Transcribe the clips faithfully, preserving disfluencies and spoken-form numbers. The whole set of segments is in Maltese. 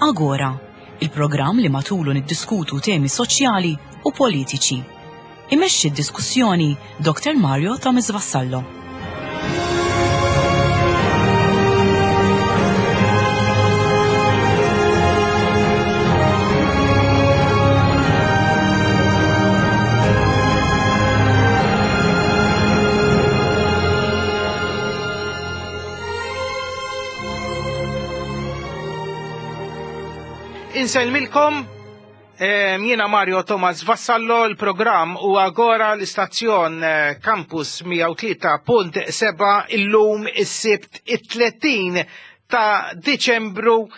Agora, il-programm li matulu niddiskutu temi soċjali u politiċi. Imexxi d-diskussjoni Doktor Mario Thomas Vassallo. Insellmilkom, jiena Mario Thomas Vassallo, il-programm u Agora l-istazzjon Campus mija u tlieta punt seba' illum is-Sibt it-tletin ta' Diċembru,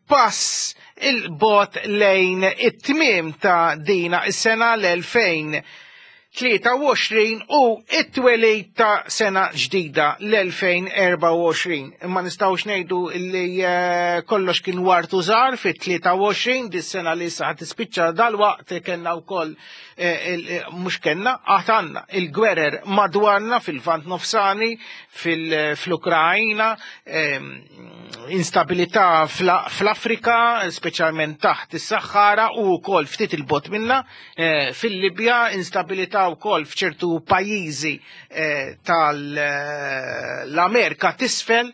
pass il-bot lejn it-tmiem ta' dina is-sena l-elfejn tlieta u għoxrin u it-twelid ta' sena ġdida l-elfejn erba' u għoxrin. Imma nistgħux ngħidu li kollox kien wartu żgħar fit-tlieta u għoxrin, dis-sena li issa ħad tispiċċa dalwaqt kellna wkoll, mhux kellna, għad għandna il-gwerer madwarna fil-Lvant Nofsani, fil-Ukrajna, instabilità fl-Afrika, speċjalment taħt is-Saħara u wkoll ftit il-bot minna, fil-Libja, instabilità wkoll f'ċertu pajjiżi tal-Amerika t'isfel,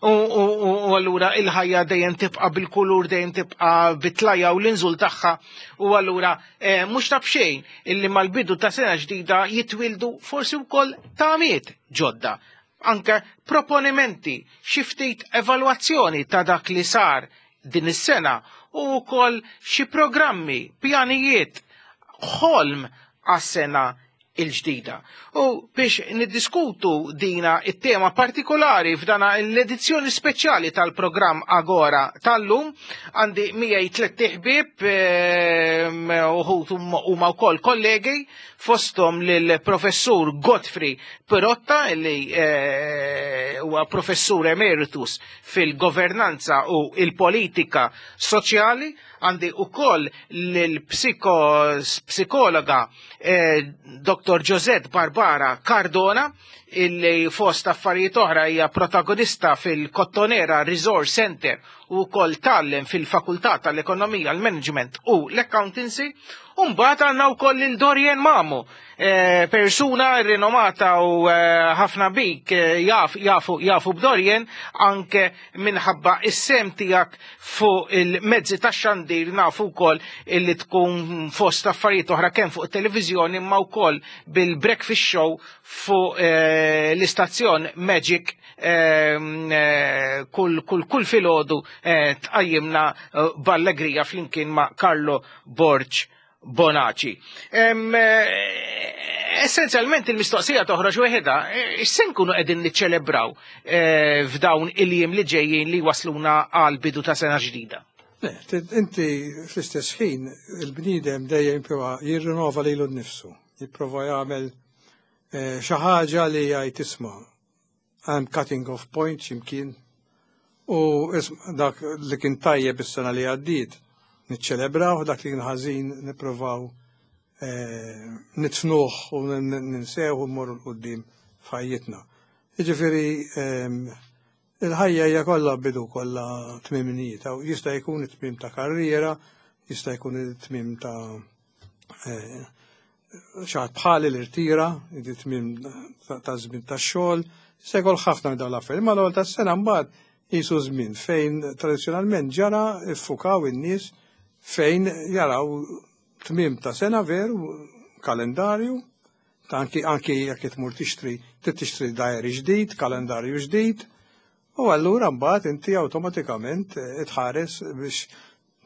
u allura il-ħajja dejjem tibqa' bil-kulur, dejjem tibqa' bit-tlajja u l-inżul tagħha, u allura mhux ta' b'xejn illi mal-bidu ta' sena ġdida jitwildu forsi wkoll tamiet ġodda, anke proponimenti, xi ftit evalwazzjoni ta' dak li sar din is-sena u wkoll xi programmi, pjanijiet, ħolm għas-sena il-ġdida. U biex niddiskutu dina it-tema partikolari f'dana l-edizzjoni speċjali tal-programm Agora tal-lum, għandi miegħi tliet ħbieb, uħud huma wkoll kollegi, fosthom lill-professur Godfrey Pirotta, li huwa professur emeritus fil-governanza u il-politika soċjali. Għandi ukoll lill-psikologa Doktor Josette Barbara Cardona, illi fost affarijiet oħra hija protagonista fil-Kottonera Resource Center u wkoll tgħallem fil-Fakultà tal-Ekonomija, l-Management u l-Accountancy. U mbagħad għandna wkoll lil Dorian Mamo, persuna rinomata u ħafna bik jaf, jafu, jafu b'Dorian anke minħabba is-sem tiegħek fuq il-mezzi tax-xandir, nafu wkoll illi tkun fost affarijiet oħra kemm fuq it-televiżjoni imma wkoll bil-breakfast show fuq l-istazzjon Magic, kull, kull, kull filgħodu tqajjimna b'allegrija flimkien ma' Carlo Borg Bonaci. Essenzjalment il-mistoqsija toħroġ weħeda, x'se nkunu qegħdin niċċelebraw f'dawn il-jiem li ġejjin li wasluna għal bidu ta' sena ġdida? Le, inti fl-istess ħin il-bniedem dejjem jipprova jirrinova lilu nnifsu, jipprova jagħmel xi ħaġa li jgħid isma' I'm cutting off point x'imkien, u dak li kien tajjeb is-sena li għaddiet niċċelebraw, dak li kien ħażin nippruvaw nitfnuh u ninsew u mmorru l quddiem f'ħajjitna. Jiġifieri il-ħajja hija kollha bidu, kollha tmimijiet, jista' jkun it-tmiem ta' karriera, jista' jkun it-tmiem ta' xi ħadd bħali li rtira, it-tmiem ta' żmien tax-xogħol, jista' jkun ħafna minn dawn l-affarijiet. Imma l-ewwel tas-sena mbagħad qisu żmien fejn tradizzjonalment ġara ffukaw in-nies fejn jaraw tmiem ta' sena veru, kalendarju, anki, anki jekk tmur tixtri, trid tixtri diary ġdid, kalendarju ġdid, u allura mbagħad inti awtomatikament tħares biex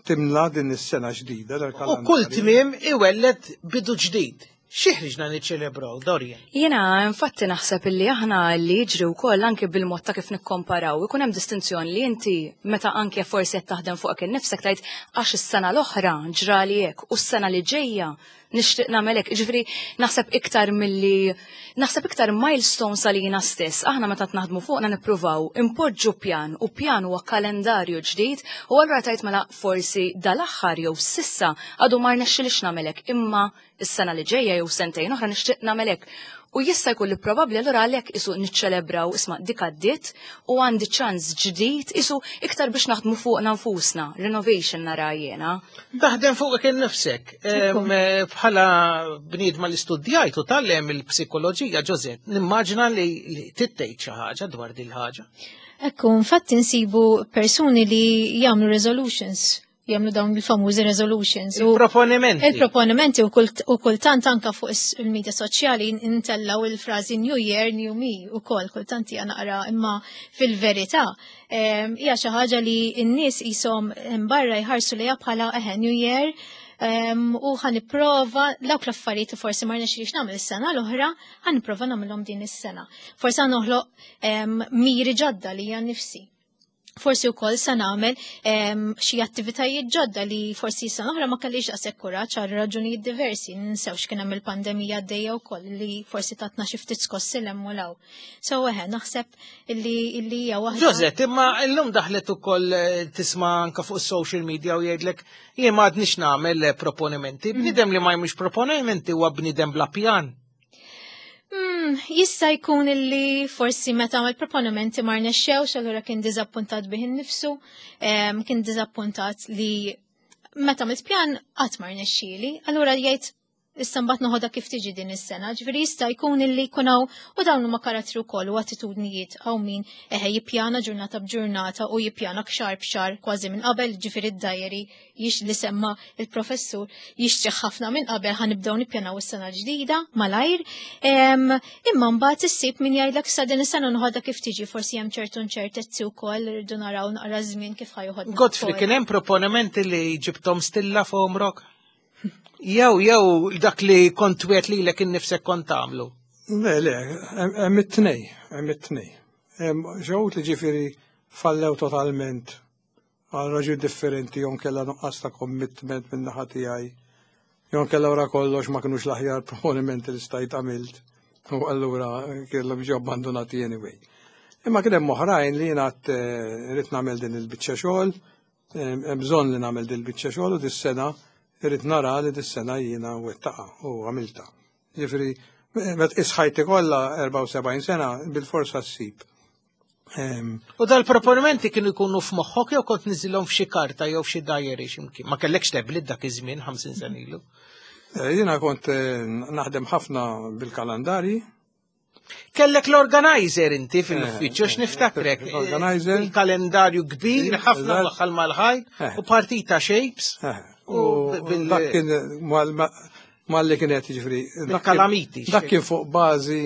timla din is-sena ġdida dal-kalendarju. U kull tmiem iwelled bidu ġdid. Xi ħriġna niċċelebraw, Dorian? Jiena infatti naħseb illi aħna li jiġri wkoll anke bil-mod ta' kif nikkomparaw, ikun hemm distinzjoni li inti meta anke forsi qed taħdem fuqek innifsek tgħid għax is-sena l-oħra ġrali hekk u s-sena li ġejja nixtieq nagħmel hekk. Jiġifieri naħseb iktar milli naħseb iktar milestones għalina stess. Aħna meta naħdmu fuqna nippruvaw impoġġu pjan u pjan huwa kalendarju ġdid u allura tgħid mela forsi dal-aħħar jew s'issa għadu ma rnexxilix nagħmel hekk imma is-sena li ġejja jew sentejn oħra nixtieq nagħmel hekk. U jista' jkun li probabbli allura għalhekk isu niċċelebraw isma' dik għaddiet u għandi ċans ġdid isu iktar biex naħdmu fuqna nfusna, renovation nara jiena. Taħdem fuqek innifsek. Em, eh, Bħala bniedma li studjajt u tgħallimt il-psikoloġija, Josette, nimmaġina li li tittejt xi ħaġa dwar din il-ħaġa. Ekku, infatti nsibu persuni li jagħmlu resolutions, jagħmlu dawn il-famużi resolutions. U Il-proponimenti. Il-proponimenti u kult- u kultant anka fuq is- il-medja soċjali intellaw il-frażi New Year, New Me u kol, kultant hija naqra imma fil-verità em, hija xi ħaġa li n-nies qishom barra jħarsu lejha bħala eħe New Year em, u ħa nipprova dawk l-affarijiet li forsi ma rnexxilix nagħmel is-sena l-oħra, ħa nipprova nagħmilhom din is-sena. Forsi ħa noħloq em, miri ġodda li hija nifsi. Forsi wkoll se nagħmel em, xi attivitajiet ġodda li forsi sena oħra ma kellix daqshekk kuraġġ għal raġunijiet diversi. Ninsewx kien hemm il-pandemija għaddejja wkoll li forsi tatna xi ftit skossi 'l hemm u 'l hawn. So eħe, naħseb illi illi hija waħda. Josette, imma illum daħlet ukoll eh, tisma' anka fuq social media u jgħidlek jien ma għadnix nagħmel eh, proponimenti. Bniedem li ma jagħmilx proponimenti huwa bniedem bla pjan. Mm, jista' jkun illi forsi meta għamel proponimenti ma rnexxewx, allura kien diżappuntat bih innifsu, em, kien diżappuntat li meta għamilt pjan qatt ma rnexxieli, allura jgħid issa mbagħad noħodha kif tiġi din is-sena. Ġifieri jista' jkun illi jkun hawn u dawn huma karattri wkoll u attitudnijiet hawn min eħe jippjana ġurnata b'ġurnata u jippjana xahar b'xahar kważi minn qabel, ġifieri id-diary jix li semma il-professur jixtri ħafna minn qabel ħa nibdew nippjanaw is-sena ġdida malajr. Em, Imma mbagħad issib min jgħidlek sa din is-sena noħodha kif tiġi, forsi hemm ċertu inċertezzi wkoll irridu naraw naqra żmien kif ħa joħodna. Godfrey, wkoll. kien hemm proponimenti li ġibtom stilla f'għomrok? Jew, jew dak li kont wegħedt lilek innifsek kont tagħmlu. Le, le, hemm it-tnej, hemm it-tnej. Hemm xi li ġifieri fallew totalment għal raġuni differenti, jew inkella nuqqas ta' commitment minn naħa tiegħi. Jew inkella wara kollox ma kinux l-aħjar proponimenti li stajt għamilt. U allura kellhom ġew abbandonati anyway. Imma kien hemm oħrajn li jiena għedt irrid nagħmel din il-biċċa xogħol, hemm bżonn li nagħmel din il-biċċa xogħol u dis-sena irrid nara li dis-sena jiena wettaqha u għamilta. Ġifieri, meta tqis ħajti kollha erbgħa u sebgħin sena bil-forsa ssib. Em, U dal-proponimenti kienu jkunu f'moħħok jew kont niżilhom f'xi karta jew f'xi diary x'imkien. Ma kellekx tablet dak iż-żmien ħamsin sena ilu. eh, Jiena kont eh, naħdem ħafna bil-kalendarji. Kellek l-organizer inti fil-uffiċċju Eh, x'niftakrek. L-organizer. Il-kalendarju kbir, ħafna Eżatt. waħħal mal-ħajt Eh. u partita shapes. Eh, U U bil- dak kien mal- mal-li kienet ġifieri. dak kien- Bil-kalamiti. Dak kien fuq bażi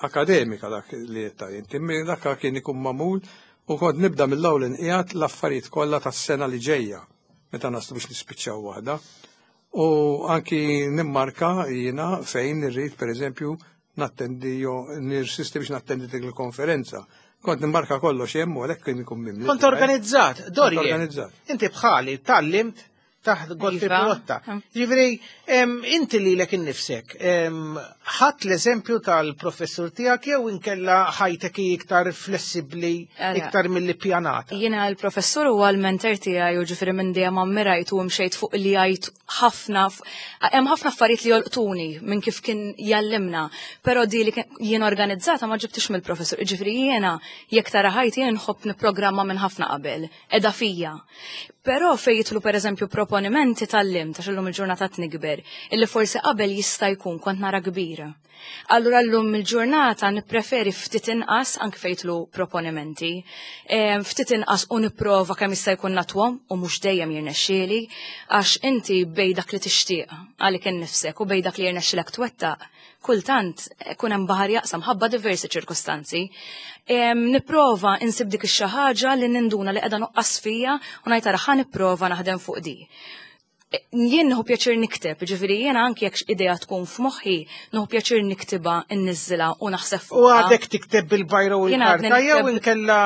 akademika dak li jetta inti. Dak kien ikun magħmul u kont nibda mill-ewwel inqiegħed l-affarijiet kollha tas-sena li ġejja meta naslu biex nispiċċaw waħda. U anki nimmarka jiena fejn irrid pereżempju nattendi jo nirsisti biex nattendi dik il-konferenza. Kont nimmarka kollox hemm u għalhekk kien ikun mimli. Kont organizzat, Dori. Kont organizzat. Inti bħali tgħallimt taħt Godfrey Iva. Pirotta. Ġifieri, em, inti lilek innifsek, em, ħadt l-eżempju tal-professur tiegħek jew inkella ħajtek hi iktar flessibbli, Ara. iktar mill pjanata. Jiena l-professur huwa l-mentor tiegħi u ġifieri minn dejjem ammirajt u mxejt fuq li jgħid ħafna hemm ħafna affarijiet li jolqtuni minn kif kien jallimna, però di li kien- jien organizzata ma ġibtix mill-professur. Ġifieri jiena jekk tara ħajti jien nħobb nipprogramma minn ħafna qabel, edha fija. Però fejn jidħlu pereżempju proponimenti tgħallimt għax illum il-ġurnata nikber, illi forsi qabel jista' jkun kont nara kbira. Allura llum il-ġurnata nippreferi ftit inqas anke fejn jidħlu proponimenti, em, ftit inqas u nipprova kemm jista' jkun natwhom u mhux dejjem jirnexxieli, għax inti bejn dak li tixtieq għalik innifsek u bejn dak li jirnexxilek twettaq, kultant ikun hemm baħar jaqsam ħabba diversi ċirkustanzi. Em, Nipprova insib dik ix-xi ħaġa li ninduna li qiegħda nuqqas fija u ngħid ara ħa nipprova naħdem fuq di. Jien nieħu pjaċir nikteb, ġifieri jiena anki jekk idea tkun f'moħħi, nieħu pjaċir niktibha, inniżżilha u naħseb U għadek tikteb bil-biro u l-karta jew inkella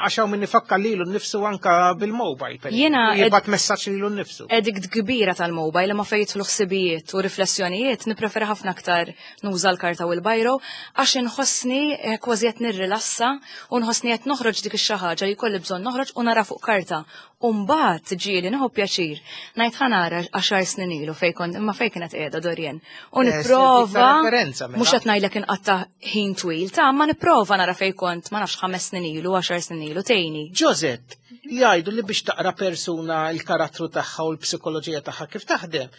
għax hawn min ifakkar lilu nnifsu anka bil-mobile. Jiena jibgħat messaġġ lilu nnifsu. Addict kbira tal-mobile, ma fejn jidħlu ħsibijiet u riflessjonijiet nippreferi ħafna aktar nuża l-karta u l-biro għax inħossni eh, kważi qed nirrilassa u nħossni qed noħroġ dik ix-xi ħaġa li jkolli bżonn noħroġ u nara fuq karta. U mbagħad ġieli nieħu pjaċir ngħid ħa nara għaxar snin ilu fejn kont imma fejn kienet qiegħda Dorien. U Eh, nipprova referenza, mela. mhux qed ngħidlek inqatta' ħin twil ta' ma nipprova nara fejn kont ma nafx ħames snin ilu, għaxar snin ilu tgħinni. Josette, jgħidu li biex taqra persuna il-karattru tagħha u l-psikoloġija tagħha kif taħdem,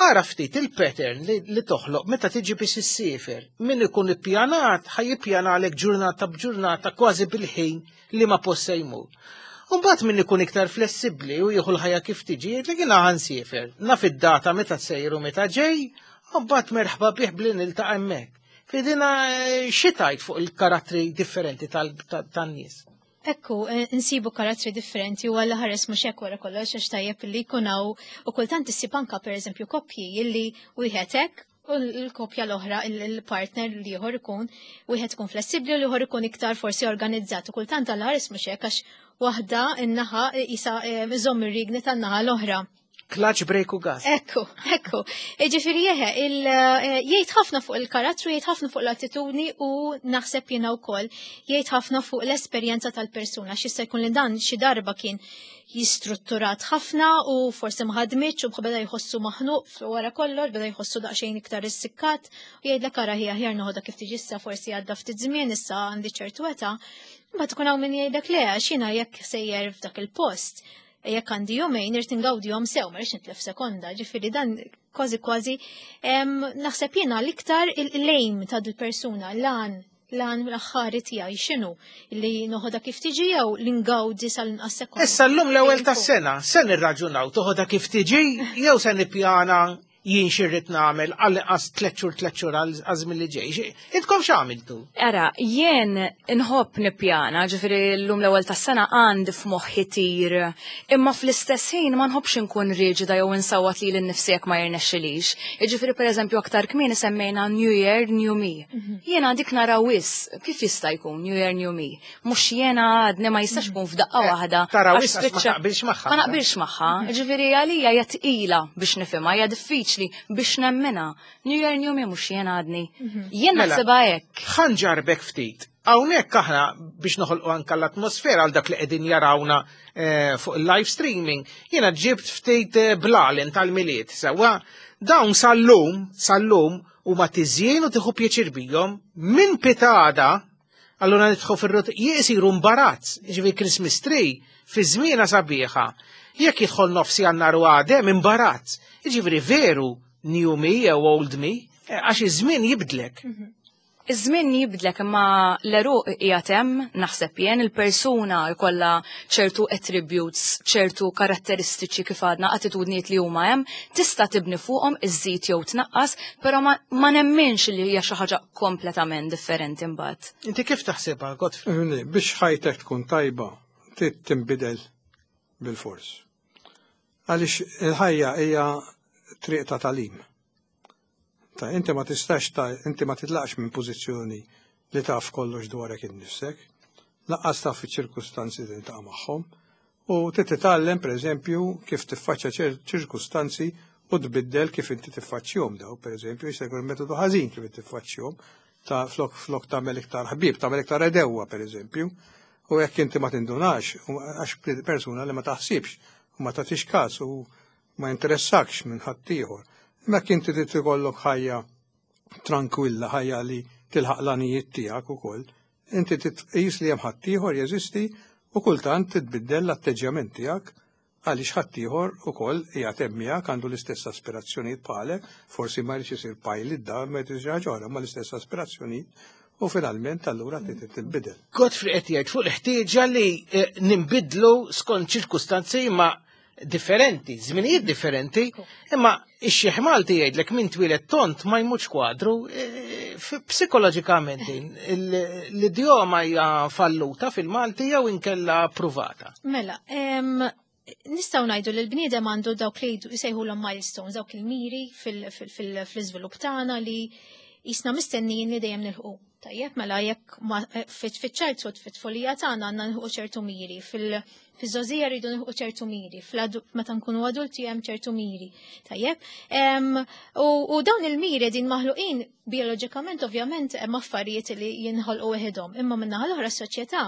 ara ftit il-pattern li, li toħloq meta tiġi biex issiefer. Min ikun ippjanat, ħa jippjanalek ġurnata b'ġurnata kważi bil-ħin li ma post se jmur. Umbagħad min ikun iktar flessibbli u jieħu l-ħajja kif tiġi, jgħidlek jiena ħa nsiefer. Naf id-data meta sejru meta ġej, umbagħad merħba bih bli niltaqa' hemmhekk. Fidina eh, xi tgħid fuq il-karattri differenti tan-nies. Ekku, eh, nsibu karattri differenti u għalla ħares mhux hekk wara kollox għax tajjeb li jkun hawn u kultant issib anka pereżempju koppji illi wieħed hekk u l-koppja l-oħra, il-partner l-ieħor ikun wieħed ikun flessibbli u l-ieħor ikun iktar forsi organizzat u kultant għalla ħares mhux hekk għax waħda in-naħa isa iżomm ir-rigni tan-naħa l-oħra. Clutch, brake u gas. Ekku, ekku. Ġifieri jeħe, jgħid ħafna fuq il-karattru, jgħid ħafna fuq l-attitudni u naħseb jiena wkoll jgħid ħafna fuq l-esperjenza tal-persuna. X'jista' jkun li dan xi darba kien jistrutturat ħafna u forsi ma ħadmitx u beda jħossu maħnuq wara kollox, beda jħossu daqsxejn iktar issikkat u jgħidlek ara ħija aħjar noħodha kif tiġi issa forsi għadda ftit żmien issa għandi ċertu età. Mbagħad tkun hawn min jgħidlek le għax jiena jekk sejjer f'dak il-post jekk għandi jumejn irid ingawdihom sew, ma rridx nitlef sekonda, ġifieri dan kważi kważi naħseb jiena l-iktar il-lejm ta' dil-persuna, l-għan l-għan l-aħħari tiegħi x'inhu li noħodha kif tiġi jew li ngawdi sal-inqas sekonda. Issa llum l-ewwel tas-sena, se nirraġunaw toħodha kif tiġi jew se nippjana jien x'irrid nagħmel għal inqas tliet xhur tliet xhur għal li ġej. Intkom x'għamiltu? Ara, jien inħobb nippjana, ġifieri llum l-ewwel tas-sena għandi f'moħħi tir, imma fl-istess ħin ma nħobbx inkun riġida jew insawwat lili nnifsi jekk ma jirnexxilix. Jiġifieri pereżempju aktar kmieni semmejna New Year, New Me. Jiena dik nara wisq, kif jista' jkun New Year, New Me? Mhux jiena għadni ma jistax ikun f'daqqa Eh, waħda. Tara għax wisq għax ma spiċċa- taqbilx magħha. Ma naqbilx magħha. Ġifieri għalija hija tqila biex nifhimha, hija diffiċli biex nemmina. New Year, New Me mhux jiena għadni. Jien Mela. naħsibha hekk. Ħa nġarrbek ftit. Hawnhekk aħna biex noħolqu anka l-atmosfera għal dak li qegħdin jarawna eh, fuq il-live streaming, jiena ġibt ftit eh, blalen tal-Milied, sewwa dawn sal-lum, sal-lum huma tiżjien u tieħu pjaċir bihom minn pitgħada allura nidħu fir-rut jisiru imbarazz, ġifieri Christmas tree fi żmiena sabiħa. Jekk jidħol nofs Jannar u għadem imbarazz. Ġifieri veru new me jew old me, eh, għax iż-żmien jibdlek. Iż-żmien jibdlek imma l-għeruq qiegħed hemm naħseb jien il-persuna jkollha ċertu attributes, ċertu karatteristiċi kif għadna attitudnijiet li huma hemm, tista' tibni fuqhom iżżid jew tnaqqas, però ma, ma nemminx li hija xi ħaġa kompletament differenti mbagħad. Inti kif taħsibha, Godfrey? Ifhimni, biex ħajtek tkun tajba, trid tinbidel bil-fors. Għaliex il-ħajja hija triq ta' tagħlim. Ta' inti ma tistax ta' inti ma titlaqx minn pożizzjoni li taf kollox dwarek innifsek, lanqas taf iċ-ċirkustanzi li tiltaqa' magħhom, u trid titgħallem pereżempju kif tiffaċċja ċer- ċirkustanzi u tbiddel kif inti tiffaċċjahom daw, pereżempju jista' jkun metodu ħażin kif inti tiffaċċjahom, ta' flok flok tagħmel iktar ħbieb, tagħmel iktar għedewwa pereżempju, u jekk inti ma tindunax, u għax persuna li ma taħsibx u ma tagħtix każ u ma interessakx minn ħaddieħor. Imma jekk inti trid ikollok ħajja tranquilla, ħajja li tilħaq l-għanijiet tiegħek ukoll, inti titqis li hemm ħaddieħor jeżisti u kultant titbiddel l-atteġġjament tiegħek għaliex ħaddieħor ukoll qiegħed hemm miegħek għandu l-istess aspirazzjonijiet bħalek, forsi ma jridx isir pilot da ma jridx isir ħaġa oħra, ma l-istess aspirazzjonijiet u finalment allura trid tinbidel. Godfrey qed jgħid fuq l-ħtieġa li eh, nimbidlu skont ċirkustanzi ma differenti, żminijiet differenti, imma ix-xiħ Malti jgħidlek min twieled tond ma jmutx kwadru, eh, f- psikoloġikament din, il- l-idjoma hija falluta fil-Malti jew inkella pruvata. Mela, em, Nistgħu ngħidu li l-bniedem għandu dawk li jsejħulhom milestones, dawk il-miri fil-iżvilupp tagħna li jisna mistennijin li dejjem nilħqu. Tajjeb, mela jekk fiċ-childhood, fit-tfulija tagħna għandna nilħqu ċertu miri, fil-żgħożija rridu nilħqu ċertu miri, meta nkunu adulti hemm ċertu miri. Tajjeb, u dawn il-miri din maħluqin bioloġikament, ovvjament hemm affarijiet li jinħolqu weħidhom, imma min-naħa l-oħra s-soċjetà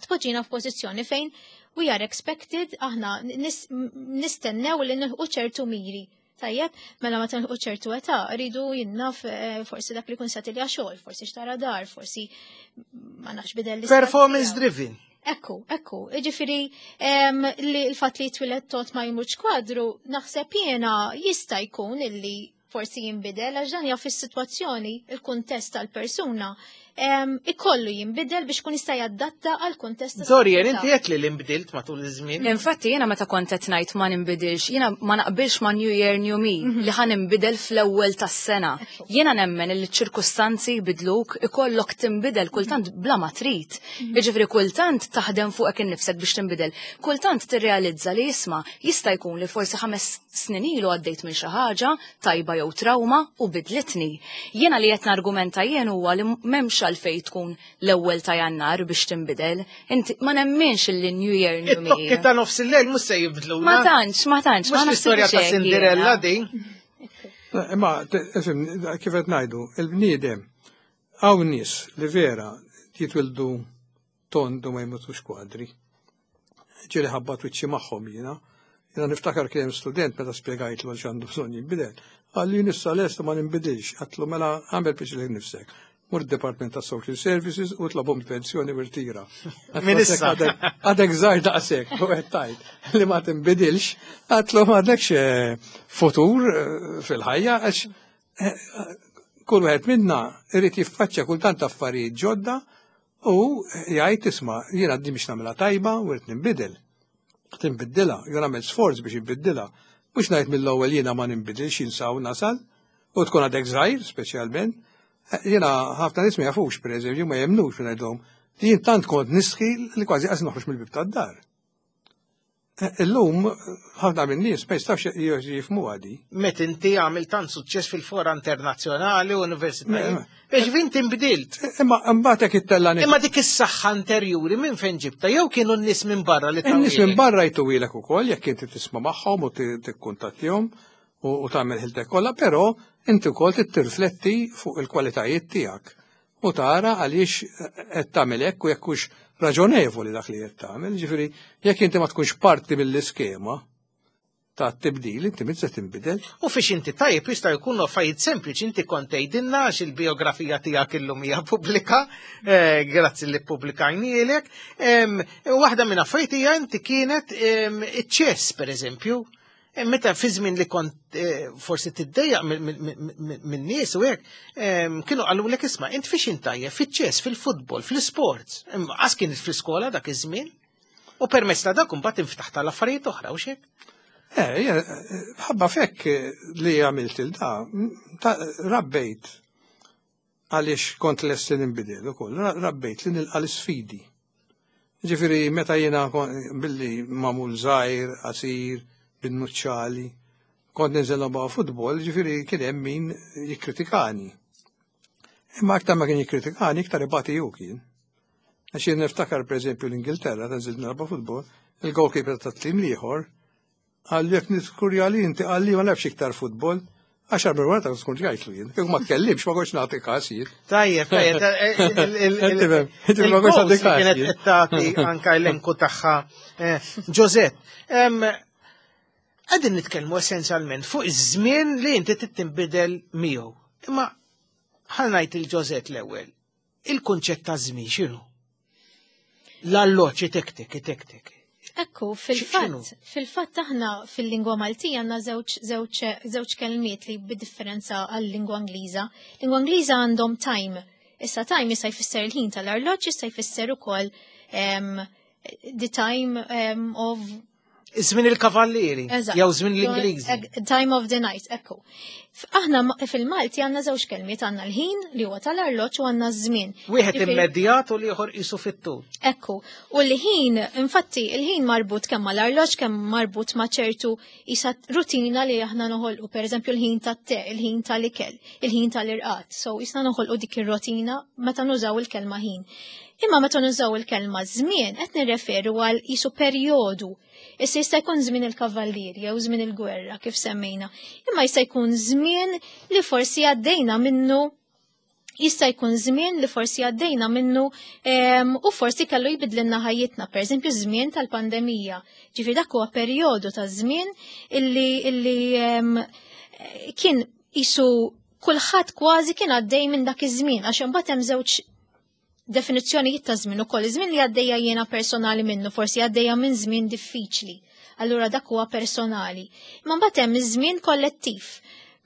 tpoġġina f'pożizzjoni fejn we are expected, aħna nistennew li nilħqu ċertu miri. Tajjeb, mela ma nilħqu ċertu età, rridu jinnaf eh, forsi dak li kun satilja xogħol, forsi xtara dar, forsi ma nafx bidel. Performance driven. Ekku, ekku, ġifiri li l-fat li twilet tot ma jmurx kwadru, naħseb jena jista' jkun illi forsi jinbidel, għax dan jaf is-sitwazzjoni, il-kuntest tal-persuna, ikollu jinbidel biex kun jista' jadatta għal kuntest. Dorian, inti qed li l-inbdilt matul iż-żmien. Infatti jiena meta kont qed ngħid ma ninbidilx, jiena ma naqbilx ma' New Year New Me mhm. li ħa ninbidel fl-ewwel tas-sena. Jiena nemmen li ċ-ċirkustanzi jbidluk, ikollok tinbidel kultant bla ma trid. Mhm. Jiġifieri kultant taħdem fuqek innifsek biex tinbidel. Kultant tirrealizza li jisma' jista' jkun li forsi ħames snin ilu għaddejt minn xi ħaġa tajba jew trauma u bidlitni. Jiena li qed nargumenta jien huwa li m'hemmx għalfejn tkun l-ewwel ta' Jannar biex tinbidel. Inti ma nemminx li New Year New Me. It-tokki ta' nofs il-lejl mhux se jibdlu. Ma tantx, ma tantx. Mhux l-istorja ta' Cinderella din. Imma, kif qed ngħidu, il-bniedem hawn nies li vera jitwildu tond u ma jmutux kwadri. Ġieli ħabbat wiċċi magħhom jiena. Jiena niftakar kien student, meta spjegajtlu għal x'għandu bżonn jinbidel. Qalli, "Issa lest ma ninbidilx." Għedtlu, "Mela għamel biex nifsek. Mur Department ta' Social Services u tlobhom pensjoni u rtira." Min issa. Għadek żgħir daqshekk, u qed tgħid li ma tinbidilx, għedtlu, m'għandekx eh, futur eh, fil-ħajja, għax eh, kull wieħed minna irid jiffaċċja kultant affarijiet ġodda u jgħid, "Isma', jiena di biex nagħmilha tajba u rrid ninbidel." Tinbiddilha, jew nagħmel sforz biex inbiddilha. Mhux ngħid mill-ewwel jiena ma ninbidilx, jinsaw nasal u tkun għadek żgħir speċjalment. Jiena ħafna nies ma jafux, pereżempju, ma jemnux ngħidhom li jien tant kont nistħi li kważi qas noħroġ mill-bib tad-dar. Illum ħafna minn nies ma jistawx jifhmu għadi. Met inti għamil tant suċċess fil-fora internazzjonali u universitajiet. Biex vinti nbdilt. Imma mbagħad jekk ittella' Imma dik is-saħħa interjuri minn fejn ġibta? Jew kienu n-nies minn barra li In-nies minn barra jtuwilek ukoll jekk inti tisma' magħhom u tikkuntattihom u tagħmel ħiltek kollha, però inti wkoll tirrifletti fuq il-kwalitajiet tiegħek u tara għaliex qed tagħmel hekk u jekk hux raġonevoli dak li qed tagħmel. Ġifieri jekk inti ma tkunx parti mill-iskema ta' tibdil, inti minn se tinbidel. U fiex inti tajjeb jista' jkunu affarijiet sempliċi, inti kont tgħidilna għax il-biografija tiegħek illum hija pubblika, eh, grazzi li ppubblikajnielek. Waħda minn affarijiet hija inti kienet iċ-ċess, pereżempju. Meta fi żmien li kont eh, forsi tiddejjaq minn nies u hekk, kienu qalulek, "Isma', int fiex intajjeb? Fiċ-ċess, fil-futbol, fl-sports." Għas kienet fl-iskola dak iż-żmien. U permezz ta' dak imbagħad inftaħ tal-affarijiet oħra u xek. Eh, ħabba fekk li għamilt il-da, rabbejt għaliex kont lest li nbidel ukoll, rabbejt li nilqa l-sfidi. Ġifieri, meta jiena billi magħmul żgħir, qasir, bin-nuċċali, kont ninżel nilgħab futbol, ġifieri kien hemm min jikkritikani. Imma aktar ma kien jikkritikani, iktar ibati ju kien. Għax jien niftakar, per eżempju, l-Ingilterra, ta' nżilt nilgħab futbol, il-goalkeeper ta' tim l-ieħor qalli, "Jekk niskurja li inti," qalli, "ma nafx iktar futbol." Għaxar minn wara ta' tkun ġajtlu jien. Kieku ma tkellimx, ma kontx nagħti każ jien. Tajjeb, tajjeb. Inti ma kontx nagħti każ. Kienet qed tagħti anka elenku tagħha. Josette, qegħdin nitkellmu essenzjalment fuq iż-żmien li inti tinbidel miegħu. Imma ħa ngħid lil Josette l-ewwel. Il-kunċett ta' żmien x'inhu? L-alloċi tek-tek, tek-tek. Ekku, fil-fatt, fil-fatt aħna fil-lingwa Maltija għandna żewġ żewġ żewġ kelmiet li bid-differenza għal-lingwa Ingliża. Lingwa Ingliża għandhom time. Issa time jista' jfisser il-ħin tal-arloġġ, jista' jfisser ukoll um, the time um, of Żmien il-kavallieri, Eżatt. jew żmien l-Ingliżi. Time of the night, ekku. F- Aħna ma- fil-Malti għandna żewġ kelmiet, għandna l-ħin li huwa tal-arloġġ u għandna ż-żmien. Wieħed Ġifieri- immedjat u l-ieħor qisu fit-tul. Ekku, u l-ħin, infatti, il-ħin marbut kemm mal-arloġġ, kemm marbut ma' ċertu isa rutina li aħna noħolqu, per eżempju l-ħin tat-te, il-ħin tal-ikel, il-ħin tal-irqad. So, jisna noħolqu dik ir-rutina meta nużaw il-kelma ħin. Imma meta nużaw il-kelma żmien, qed nirreferu għal isu perjodu. Issa jista' jkun żmien il-kavallieri jew żmien il-gwerra kif semmejna. Imma jista' jkun żmien li forsi għaddejna minnu jista' jkun żmien li forsi għaddejna minnu em, u forsi kellu jbidlilna ħajjitna, per eżempju żmien tal-pandemija. Ġifieri dak huwa perjodu ta' żmien illi, illi em, kien isu kulħadd kważi kien għaddej minn dak iż-żmien għax imbagħad hemm żewġ definizzjonijiet ta' żmien ukoll. Iż-żmien li għaddejja jiena personali minnu, forsi għaddejja minn żmien diffiċli. Allura dak huwa personali. Imma mbagħad hemm iż-żmien kollettiv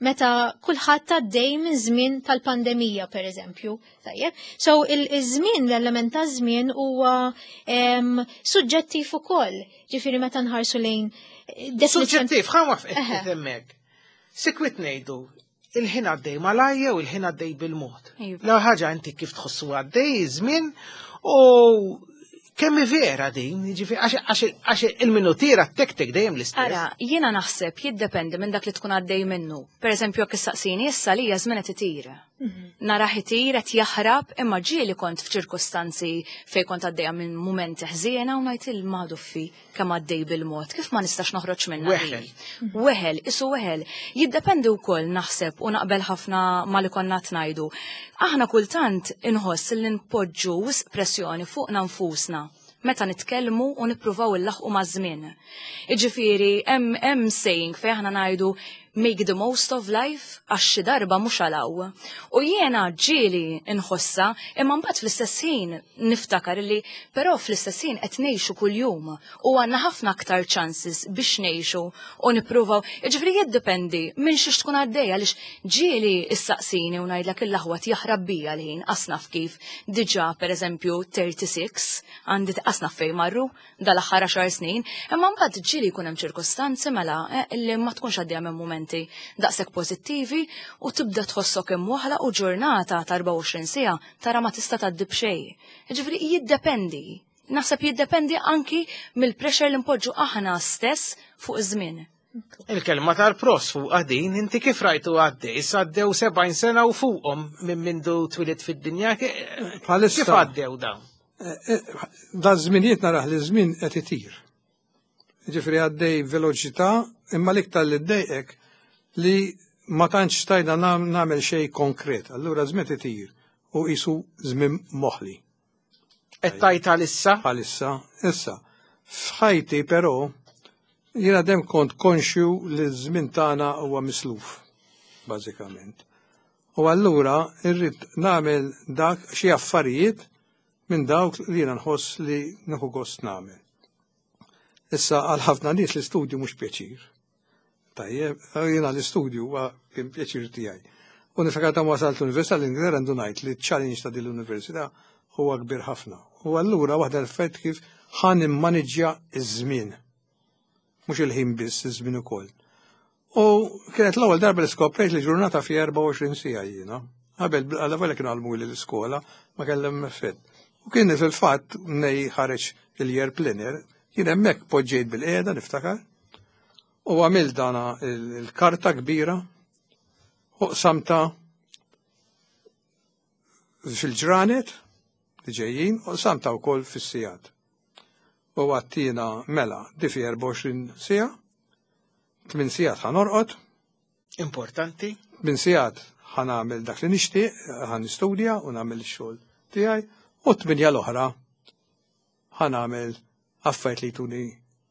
meta kulħadd għaddej minn żmien tal-pandemija per eżempju. Tajjeb. So il-żmien, l-element ta' żmien huwa em, suġġettiv ukoll. Ġifieri meta nħarsu lejn eh, definizzjoni- Suġġettiv, ħa waqf Eħe. hemmhekk. Sikwit ngħidu, il-ħin għaddej malajja u il-ħin għaddej bil-mod. Iva. La ħaġa inti kif tħossu għaddej iż-żmien u kemm hi vera din, jiġifieri għax- għax għax il-minutiera tek-tek dejjem l-istess. Ara, jiena naħseb jiddependi minn dak li tkun għaddej minnu. Per eżempju, jekk issaqsini issa li żmien qed itir. Narah itir qed jaħrab imma ġieli kont f'ċirkustanzi fejn kont għaddejja minn mumenti ħżiena u ngħid il-maduffi kemm għaddej bil-mod, kif ma nistax noħroġ minnha. Weħel. Weħel, isu weħel. Jiddependi wkoll naħseb u naqbel ħafna ma li konna ngħidu. Aħna kultant inħoss li npoġġu wisq pressjoni fuqna nfusna meta nitkellmu u nippruvaw illaħqu maż-żmien. Iġifieri hemm hemm saying fejn aħna ngħidu "make the most of life" għax xi darba mhux għalaw. U jiena ġieli nħossa imma mbagħad fl-istess ħin niftakar li però fl-istess ħin qed ngħixu kuljum u għandna ħafna aktar chances biex ngħixu u nippruvaw. Jiġifieri jiddependi minn xiex tkun għaddejja għaliex ġieli issaqsini u ngħidlek il-aħwat jaħrab bija l-ħin asnaf kif diġà, pereżempju, tlieta u tletin għandi asnaf fejn marru dal-aħħar għaxar snin, imma mbagħad ġieli jkun hemm ċirkustanzi mela eh, li ma tkunx għaddejja minn mumenti daqshekk pożittivi u tibda tħossok imwaħla u ġurnata ta' erbgħa u għoxrin siegħa tara ma tista' tgħaddi b'xejn. Jiġifieri jiddependi. Naħseb jiddependi anki mill-pressure li npoġġu aħna stess fuq iż-żmien. Il-kelma tal-pros fuq għadin, inti kif rajtu għaddej, għaddew sebgħin sena u fuqhom minn mindu twilit fid-dinja, Bħalissa- kif għaddew dawn? Da żminijiet narah li żmien qed itir. Ġifieri għaddej veloċità, imma l-iktar li ddejqek li ma tantx stajna nam- nagħmel xejn konkret. Allura żmien itir u qisu żmien moħli. Qed tajta issa? Bħalissa, issa. F'ħajti però jiena dem kont konxju li ż-żmien tagħna huwa misluf, bażikament. U allura irrid nagħmel dak xi affarijiet minn dawk li jiena nħoss li nieħu gost nagħmel. Issa għal ħafna nies l-istudju mhux pjaċir. Tajjeb, jiena l-istudju huwa kien pjaċir tiegħi. U niftakar ta' wasalt l-Università l-Ingilterra ndunajt li ċ-challenge ta' din l-università huwa kbir ħafna. U allura waħda l-effett kif ħa nimmaniġġja iż-żmien. Mhux il-ħin biss, iż-żmien ukoll. U kienet l-ewwel darba li skoprejt li ġurnata fi erbgħa u għoxrin siegħa jiena. Qabel għalla kienu għallmu li l-iskola ma kellem effett. U kien fil-fatt nej ħareġ il-year planner, kien hemmhekk poġġejt bil-qiegħda niftakar. U għamil dana il-karta kbira u qsamta fil-ġranet li ġejjin u qsamta wkoll fis-sigħat. U għattina mela di fi erbgħa u għoxrin siegħa, tmien sigħat ħa norqod, Importanti. tmien sigħat ħa nagħmel dak li nixtieq, ħa nistudja u nagħmel ix-xogħol tiegħi, u tminja l-oħra ħa nagħmel affarijiet li jtuni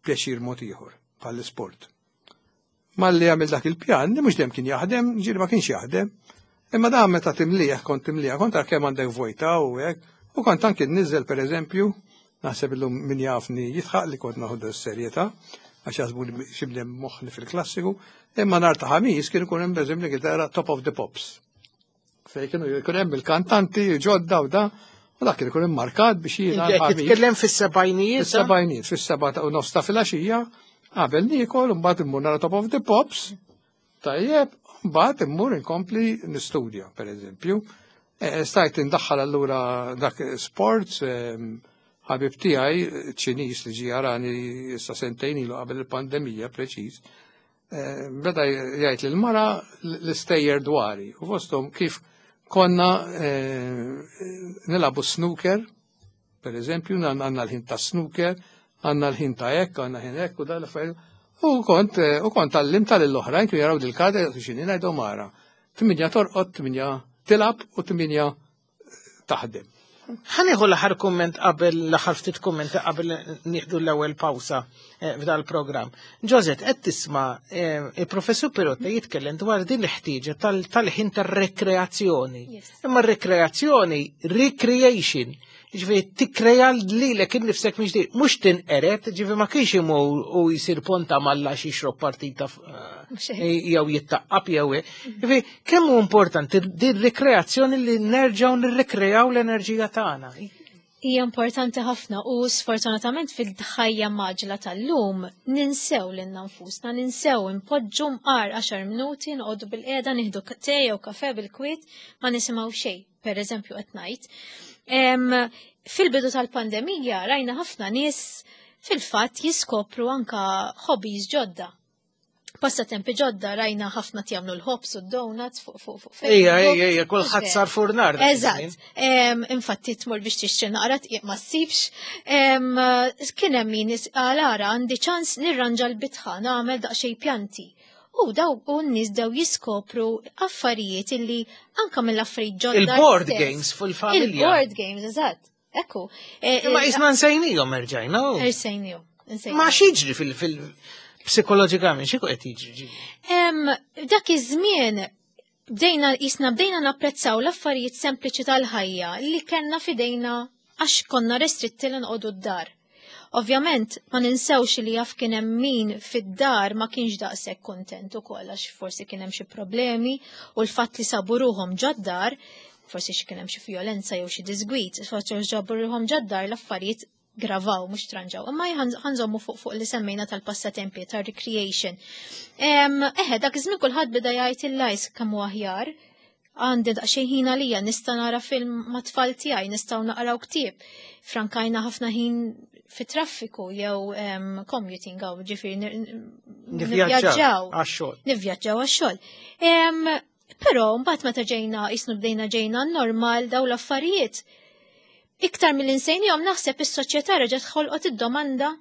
pjaċir mod ieħor bħall-isport. Malli għamil dak il-pjan, li mhux dejjem kien jaħdem, ġieli ma kienx jaħdem, imma da meta timlieħ kont timlieħ, kont tara kemm għandek vojta u hekk, u kont anki nniżel, pereżempju, naħseb illum min jafni jidħaq li kont naħdu s-serjetà, għax jaħsbu li xi bnedem moħli fil-klassiku, imma nhar ta' Ħamis kien ikun hemm, pereżempju, l-Ingilterra Top of the Pops. Fej kienu jkun hemm il-kantanti ġodda u da, u dak kien ikun immarkat biex jiena Qed l-Ħamis. titkellem fis-sebgħinijiet? Fis-sebgħinijiet, fis-seba' ta' u nofs ta' filgħaxija, Qabel niekol, mbagħad immur nara Top of the Pops, tajjeb, mbagħad immur inkompli nistudja, per eżempju. Eh, Stajt indaħħal allura dak sports, ehm, ħabib tiegħi Ċiniż li ġie jarani issa sentejn ilu qabel il-pandemija preċiż, eh, beda jgħid lil mara l-istejjer dwari u fosthom kif konna eh, nilagħbu snooker, per eżempju, għandna l-ħin ta' snooker, għandna l-ħin ta' hekk, għandna ħin hekk u dal affarijiet. U kont eh, u kont għallimt tal-oħrajn kienu jaraw dil-kada x'inhi ngħidu mara. Tminja torqod, tminja tilgħab u tminja taħdem. Ħa nieħu l-aħħar kumment qabel l-aħħar ftit kumment qabel nieħdu l-ewwel pawsa eh, f'dal programm. Josette, qed tisma' eh, il-professur Pirotta jitkellem dwar din l-ħtieġa tal-ħin tar-rekreazzjoni. Yes. Imma r-rekreazzjoni, recreation, ġifieri tikkreja lilek innifsek mhux di- mhux tinqeret, ġifieri ma kienx imur u jsir ponta malla xi jixrob partita f- Mhux hekk. jew jittaqqab jew hekk. Ġifieri kemm hu importanti din rekreazzjoni li nerġgħu nirrekrejaw l-enerġija tagħna. Hija importanti ħafna u sfortunatament fil-ħajja mgħaġġla tal-lum ninsew lilna nfusna, ninsew impoġġu mqar għaxar minuti noqogħdu bil-qiegħda nieħdu te jew kafe bil-kwiet ma nisimgħu xejn, per eżempju qed ngħid. Em, Fil-bidu tal-pandemija rajna ħafna nies fil-fatt jiskopru anka hobbies ġodda. Passatempi ġodda rajna ħafna jagħmlu l-ħobż u d-donuts fuq fuq fuq Ejja, Facebook. ejja, ejja, kulħadd sar furnar. dak iż-żmien. Eżatt. Em, Infatti tmur biex tixtri naqra tqiq ma ssibx. Em, Kien hemm min is- qal ara għandi ċans nirranġa l-bitħa nagħmel daqsxejn pjanti. U daw u n-nies daw jiskopru affarijiet illi anka mill-affarijiet ġodda. Il-board stess. games fil-familja. Il-board games, eżatt. Ekku. Eh, Imma eh, isna nsejnihom erġajna. u. Nsejnihom. nsejnihom. Ma x'jiġri fil- fil- psikologikament, x'ikun qed jiġri? Em, dak iż-żmien bdejna jisna bdejna napprezzaw l-affarijiet sempliċi tal-ħajja li kellna fidejna għax konna restritti li nqogħdu d-dar. Ovvjament, ma ninsewx li jaf kien hemm min fid-dar ma kienx daqshekk kontent ukoll għax forsi kien hemm xi problemi u l-fatt li sabu ruhom ġod-dar, forsi xi kien hemm xi violenza jew xi disgwit, forsi ġabu ruhom ġod-dar l-affarijiet gravaw, mhux tranġaw. Imma ħa nżommu fuq fuq li semmejna tal-passatempi, tal-recreation. Em, Eħe, dak iż-żmien kulħadd beda jgħid il-lajs kemm hu aħjar. Għandi daqsxejn ħin għalija, nista' nara film ma' tfal tiegħi, nistgħu naqraw ktieb. Frankajna ħafna ħin fi traffiku jew em, commuting għaw, ġifieri Nivvjaġġaw għax-xogħol. Nivvjaġġaw għax-xogħol. Em, Però mbagħad meta ġejna jisnu bdejna ġejna normal daw l-affarijiet. Iktar mill-insejnihom naħseb is-soċjetà reġgħet ħolqot id-domanda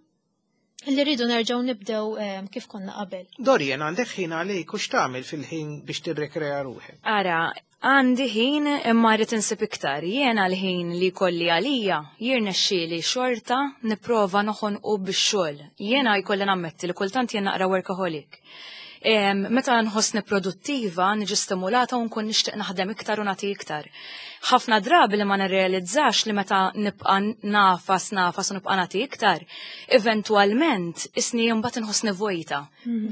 li rridu nerġgħu nibdew em, kif konna qabel. Dorian, għandek ħin għalik u x'tagħmel fil-ħin biex tirrekrea ruħek? Ara, għandi ħin imma rrid insib iktar. Jiena l-ħin li kolli għalija jirnexxieli xorta nipprova noħonqu bix-xogħol. Jiena jkolli nammetti li kultant jien naqra workaholic. Em, Meta nħossni produttiva, niġi stimulata u nkun nixtieq naħdem iktar u nagħti iktar. Ħafna drabi li ma nirrealizzax li meta nibqa' nagħfas nagħfas u nibqa' nagħti iktar, eventwalment isni mbagħad inħossni vojta.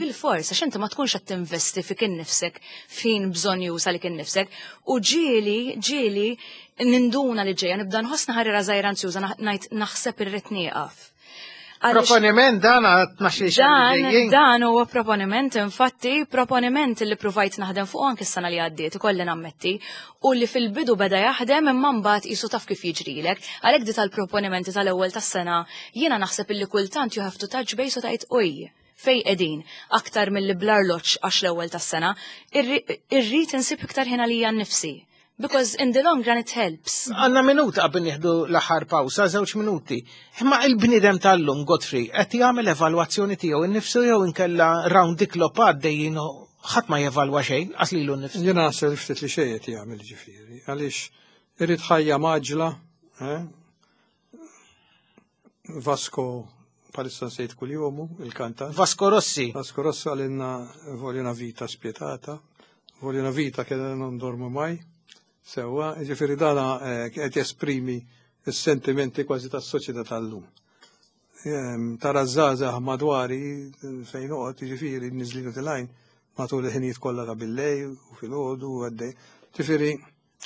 Bil-fors, għax inti ma tkunx qed tinvesti fik innifsek fin bżonn jusa lik innifsek u ġieli, ġieli ninduna li ġejja nibda nħossni ħarira żgħira anzjuża ngħid naħseb irrid nieqaf. Għaliex- Proponiment dan għat tnax-il xahar li Dan, ġejjin. dan huwa proponiment, infatti, proponiment li provajt naħdem fuq anke s-sena li għaddiet, ikolli nammetti, u li fil-bidu beda jaħdem imma mbagħad qisu taf kif jiġrilek. Għalhekk di tal-proponimenti tal-ewwel tas-sena, jiena naħseb illi kultant you have to touch base u tgħid oj, fej qegħdin, aktar mill-li bl-arloġġ għax l-ewwel tas-sena, irri- irrid insib iktar ħin għalija nnifsi. Because in the long run it helps. Għanna minuta qabel nieħdu l-aħħar pawsa, żewġ minuti. Imma il-bniedem tal-lum, Godfrey, qed jagħmel evalwazzjoni tiegħu innifsu jew inkella round the clock għaddejjin u ħadd ma jevalwa xejn, qas lilu nnifsu. Jena naħseb li ftit li xejn qed jagħmel ġifieri, għaliex irid ħajja mgħaġġla, eh? Vasco palissa nsejt kull-jomu, il-kantant. Vasco Rossi. Vasco Rossi qalilna voglio una vita spietata, voglio una vita che non dormo mai. Sewa, ġifieri dana eh, qed jesprimi s-sentimenti kważi tas-soċjetà tal-lum. Ehm, Tara żgħażagħ madwari fejn noqgħod, ġifieri niżlin u telgħin matul il-ħinijiet kollha ta' billejl u filgħodu u għaddej. Ġifieri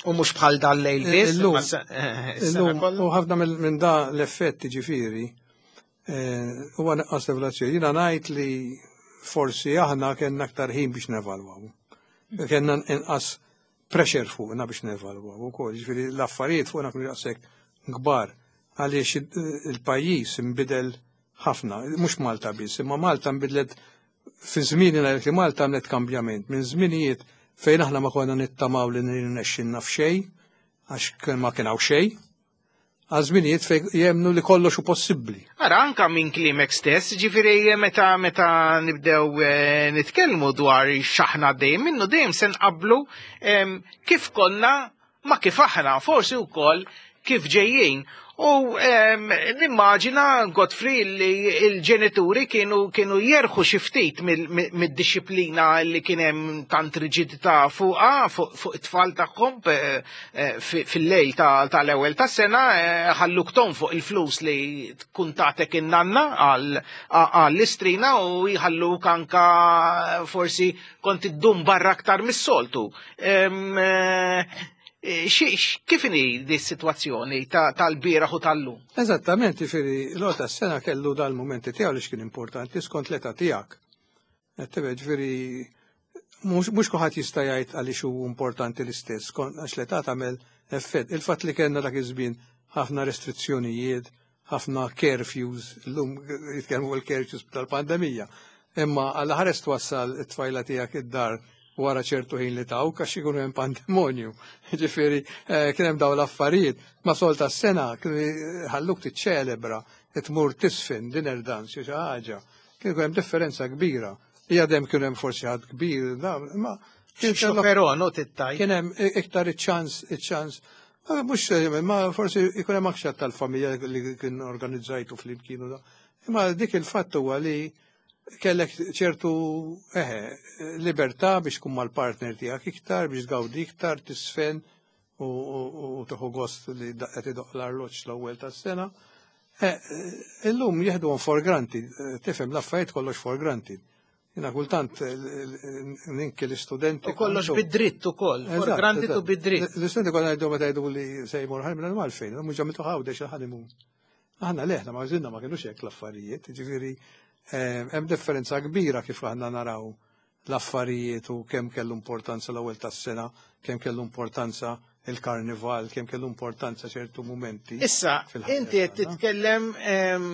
U mhux bħal dal-lejl biss, Illum- imma se- eh, is-sena illum kollha. u ħafna mill- minn da l-effetti ġifieri Huwa nuqqas evalwazzjoni. Jiena ngħid li forsi aħna kellna aktar ħin biex nevalwaw. Kellna inqas pressure fuqna biex nevalwaw ukoll. Ġifieri l-affarijiet fuqna kienu daqshekk kbar għaliex il-pajjiż inbidel ħafna, mhux Malta biss, imma Malta nbidlet fi żmien li Malta għamlet kambjament minn żminijiet fejn aħna ma konna nittamaw li nirnexxinna f'xejn għax ma kien hawn xejn, għal żminijiet fejn jemnu li kollox hu possibbli. Ara, anka minn kliemek stess, ġifieri meta meta nibdew eh, nitkellmu dwar x'aħna dejjem minnu dejjem se nqablu em, kif konna ma kif aħna, forsi wkoll kif ġejjin. U em, nimmaġina, Godfrey, li il-ġenituri kienu kienu jerħu xi ftit mid-disciplina li kien hemm tant riġidità fuqha fuq fuq it-tfal tagħhom eh, eh, fi- fil-lejl ta- tal-ewwel tas-sena eh, ħalluk fuq il-flus li tkun tatek in-nanna għal- għall-istrina u jħalluk anka forsi kont iddum barra aktar mis-soltu. Em, eh, xi- x- Kif inhi di situazzjoni tal-bieraħ u tal-lum? Eżattament, ġifieri l tas-sena kellu dal-momenti tiegħu li x'kien importanti skont l-età tiegħek. Qed ġifieri mhux mhux kulħadd jista' jgħid għaliex hu importanti l-istess, kont għax l-età tagħmel effett. Il-fatt li kellna dak iż-żmien ħafna restrizzjonijiet, ħafna curfews, illum jitkellmu il-curfews tal-pandemija. Imma għal ħares twassal it-tfajla tiegħek id-dar wara ċertu ħin li tawk għax ikunu hemm pandemonju. Ġifieri eh, kien hemm dawn l-affarijiet. Ma sol tas-sena kienu ħalluk tiċċelebra, tmur tisfin, dinner dance, xi ħaġa. Kien hemm differenza kbira. Hija dem kien hemm forsi ħadd kbir, da, ma kien kellok- Però no tittaj. kien hemm iktar iċ-ċans, iċ-ċans. Ma Mhux ma forsi ikun hemm aktar tal-familja li kien organizzajtu flimkien u da. Imma dik il-fatt huwa li kellek ċertu eħe, libertà biex tkun mal-partner tiegħek iktar, biex tgawdi iktar, tisfen u, u, u tieħu gost li qed idoq l-arloġġ l-ewwel tas-sena. Eh, Illum jieħduhom for granted, eh, tifhem l-affarijiet kollox for granted. Jiena kultant eh, ninki l-istudenti. U kollox bid-dritt ukoll, for Eżatt, granted u eżatt. bid-dritt. L-istudenti kollha jgħidu meta jgħidu li se jmur ħalmi għalfejn, mhux ġamitu Għawdex il-honeymoon. Aħna leħna ma żinna ma kienux hekk l-affarijiet, ġifieri eh, hemm differenza kbira kif aħna naraw l-affarijiet u kemm kellu importanza l-ewwel tas-sena, kemm kellu importanza il-karnival, kemm kellu importanza ċertu momenti. Issa, fil-ħajja inti qed tagħna. titkellem em,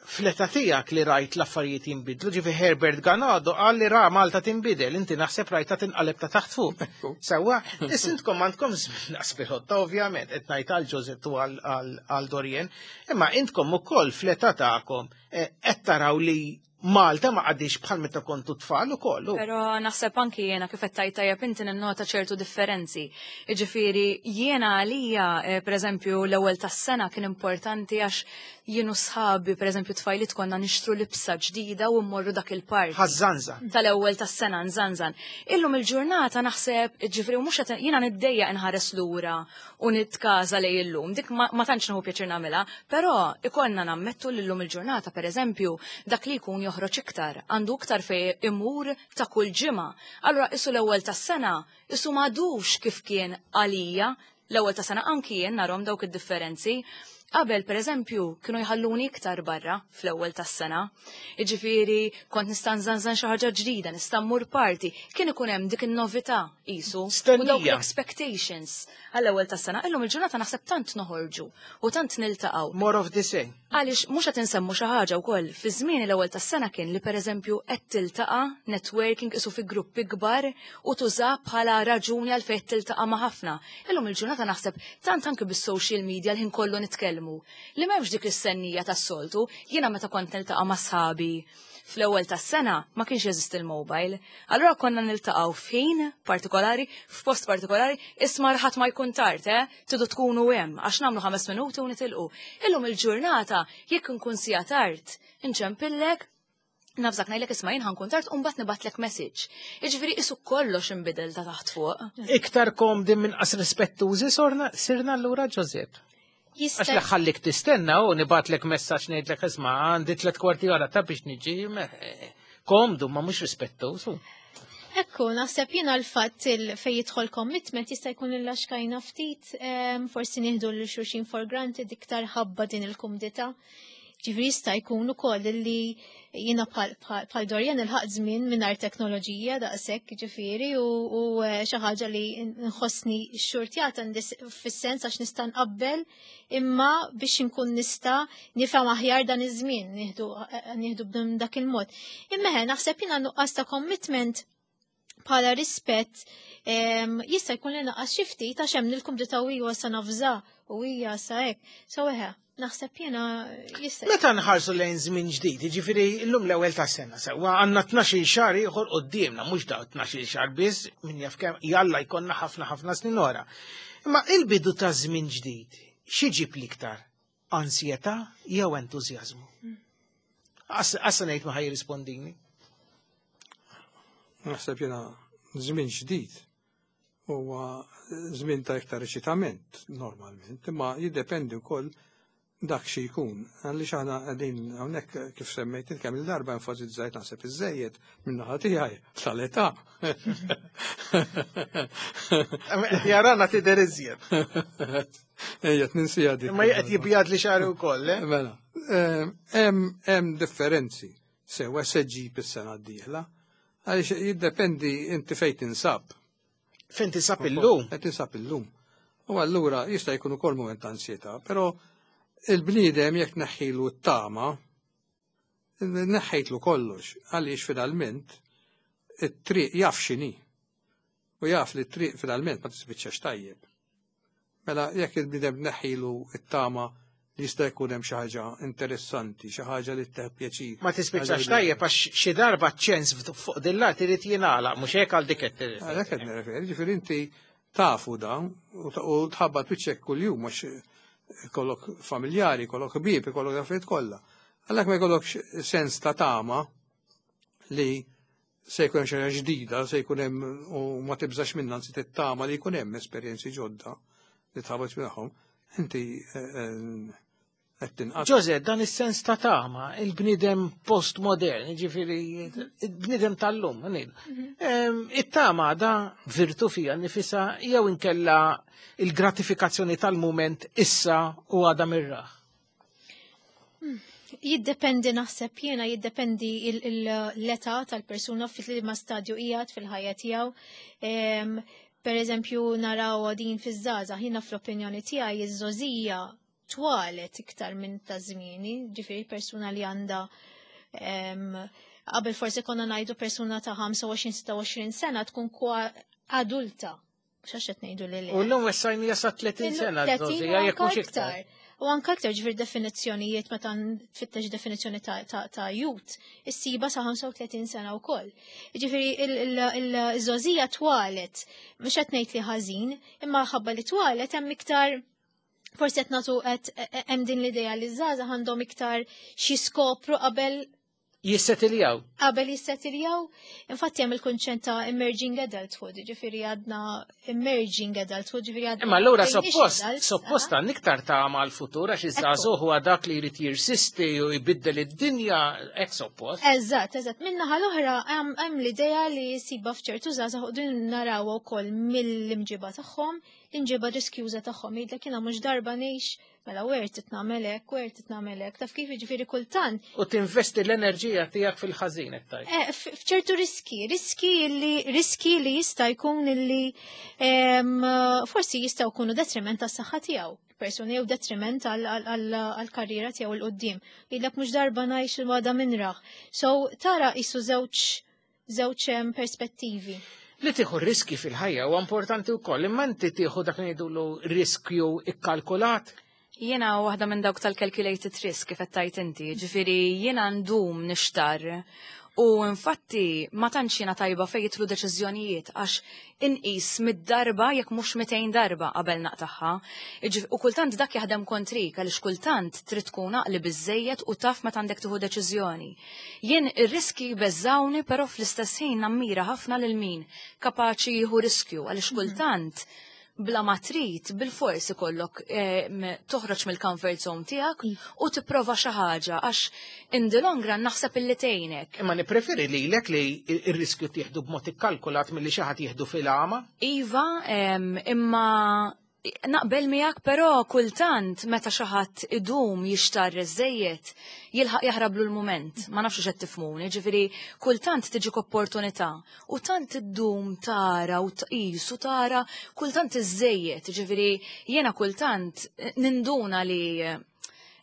fl-età tiegħek li rajt l-affarijiet jinbidlu, ġifi Herbert Ganado qal li ra Malta tinbidel, inti naħseb rajta tinqaleb ta' taħt fuq. Ekku. Sewwa, issa intkom għandkom żmien nasbiħotta, ovvjament, qed ngħid għal Josette u għal- għal għal Dorien, imma intkom ukoll fl-età tagħkom eh, qed taraw li Malta ma għadix bħal meta kontu tfal ukoll. Pero naħseb anki jiena kif qed tgħid tajjeb inti ninnota ċertu differenzi. Jiġifieri jiena għalija, eh, pereżempju, l-ewwel tas-sena kien importanti għax jienu sħabi, pereżempju, tfajliet konna nixtru libsa ġdida u mmorru dak il-party. Ħażżanża. Tal-ewwel tas-sena nżanżan. Illum il-ġurnata naħseb, ġifieri mhux qed jiena niddejjaq inħares lura u nitkaża lej illum. Dik ma, ma tantx nieħu pjaċir nagħmilha, però ikollna nammettu li llum il-ġurnata pereżempju dak li jkun joħroġ iktar, għandu iktar fej imur ta' kull ġimgħa. Allura isu l-ewwel tas-sena isu m'għadux kif kien għalija l-ewwel tas-sena anki jien narhom dawk id-differenzi. Qabel, per eżempju, kienu jħalluni iktar barra fl-ewwel tas-sena. Jiġifieri kont nista' nżanżan xi ħaġa ġdida, nista' mmur party. Kien ikun hemm dik in-novità qisu. U dawk Stennija. l-expectations għall-ewwel tas-sena. Illum il-ġurnata naħseb tant noħorġu u tant niltaqgħu. More of the same. Għaliex mhux qed insemmu xi ħaġa wkoll, fi żmien l-ewwel tas-sena kien li pereżempju qed tiltaqa' networking isu fi gruppi kbar u tuża bħala raġuni għal fejn tiltaqa' ma' ħafna. Illum il-ġurnata naħseb tant anke bis-social media l-ħin kollu nitkellmu. Li m'hemmx dik is-sennija tas-soltu, jiena meta kont niltaqa' ma' sħabi fl-ewwel tas-sena ma kienx jeżisti il-mobile. Allura konna niltaqgħu f'ħin partikolari, f'post partikolari, isma' ħadd ma jkun tard, eh? Tidu tkunu hemm għax nagħmlu ħames minuti u nitilqu. Illum il-ġurnata jekk nkun sija tard, inċempillek nafżak ngħidlek isma' jien ħankun tard u mbagħad nibgħatlek message. Jiġifieri isu kollox inbidel ta' taħt fuq. Iktar komdi minn qas rispettużi sorna sirna allura Josette. Għax Jista' li ħallik tistenna u nibgħatlek messaġġ ngħidlek isma' għandi tliet kwarti ora ta' biex niġi me- komdu ma mhux rispettuż. Ekku, naħseb jiena l-fatt il fej jidħol commitment jista' jkun il-laxkajna ftit, em, forsi nieħdu l xulxin for granted iktar ħabba din il-kumdità. Ġifieri jista' jkun ukoll li jiena bħal Dorian ilħaq żmien mingħajr teknoloġija daqshekk, ġifieri, u eh, xi ħaġa li nħossni xxurtjata fis-sens għax nista' nqabbel, imma biex inkun nista' nifhem aħjar dan iż-żmien nieħdu eh, nieħdu b'dak il-mod. Imma naħseb jiena nuqqas ta' commitment bħala rispett jista' jkun li naqas xi ftit għax hemm il-kumdità u hija sa nafża u hija sa hekk. So eħe, naħseb jiena jista'. Meta nħarsu lejn żmien ġdid, jiġifieri llum l-ewwel tas-sena sewwa, għandna tnax-il xahar ieħor quddiemna, mhux daw tnax-il xahar biss, min jaf kemm jalla jkollna ħafna ħafna snin ora. Imma il-bidu ta' żmien ġdid, xi ġib l-iktar? Ansjetà jew entużjażmu? Assa ngħid ma ħaj jirrispondini. Naħseb jiena żmien ġdid huwa żmien ta' iktar eċitament normalment, imma jiddependi wkoll dak xi jkun. Għaliex aħna qegħdin hawnhekk, kif semmejt kemm il-darba, enfasizzajt naħseb iżejjed min-naħa tiegħi tal-età. Jarana tidher iżjed. Ejja, ninsija dik. Imma qed jibjad li xagħri wkoll, eh? Mela, hemm differenzi sewa se ġib is-sena d-dieħla. Għaliex jiddependi inti fejn tinsab. Fejn tinsab illum? Fejn tinsab illum. U allura jista' jkun ukoll mument ta' ansjetà, però il-bniedem jekk neħħilu t-tama, neħħejtlu kollox, għaliex finalment it-triq jaf x'inhi. U jaf li t-triq finalment ma tispiċċax tajjeb. Mela jekk il-bniedem neħħilu t-tama li jista' jkun hemm xi ħaġa interessanti, xi ħaġa li tteħ pjaċir. Ma tispiċċax tajjeb għax xi darba ċens fuq din l-art irid jingħalaq, mhux hekk, għal dik qed Għalhekk qed nirreferi, ġifieri inti tafu dan u tħabbat wiċċek kuljum għax kollok familjari, kollok ħbieb, kollok affarijiet kollha. Għalhekk ma jkollokx sens ta' tama li se jkun hemm xi ħaġa ġdida, se jkun hemm u ma tibżax minnha, anzi tittama li jkun hemm esperjenzi ġodda li tħabat magħhom, inti qed tinqas. Ġoże, dan is-sens ta' tama, il-bniedem postmodern, ġifieri, il-bniedem tal-lum, ngħidu. Em, It-tama da virtu fija nifisa jew inkella il-gratifikazzjoni tal-moment issa u għada mirraħ? Jiddependi, naħseb jiena, jiddependi il- il- l-età tal-persuna, fil-ma stadju qiegħed fil-ħajja tiegħu. Em, Per eżempju, naraw din fiż-żgħażagħ, jiena fl-opinjoni tiegħi iż-żgħożija twalet iktar minn ta' żmieni, ġifieri persuna li għandha em, qabel forsi konna ngħidu persuna ta' ħamsa u għoxrin sitta u għoxrin sena tkun kwa adulta. Mhux għax qed ngħidu li le. U l-lum wessajni sa tletin sena, tletin u żgħożija, jekk anka mhux iktar. Iktar. U anka aktar, ġifieri definizzjonijiet, meta tfittex definizzjoni ta', ta, ta' youth, issiba sa' ħamsa u tletin sena wkoll. Ġifieri il-żgħożija twalet, mhux qed ngħid li ħażin, imma ħabba li twalet hemm iktar forsi qed nagħtu qed hemm din l-idea li ż-żgħażagħ għandhom iktar xi skopru qabel Jissetiljaw. qabel jissettiljaw. Infatti hemm il-kunċett ta' emerging adulthood, ġifieri għadna emerging adulthood, ġifieri għadna Imma allura bdejniex suppost, adults, suppost aha. għan iktar ta' mal futur għax iż-żagħżugħ huwa dak li jrid jirsisti u jbiddel id-dinja, hekk suppost. Eżatt, eżatt. Min-naħa l-oħra hemm hemm l-idea li siba f'ċertu żgħażagħ u din narawha wkoll mill-imġiba tagħhom, l-imġiba riskjuża tagħhom. Jgħidlek, "Jiena mhux darba ngħix, mela wert titnagħmel hekk, wert titnagħmel hekk." Taf kif, jiġifieri kultant U tinvesti l-enerġija tiegħek fil-ħażin qed tgħid. Eh, f- f'ċertu riski, riski li riski li jista' jkun li em, forsi jistgħu jkunu detriment tas-saħħa tiegħu persuni jew detriment għall-karriera tiegħu 'l quddiem. Jgħidlek, "Mhux darba ngħix, il-għada minraħ." So tara isu żewġ żewġ em, perspettivi. Li tieħu riski fil-ħajja huwa importanti wkoll, imma inti tieħu dak li ngħidulu riskju ikkalkulat. Jiena waħda minn dawk tal-calculated risk, kif qed tgħid inti, ġifieri jiena ndum nixtar. U infatti ma tantx jiena tajba fejn jidħlu deċiżjonijiet għax inqis mid-darba jekk mhux mitejn darba qabel naqtaħħa. Iġif- U kultant dak jaħdem kontrik għaliex kultant trid tkun għaqli biżejjed u taf meta għandek tieħu deċiżjoni. Jien ir-riski beżawni, però fl-istess ħin nammira ħafna lil min kapaċi jieħu riskju għaliex kultant bla ma trid bil-fors ikollok eh, toħroġ mill-comfort zone tiegħek u tipprova xi ħaġa għax in the long run naħseb illi tgħinek. Imma nippreferi lilek li ir-riskju tieħdu b'mod ikkalkulat milli xi ħadd jieħdu fil-għama. Iva, em, imma Naqbel miegħek, però kultant meta xi ħadd idum jixtarr iżejjed jilħaq jaħrablu l-mument. Ma nafx x'qed tifhmuni, ġifieri kultant tiġik opportunità u tant iddum tara u tqis u tara kultant iżejjed, ġifieri jiena kultant ninduna li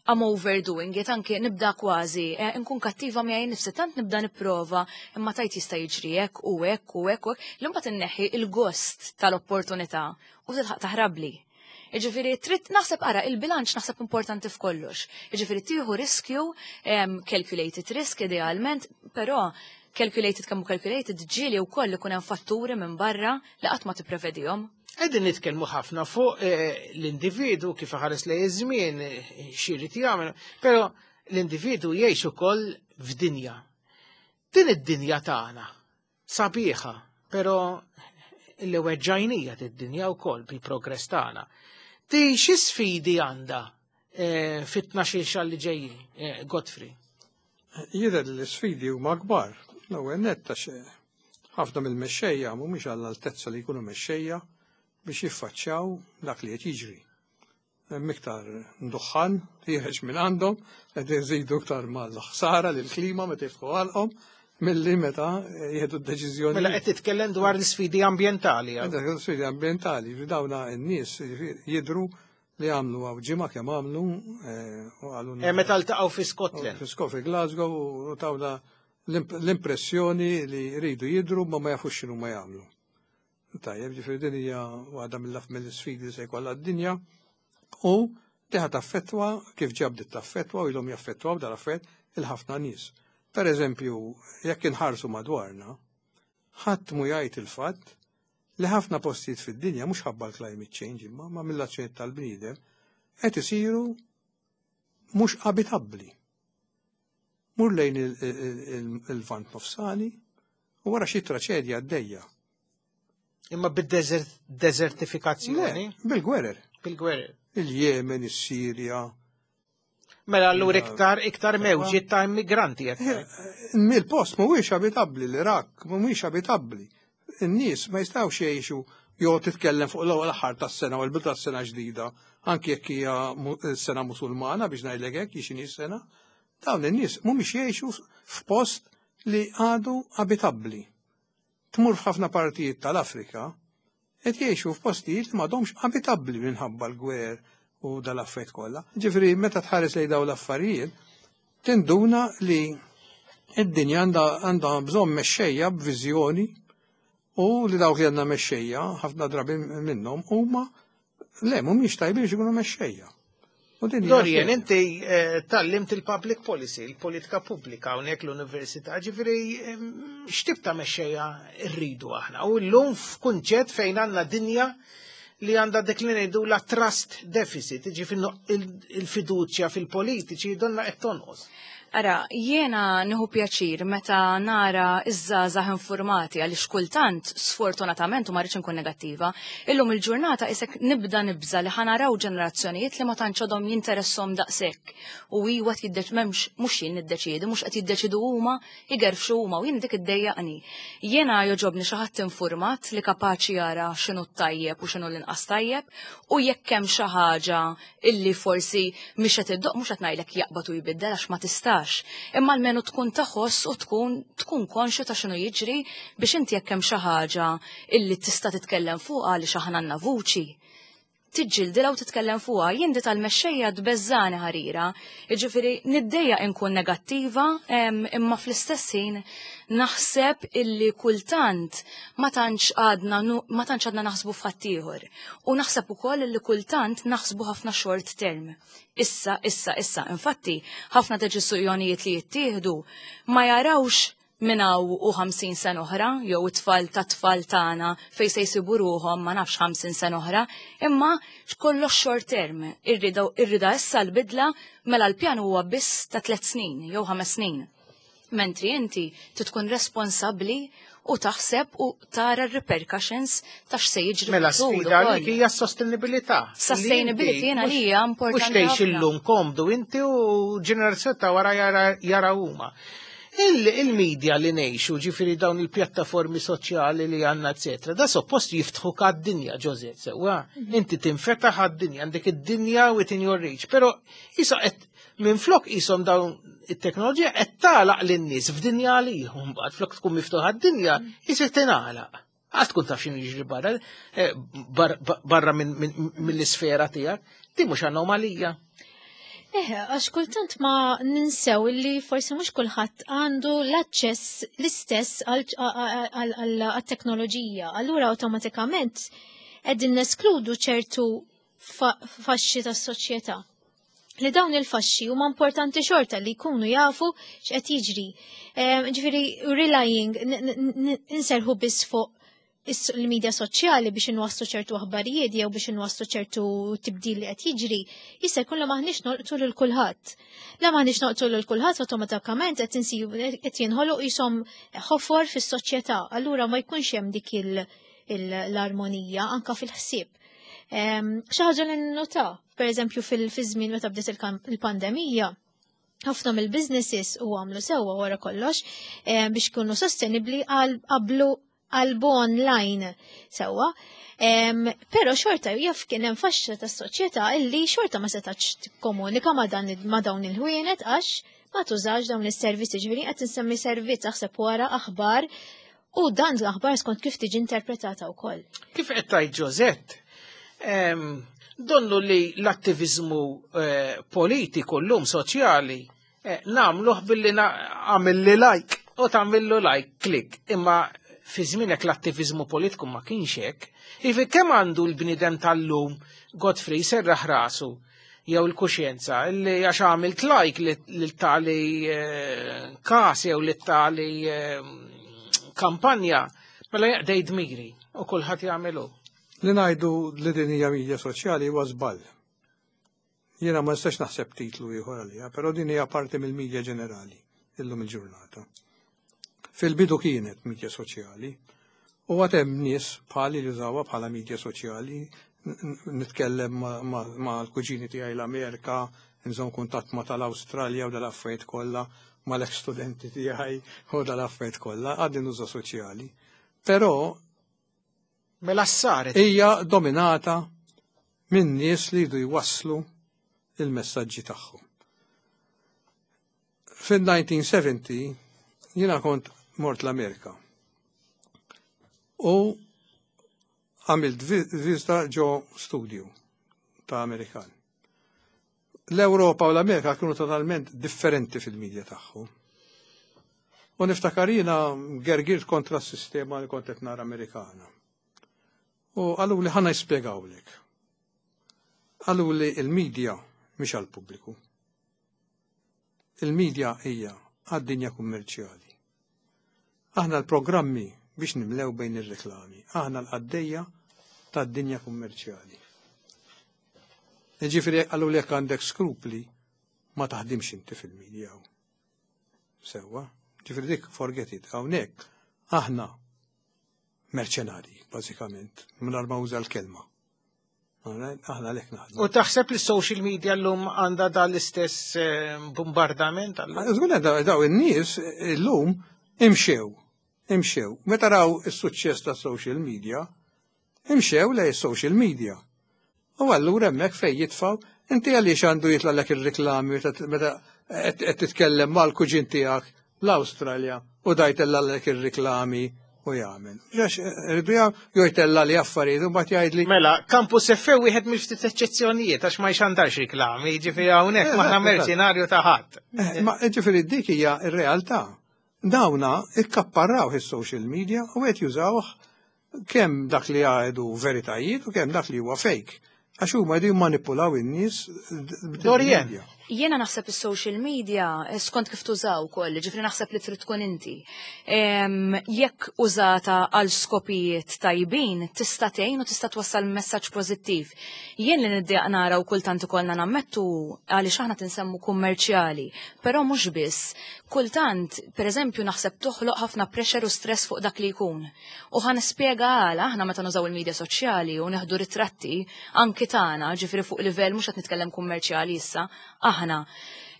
I'm overdoing it, anke nibda kważi, eh, nkun kattiva miegħi nifsi, tant nibda nipprova, imma tajt jista' jiġri hekk u hekk u hekk u hekk, li mbagħad inneħħi il-gost tal-opportunità u tilħaq taħrabli. Jiġifieri trid naħseb ara il-bilanċ naħseb importanti f'kollox. Jiġifieri tieħu riskju, em, calculated risk idealment, però calculated kemm hu calculated ġieli wkoll ikun hemm fatturi minn barra li qatt ma tipprevedihom. Qegħdin nitkellmu ħafna fuq eh, l-individu kif ħares lejn iż-żmien, eh, x'irid jagħmel, però l-individu jgħix ukoll f'dinja. Din id-dinja tagħna sabiħa, però li weġġajnija id-dinja wkoll bil-progress tagħna. Di xi sfidi għandha eh, fit-tnax-il xahar li ġejjin, eh, Godfrey? Jidher li l-sfidi huma kbar. L-ewwel nett għax ħafna mill-mexxejja mhumiex għall-altezza li jkunu mexxejja biex jiffaċċjaw dak li qed jiġri. Hemm iktar duħħan ħiereġ minn għandhom, qed iżidu iktar mal-ħsara lill-klima meta jiftħu għalqhom milli meta jieħdu d-deċiżjoni. Mela qed titkellem dwar l-sfidi ambjentali. Għandek sfidi ambjentali, dawna n-nies jidru li għamlu għaw ġimgħa kemm għamlu eh, u għalu. Eh, meta ltaqgħu fi Scotland. Fi Scotland, fi Glasgow u tawna l-impressjoni li jridu jidru ma ma jafux x'inhu ma jagħmlu. Tajjeb, ġifieri din hija waħda mill mill-sfidi li se jkollha d-dinja u diħa taffettwa kif ġabdet taffettwa u ilhom jaffettwaw dal-affett il-ħafna nies. Per eżempju, jekk inħarsu madwarna, ħadd mu jgħid il-fatt li ħafna postijiet fid-dinja mhux ħabba l-climate change imma ma mill-azzjonijiet tal-bniedem qed isiru mhux abitabbli. Mur lejn il-Lvant Nofsani u wara xi traċedja għaddejja. Imma bid-desertifikazzjoni? Bil-gwerer. Bil-gwerer. Il-Jemen, is-Sirja. Mela allura iktar iktar mewġiet ta' immigranti qed. Il-post mhuwiex abitabbli, l-Iraq mhuwiex abitabbli. In-nies ma jistgħux jgħixu jew titkellem fuq l-ewwel aħħar tas-sena u l-bidu tas-sena ġdida, anke jekk hija sena Musulmana biex ngħidlek hekk x'inhi sena, dawn in-nies mhumiex jgħixu f'post li għadu abitabbli. Tmur f'ħafna partijiet tal-Afrika, qed jgħixu f'postijiet li m'għadhomx abitabbli minħabba l-gwer u dal-affarijiet kollha. Ġifieri meta tħares lejn dawn l-affarijiet, tinduna li id-dinja għandha bżonn mexxejja b'viżjoni u li dawk li għandna mexxejja ħafna drabi minnhom huma le mhumiex tajbin biex ikunu mexxejja. Dorian, inti tgħallimt il-public policy, il-politika pubblika hawnhekk l-università, ġifieri x'tip ta' mexxejja rridu aħna. U llum f'kunċett fejn għandna dinja li għandha dik li ngħidu la trust deficit, ġifieri il-fiduċja fil-politiċi donna qed tonqos. Ara, jiena nieħu pjaċir meta nara iż-żgħażagħ informati għaliex kultant, sfortunatament, u ma rridx inkun negattiva, illum il-ġurnata isek nibda nibża li ħa naraw ġenerazzjonijiet li ma tantx għadhom jinteressom daqshekk. U iwa jiddeċ m'hemmx mhux jien niddeċiedi, mhux qed jiddeċidu huma, jgerfxu huma u jien dik iddejjaqni. Jiena jogħġobni xi ħadd informat li kapaċi jara x'inhu tajjeb u x'inhu l-inqas tajjeb u jekk hemm xi ħaġa illi forsi mhix qed iddoq mhux qed ngħidlek jaqbad u jbiddel għax ma tistax. Imma almenu tkun taħoss u tkun tkun konxju ta' x'inhu jiġri biex inti jekk hemm xi ħaġa illi tista' titkellem fuqha għaliex aħna għandna vuċi. Tiġġildilha u titkellem fuqha, jien di tal-mexxejja tbeżżani ħarira. Jiġifieri niddejjaq inkun negattiva, imma fl-istess ħin naħseb illi kultant ma tantx għadna ma tantx għadna naħsbu f'ħaddieħor. U naħseb ukoll illi kultant naħsbu ħafna short term. Issa, issa, issa. Infatti, ħafna deċiżjonijiet li jittieħdu ma jarawx minn hawn u ħamsin sena oħra, jew it-tfal ta' tfal tagħna fejn se jsibu ruhom ma nafx ħamsin sena oħra, imma kollox short term. Irrida irrida issa l-bidla mela l-pjan huwa biss ta' tliet snin jew ħames snin. Mentri inti tkun responsabbli u taħseb u tara r-repercussions ta' x'se jiġri. Mela sfida li hija sostenibilità. Sustainability jiena li hija importanti. Mhux tgħix illum komdu inti u ġenerazzjoni ta' wara jara huma. Il-media li ngħixu, ġifieri dawn il-pjattaformi soċjali li għandna, eccetera, da suppost jiftħu għad-dinja, Josette, sewwa. Inti tinfetaħ għad-dinja, għandek id-dinja within your reach, pero issa qed minn flok jisom dawn it-teknoloġija qed tagħlaq lin-nies f'dinja għalihom mbagħad flok tkun miftuħa d-dinja, jisir tingħalaq. Għad tkun taf x'inhu jiġri barra, eh, barra mill-isfera tiegħek, di mhux anomalija. Eh, għax kultant ma ninsew li forsi mhux kulħadd għandu l-aċċess l-istess għal-teknoloġija. Allura awtomatikament qegħdin neskludu ċertu faxxi tas-soċjetà. Li dawn il-faxxi huma importanti xorta li jkunu jafu x'qed jiġri. Ġifieri relying inserħu biss fuq il-medja soċjali biex inwasslu ċertu aħbarijiet jew biex inwasslu ċertu tibdil li qed jiġri, jista' jkun li maħniex nolqtu lil kulħadd. La maħniex nolqtu lil kulħadd, awtomatikament qed insibu qed jinħoloq jisom ħofor fis-soċjetà, allura ma jkunx hemm dik l-armonija anka fil-ħsieb. Xi ħaġa li nnuta, pereżempju fil-żmien meta bdiet il-pandemija, ħafna mill-businesses u għamlu sewwa wara kollox biex ikunu sostenibli għal qablu qalbu online sewwa. Pero xorta jaf kien hemm faxxa tas-soċjetà illi xorta ma setax tikkomunika ma' dan ma' dawn il-ħwienet għax ma tużax dawn is-servizzi. Ġifieri qed insemmi servizz, aħseb wara aħbar, u dan l-aħbar skont kif tiġi interpretata wkoll. Kif qed tgħid Josette, donnu li l-attivizmu eh, politiku llum soċjali eh, nagħmluh billi għamilli like u tagħmillu like click, imma fi żmienek l-attivizmu politiku ma kienx hekk. Ifi kemm għandu l-bniedem tal-lum, Godfrey, serraħ rasu jew il-kuxjenza li għax għamilt like lil tali eh, kas jew lil tali eh, kampanja, mela jaqdej dmiri u kulħadd jagħmelu? Li ngħidu li din hija media soċjali huwa żball. Jiena ma nistax naħseb titlu ieħor għaliha, però din hija parti mill-media ġenerali illum il-ġurnata. Fil-bidu kienet media soċjali u għad hemm nies bħali li jużawha bħala media soċjali, nitkellem ma' l-kuġini tiegħi l-Amerika, nżomm kuntatt ma' tal-Awstralja u dal-affarijiet kollha, ma' l-ex studenti tiegħi u dal-affarijiet kollha, għadni nuża soċjali. Però Mela saret. hija dominata minn nies li jridu jwasslu il-messaġġi tagħhom. Fil-elf disa' mija u sebgħin jiena kont mort l-Amerika u għamilt vizita ġo studio ta' Amerikan. L-Europa u l-Amerika kienu totalment differenti fil-medja tagħhom. U niftakar jiena gergirt kontra s-sistema li kont qed nara Amerikana. U qalu li ħa nispjegawlek. Qalu li il-medja mhix għal-pubbliku. Il-medja hija għad-dinja kummerċjali. Aħna l-programmi biex nimlew bejn ir-reklami. Aħna l-qaddejja tad-dinja kummerċjali. Ġifieri qalu li jekk għandek skrupli ma taħdimx inti fil-medja. Sewwa, ġifieri dik forget it. Hawnhekk aħna merċenari, bażikament, mingħajr ma uża l-kelma. Aħna lek naħdmu. U taħseb li social media l-lum għandha da l-istess eh, bombardament? Żgur, daw in-nies illum imxew, imxew. Meta raw is-suċċess ta' social media, imxew lej social media. U allura hemmhekk fejn jitfaw, inti għaliex għandu jitlagħlek ir-reklami meta qed titkellem mal-kuġin tiegħek l-Awstralja u da jtellagħlek ir-reklami u jagħmel? Għax rridu jew jtella' li affarijiet u mbagħad jgħidli. Mela, Campus F M wieħed mill-ftit eċċezzjonijiet għax ma jxandarx reklami, ġifieri hawnhekk m'aħna merċenarju ta' ħadd. Eh, ma ġifieri dik hija r-realtà. Dawna ikkapparraw is-social media u qed jużawh kemm dak li jgħidu veritajiet u kemm dak li huwa fake. Għax huma jridu jmanipulaw in-nies. Dorien. Jiena naħseb is-social media eh, skont kif tużaw ukoll, ġifieri naħseb li trid tkun inti. Jekk użata għal skopijiet tajbin, tista' tgħin u tista' twassal messaġġ pożittiv. Jien li niddejjaq nara u kultant ikollna nammettu għaliex aħna tinsemmu kummerċjali, però mhux biss. Kultant, pereżempju, naħseb toħloq ħafna pressure u stress fuq dak li jkun. U ħa nispjega għala. Aħna meta nużaw il-medja soċjali u neħdu ritratti anki tagħna, ġifieri fuq livell mhux qed nitkellem kummerċjali issa, aħna.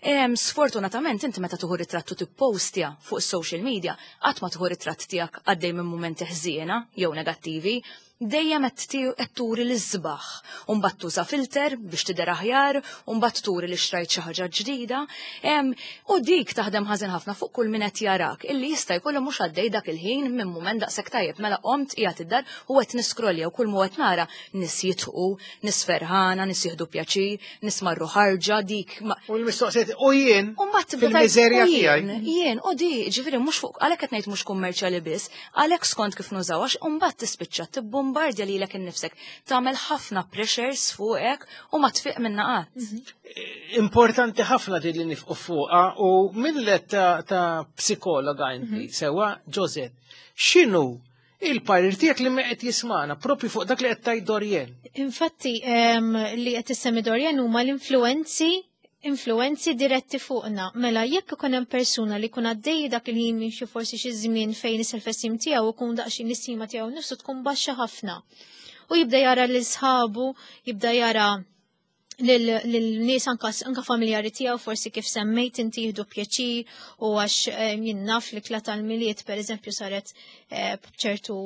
Sfortunatament inti meta tieħu ritratt u tippostja fuq social media, qatt ma tieħu ritratt tiegħek għaddej minn mumenti ħżiena jew negattivi, dejjem qed turi l-isbaħ. U mbagħad tuża filter biex tidher aħjar, u mbagħad turi li xtrajt xi ħaġa ġdida. U dik taħdem ħażin ħafna fuq kull min qed jarak, illi jista' jkollu mhux għaddej dak il-ħin minn mument daqshekk tajjeb. Mela qomt, qiegħed id-dar u qed niskrolja u kull mu qed nara nies jidħqu, nies ferħana, nies jieħdu pjaċir, nies marru ħarġa dik. U l-mistoqsijiet, u jien fil-miżerja tiegħi. Jien, u di, ġifieri mhux fuq, għalhekk qed ngħid mhux kummerċjali biss, għalhekk skont kif nużaw, għax mbagħad tispiċċa tibbombardi lilek innifsek, tagħmel ħafna pressures fuqek u ma tfiq minna qatt. Importanti ħafna din li nifqu fuqha u millet ta', ta psikologa inti, sewa Josette, x'inhu il-parir tiegħek li qed jismana propju fuq dak li qed tgħid Dorien? Infatti li qed issemmi Dorien huma l-influenzi influenzi diretti fuqna. Mela jekk ikun hemm persuna li jkun għaddej dak il-ħin minn xi forsi xi żmien fejn is-self-esteem tiegħu ikun daqsxejn l-istima tiegħu nifsu tkun baxxa ħafna. U jibda jara lil sħabu, jibda jara lil-nies anka anka familjari tiegħu, forsi kif semmejt inti, jieħdu pjaċir u għax jien naf li kla tal-Milied, pereżempju, saret b'ċertu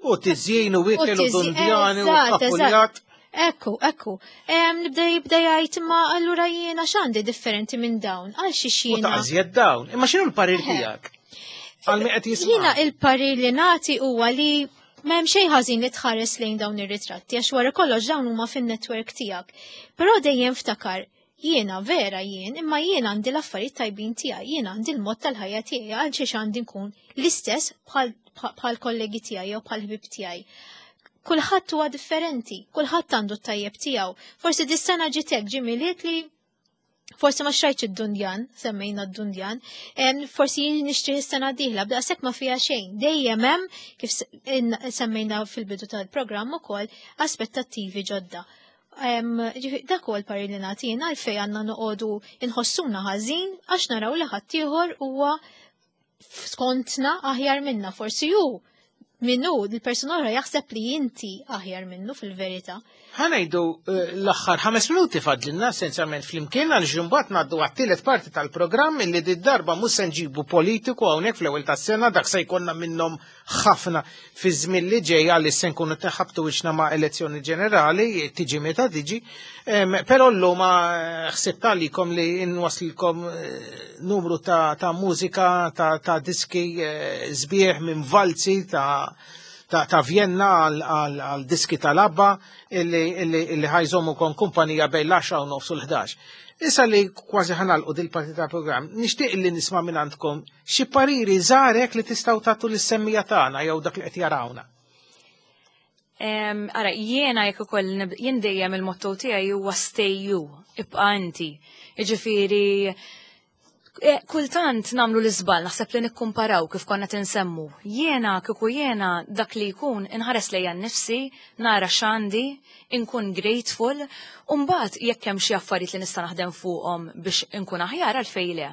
U tiżjien u ikel u dundjani u kapuljat. Ekku, ekku. Nibda jibda jgħid, "Ma allura jiena x'għandi differenti minn dawn? Għal xi U jiena?" taqżjed dawn. Imma x'inhu l-parir tiegħek? Għal min qed jisma'. Jiena il-parir li nagħti huwa li m'hemm xejn ħażin li tħares lejn dawn ir-ritratti, għax wara kollox dawn huma fin-netwerk tiegħek. Però dejjem ftakar, jiena vera jien, imma jiena għandi l-affarijiet tajbin tiegħi, jiena għandi l-mod tal-ħajja tiegħi, għal xiex għandi nkun l-istess bħal kollegi tiegħi jew bħal ħbib tiegħi? Kulħadd huwa differenti, kulħadd għandu t-tajjeb tiegħu. Forsi dis-sena ġitek ġie Milied li forsi ma xtrajtx id-dundjan, semmejna d-dundjan, forsi jien nixtri s-sena d-dieħla, b'daqshekk ma fiha xejn. Dejjem hemm, kif semmejna fil-bidu tal-programm ukoll, aspettattivi ġodda. Dak huwa l-parir li nagħtina, għalfejn għandna noqogħdu inħossuna ħażin għax naraw li ħaddieħor huwa skontna aħjar minna? Forsi hu minnu il-persuna oħra jaħseb li inti aħjar minnu fil-verità. Ħa ngħidu eh, l-aħħar ħames minuti fadlilna essenzjalment flimkien, għal ġumbat ngħaddu għat-tielet parti tal-programm, illi di darba mhux se nġibu politiku hawnhekk fl-ewwel tas-sena, dak se jkollna minnhom ħafna fi żmien li ġej għalli se nkunu teħabtu wiċċna ma' elezzjoni ġenerali, tiġi meta tiġi. Però llum eh, ħsibt għalikom li nwaslilkom eh, numru ta', ta' mużika, ta', ta' diski sbieħ minn valzi ta' ta', ta Vienna għal diski tal-ABBA illi, illi, illi ħa jżommukom kumpanija bejn l-għaxra u nofs u l-ħdax. Issa li kważi ħa nagħlqu dil-parti ta' program, nixtieq li nisma' minn għandkom xi pariri żgħar li tistgħu tagħtu lis-semmiegħa tagħna jew dak li qed jarawna. Ara, jiena jekk ukoll jien dejjem il-motto tiegħi huwa "stay you", ibqa' inti. Jiġifieri Eh, kultant nagħmlu l-iżball, naħseb li nikkumparaw kif konna tinsemmu. Jiena, kieku jiena dak li jkun inħares lejja nnifsi, nara x'għandi, inkun grateful, u mbagħad jekk hemm xi affarijiet li nista' naħdem fuqhom biex inkun aħjar, għalfejn le?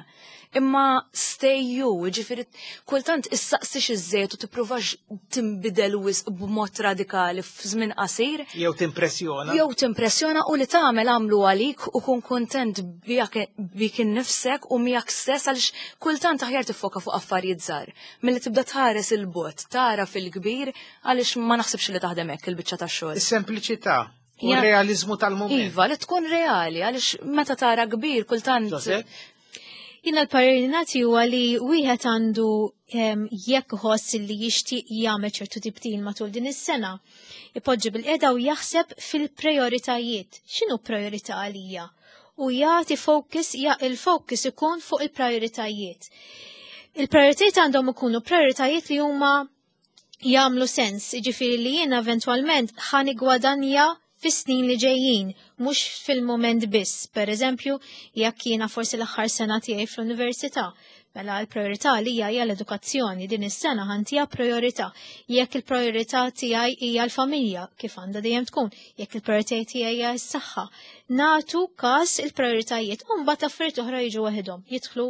Imma stay you, ġifieri kultant issaqsix iż-żejt u tippruvax tinbidel wisq b'mod radikali f'żmien qasir. Jew timpressjona. Jew timpressjona, u li tagħmel għamlu għalik u kun kontent bik innifsek u miegħek stess, għaliex kultant aħjar tiffoka fuq affarijiet żgħar milli tibda tħares il-bogħod, tara fil-kbir, għaliex ma naħsibx li taħdem hekk il-biċċa tax-xogħol. Is-sempliċità. U realizmu tal-mument. Iva, li tkun reali, għaliex meta tara kbir kultant. Jiena l-parir li nagħti huwa li wieħed għandu, jekk ħoss li jixtieq jagħmel ċertu tibdil matul din is-sena, ipoġġi bil-qiegħda u jaħseb fil-prioritajiet. X'inhu priorità għalija? U jagħti focus, ja il-focus ikun fuq il-prioritajiet. Il-prioritajiet għandhom ikunu prioritajiet li huma jagħmlu sens, jiġifieri li jiena eventwalment ħa niggwadanja fis-snin li ġejjin, mhux fil-moment biss. Per eżempju, jekk jiena forsi l-aħħar sena tiegħi fl-università, mela l-priorità li hija hija l-edukazzjoni, din is-sena ħa ntiha priorità. Jekk il-priorità tiegħi hija l-familja, kif għandha dejjem tkun, jekk il-priorità tiegħi hija s-saħħa, nagħtu każ il-prioritajiet u mbagħad affarijiet oħra jiġu waħedhom, jidħlu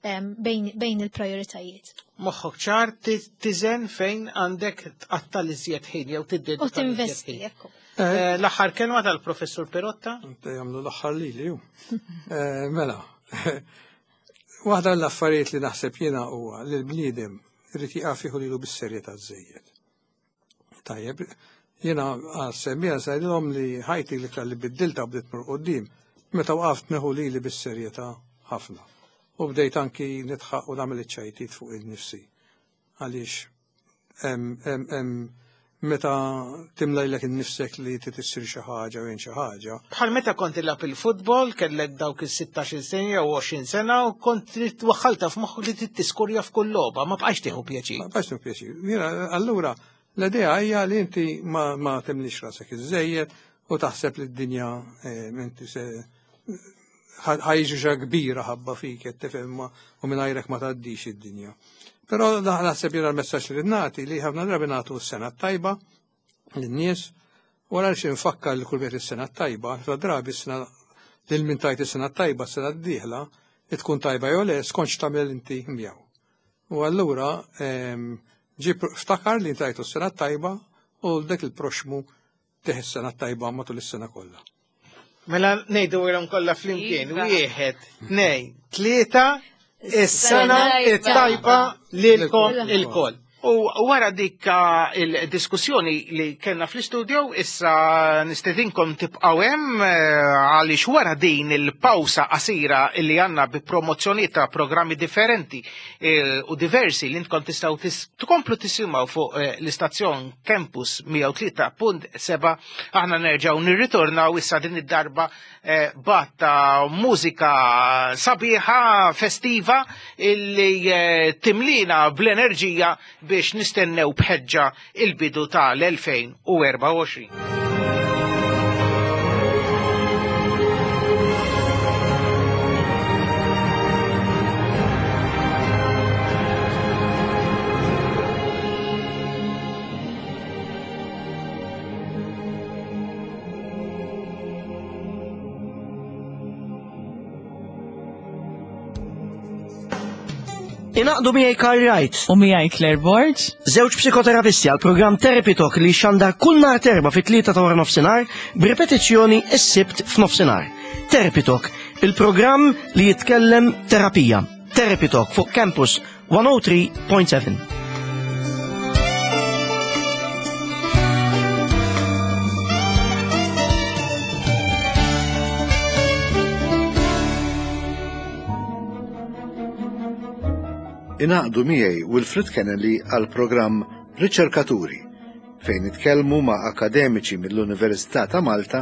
bejn, bejn il-prioritajiet. Moħħok ċar, tiżen fejn għandek tqatta l-iżjed ħin jew tiddedika. U tinvesti, ekku. Eh, l-aħħar kelma tal-Professur Perotta? Jagħmlu l-aħħar li li ju. Eh, mela, Waħda l-affarijiet li naħseb jiena huwa li l-bniedem irid jieqaf jieħu lilu bis-serjetà żejjed. Tajjeb, jiena għas-semmiegħa ngħidilhom li ħajti l-iktar li biddilta bdiet tmur quddiem meta waqaft nieħu lili bis-serjetà ħafna. U bdejt anki nidħaq u nagħmel iċ-ċajtiet fuq il-nifsi. Għaliex meta timlajlek innifsek li trid issir xi ħaġa u xi ħaġa. Bħal meta kont tilgħab il-futbol, kellek dawk is-sittax-il sena jew għoxrin sena u kont trid waħħalta f'moħħok li trid tiskurja f'kull logħba, ma bqajx tieħu pjaċir. Ma bqajx tieħu pjaċir. Jiena allura l-idea hija li inti ma, ma timlix rasek iżejjed u taħseb li d-dinja inti se ħajġi xa kbira ħabba fik qed tifhem u mingħajrek ma tgħaddix id-dinja. Però naħseb jiena l-messaġġ li nagħti li ħafna drabi nagħtu s-sena t-tajba lin-nies wara xi nfakkar li kull wieħed is-sena t-tajba, ħafna drabi s-sena lil min tajt is-sena t-tajba s-sena d-dieħla tkun tajba jew le skont x'tagħmel inti miegħu. U allura ġib ftakar li tajtu s-sena t-tajba u dak il-proxmu tih is-sena t-tajba matul is-sena kollha. Mela ngħidu ilhom kollha flimkien, wieħed, tnejn, tlieta, is-sena t-tajba lilkom ilkoll. U wara dik il-diskussjoni li kellna fl-istudio, issa nistedinkom tibqgħu hemm għaliex wara din il-pawsa qasira li għandna bi promozzjoni ta' programmi differenti u diversi li intkom tistgħu tkomplu tisimgħu fuq l-istazzjon Campus mija u tlieta punt seba', aħna nerġgħu nirritornaw issa din id-darba batta mużika sabiħa festiva illi timlina bl-enerġija biex nistennew bħeġġa il-bidu tal-elfejn u erbgħa u għoxrin. Ingħaqdu miegħi Karl Wright u miegħi Claire Borg, żewġ psikoterapisti għal programm Therapy Talk li xandar kull nhar terba fit-tlieta ta' wara nofsinhar b'ripetizzjoni s-Sibt f'nofsinhar. Therapy Talk, il-programm li jitkellem terapija. Therapy Talk fuq Campus one oh three point seven. Ingħaqdu miegħi Wilfred Kennelly għal programm Riċerkaturi fejn nitkellmu ma' akademiċi mill-Università ta' Malta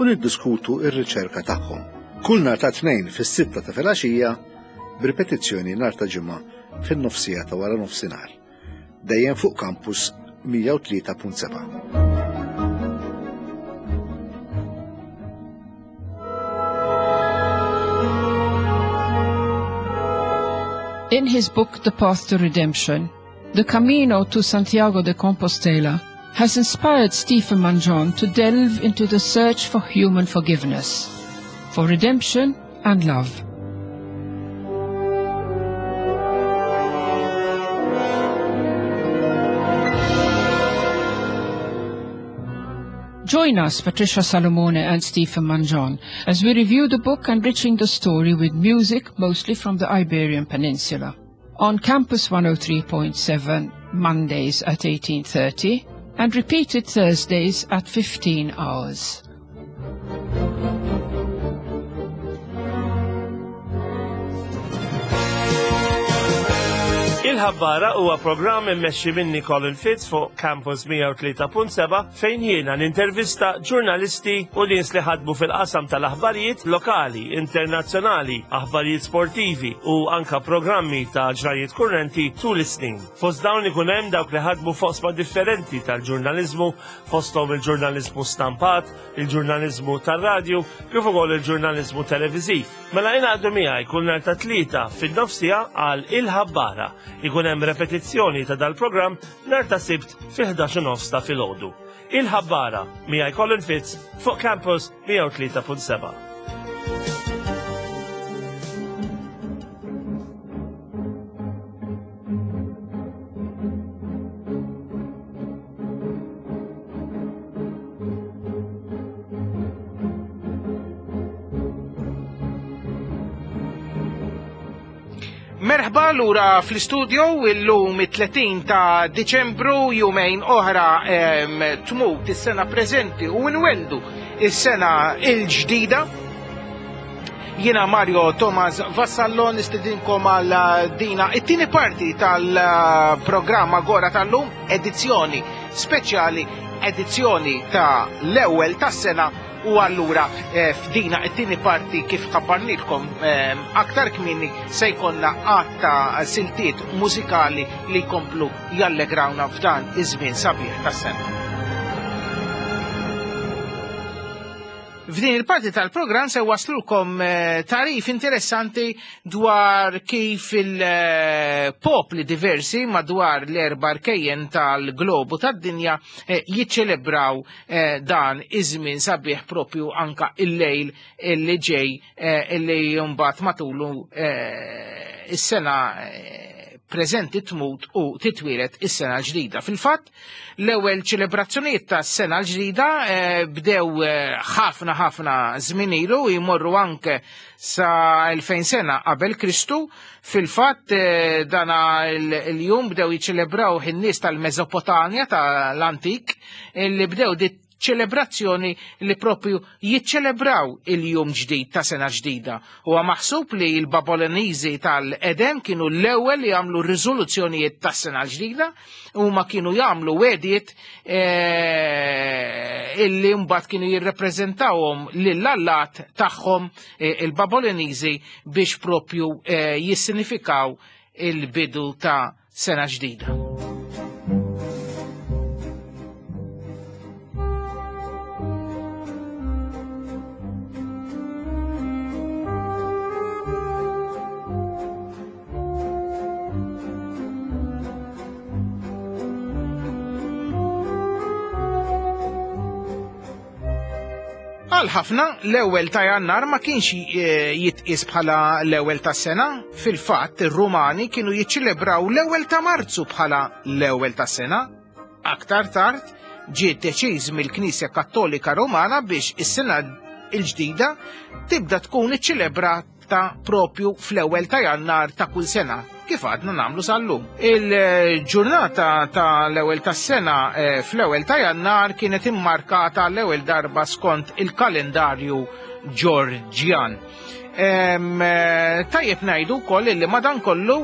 u niddiskutu r-riċerka tagħhom. Kull nhar ta' tnejn fis-sitta ta' filgħaxija b'ripetizzjoni nhar ta' ġimgħa fin-nofsija ta' wara nofsinhar. Dejjem fuq Campus mija u tlieta punt seba'. In his book, The Path to Redemption, The Camino to Santiago de Compostela has inspired Stephen Mangion to delve into the search for human forgiveness, for redemption and love. Join us, Patricia Salomone and Stephen Mangion, as we review the book enriching the story with music mostly from the Iberian Peninsula. On Campus one oh three point seven, Mondays at eighteen thirty and repeated Thursdays at fifteen hours. Il-Ħabbara huwa programm immexxi minni Colin Fitz fuq Campus mija u tlieta punt seba' fejn jiena nintervista ġurnalisti u nies li ħadmu fil-qasam tal-aħbarijiet lokali, internazzjonali, aħbarijiet sportivi u anka programmi ta' ġrajiet kurrenti tul is-snin. Fost dawn ikun hemm dawk li ħadmu fosma differenti tal-ġurnaliżmu, fosthom il-ġurnaliżmu stampat, il-ġurnaliżmu tar-radju, kif ukoll il-ġurnaliżmu televiżiv. Mela ingħaqdu miegħi kull nhar ta' tlieta fin-nofsija għal Il-Ħabbara. Ikun hemm repetizzjoni ta' dal-programm nhar ta' Sibt fi ħdax u nofs ta' filgħodu. Il-Ħabbara miegħi Colin Fitz fuq Campus mija u tlieta punt seba'. Merħba lura fl-istudio illum it-tletin ta' Diċembru, jumejn oħra tmut is-sena preżenti u nweldu is-sena il-ġdida. Jiena Mario Thomas Vassallo nistedinkom għal dina it-tieni parti tal-programm Agora tal-lum, edizzjoni speċjali, edizzjoni ta' l-ewwel tas-sena. U allura f'dina it-tieni parti kif ħabbarnilkom aktar kmieni se jkollna għadd ta' siltiet mużikali li jkomplu jallegrawna f'dan iż-żmien sabiħ tas-sena. F'din il-parti tal-programm se waslulkom tarif interessanti dwar kif il-popli diversi madwar l-erba' rkejjen tal-globu tad-dinja jiċċelebraw dan iż-żmien sabiħ propju anka il-lejl illi ġej illi mbagħad matulu is-sena preżenti tmut u titwieled is-sena l-ġdida. Fil-fatt, l-ewwel ċelebrazzjonijiet tas-sena l-ġdida bdew ħafna ħafna żmien ilu, jmorru anke sa elfejn sena qabel Kristu. Fil-fatt dana il-jum bdew jiċċelebraw in-nies tal-Mesopotamja tal-antik, li bdew dit ċelebrazzjoni li propju jiċċelebraw il-jum ġdid ta' sena ġdida. Huwa maħsub li l-Babiloniżi tal-Edem kienu l-ewwel li jagħmlu riżoluzzjonijiet ta' sena ġdida, huma kienu jagħmlu wedijiet illi mbagħad kienu jirrepreżentawhom lill-allat tagħhom il-Babiloniżi biex propju jissinifikaw il-bidu ta' sena ġdida. Għal ħafna l-ewwel ta' Jannar ma kienx jitqies bħala l-ewwel tas-sena. Fil-fatt ir-Rumani kienu jiċċelebraw l-ewwel ta' Marzu bħala l-ewwel tas-sena. Aktar tard ġie deċiż mill-Knisja Kattolika Romana biex is-sena l-ġdida tibda tkun iċċelebrata propju fl-ewwel ta' Jannar ta' kull sena, kif għadna nagħmlu sal-lum. Il-ġurnata ta' l-ewwel tas-sena fl-ewwel ta' Jannar kienet immarkata l-ewwel darba skont il-kalendarju Ġorġjan. Tajjeb ngħidu wkoll li madankollu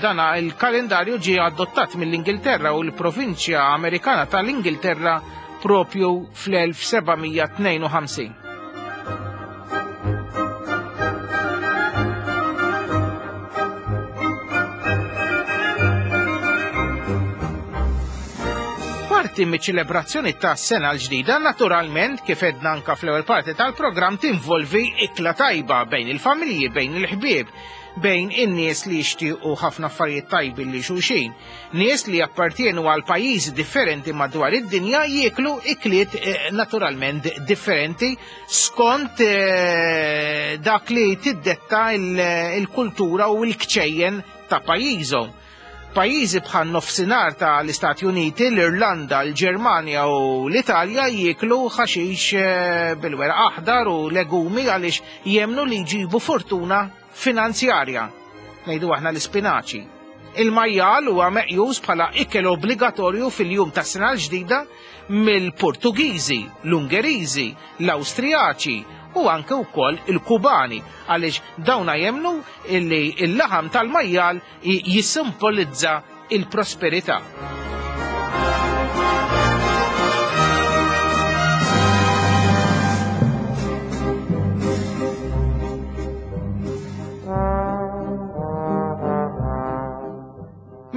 dana il-kalendarju ġie adottat mill-Ingilterra u l-provinċja Amerikana tal-Ingilterra propju fl-elf seba' mija tnejn u ħamsin. Parti miċ-ċelebrazzjoni ta' sena l-ġdida, naturalment, kif edna anka fl-ewwel parti tal-programm, tinvolvi ikla tajba bejn il-familji, bejn il-ħbieb, bejn in-nies li jixtiequ ħafna affarijiet tajbi li xulxin. Nies li appartienu għal pajjiżi differenti madwar id-dinja jieklu ikliet naturalment differenti skont dak li tiddetta il-kultura u l-kċejjen ta' pajjiżhom. Pajjiżi bħal nofsinhar tal-Istati Uniti, l-Irlanda, l-Ġermanja u l-Italja jieklu ħaxix bil-weraq aħdar u legumi għaliex jemnu li jġibu fortuna finanzjarja. Ngħidu aħna l-ispinaċi. Il-majjal huwa meqjus bħala ikel obbligatorju fil-jum tas-sena l-ġdida mill-Portugiżi, l-Ungeriżi, l-Awstrijaċi u anke wkoll il-Kubani, għaliex dawna jemnu illi il-laħam tal-majjal jissimbolizza il-prosperità.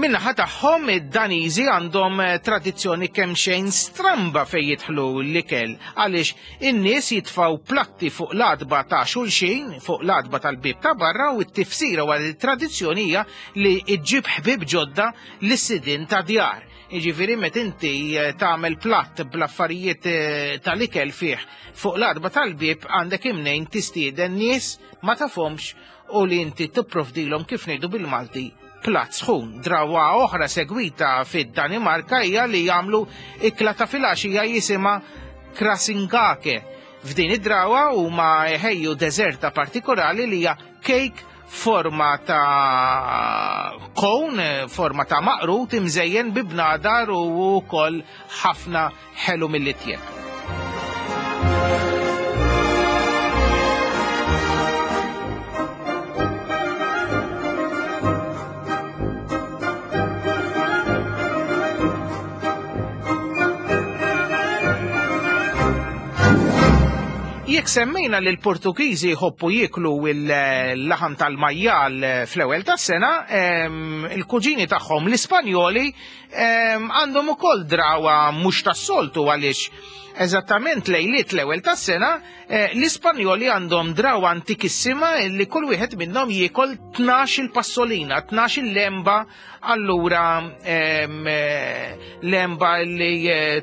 Min-naħa tagħhom id-Daniżi għandhom tradizzjoni kemm xejn stramba fejn jidħlu l-ikel, għaliex in-nies jitfgħu platti fuq l-adba ta' xulxin, fuq l-adba tal-bieb ta' barra, u t-tifsira wara t-tradizzjoni hija li ġġib ħbieb ġodda lis-sidien ta' djar. Jiġifieri meta inti tagħmel platt bl-affarijiet tal-ikel fih fuq l-adba tal-bieb għandek imnejn tistieden nies ma tafhomx u li inti tipprovdilhom kif ngħidu bil-Malti platt sħun. Drawa oħra segwita fid-Danimarka hija li jagħmlu ikla ta' filgħaxija jisimha krasingake. F'din id-drawa huma jħejju deżerta partikolari li hija kejk forma ta' kon, forma ta' maqrut imżejjen bi bnadar u wkoll ħafna ħelu mill-itjeb. Jekk semmejna li l-Portugiżi jħobbu jieklu l-laħam tal-majjal fl-ewwel tas-sena, il-kuġini tagħhom l-Ispanjoli għandhom ukoll drawa mhux tas-soltu għaliex eżattament lejliet l-ewwel tas-sena l-Ispanjoli għandhom drawa antikissima li kull wieħed minnhom jiekol tnax il-passolina, tnax il-lemba, allura lemba li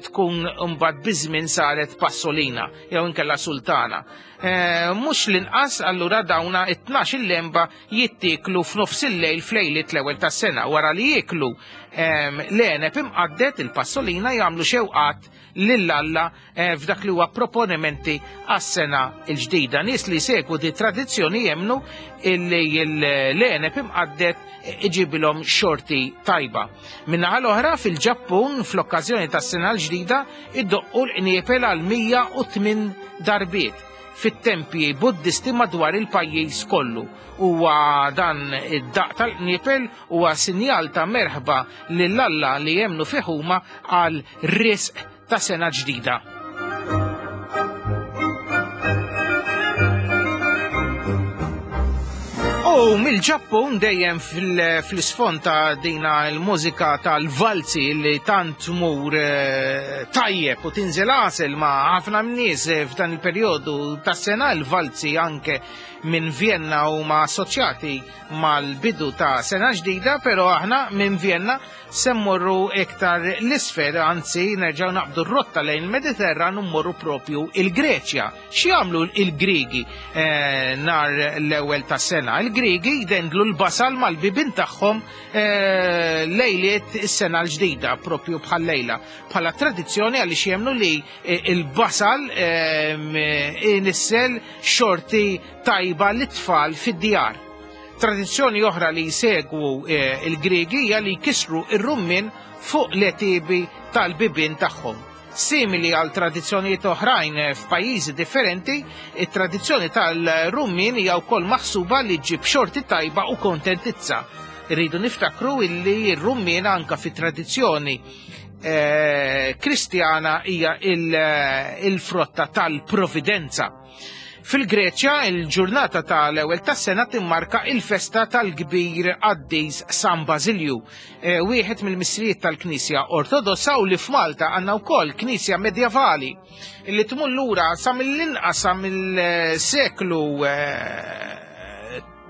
tkun mbagħad biż-żmien saret passolina jew inkella sultana. Mhux l-inqas allura dawna it-tnax il-lemba jittieklu f'nofs il-lejl f'lejliet l-ewwel tas-sena. Wara li jieklu l-għeneb imqaddet il-passolina jagħmlu xewqat lil Alla f'dak li huwa proponimenti għas-sena l-ġdida. Nies li segwu di tradizzjoni jemnu illi l-għeneb imqaddet iġibilhom xorti tajba. Min-naħa l-oħra fil-Ġappun fl-okkażjoni tas-sena l-ġdida iddoqqu l-qniepel għal mija u tmien darbiet fit-tempji buddisti madwar il-pajjiż kollu. Huwa dan id-daq tal-qniepel huwa sinjal ta' merħba lil Alla li jemnu fih huma għal risq ta' sena ġdida. U mill-Ġappun dejjem fl-isfond ta' dina l-mużika tal-valzi li tant tmur tajjeb u tinżel għasel ma' ħafna nies f'dan il-perjodu tas-sena, il-valzi anke minn Vienna huma assoċjati mal-bidu ta' sena ġdida, però aħna minn Vienna se mmorru iktar l-isfel, anzi nerġgħu naqbdu r-rotta lejn il-Mediterran u mmorru propju il-Greċja. X'jagħmlu il-Griegi eh, nar l-ewwel tas-sena? Il-Griegi jdendlu l-basal mal-bibien tagħhom eh, lejliet is-sena l-ġdida, propju bħal lejla. Bħala tradizzjoni għaliex jemmnu li il-basal eh, inissel xorti tajba l-tfal fid-djar. Tradizzjoni oħra li jsegwu il-Griegi hija li jkissru ir-rummin fuq l-etibi tal-bibien tagħhom. Simili għal tradizzjonijiet oħrajn f'pajjiżi differenti, it-tradizzjoni tal-rummin hija wkoll maħsuba li ġġib xorti tajba u kontentizza. Irridu niftakru illi r-rummin anka fit-tradizzjoni kristjana hija il-frotta tal-providenza. Fil-Greċja, il-ġurnata tal-ewwel tas-sena timmarka il-festa tal-kbir qaddis San Basilju, wieħed mill-missirijiet tal-Knisja Ortodossa u li f'Malta għandna wkoll knisja medjevali li tmur lura sa mill-inqas sa mill-seklu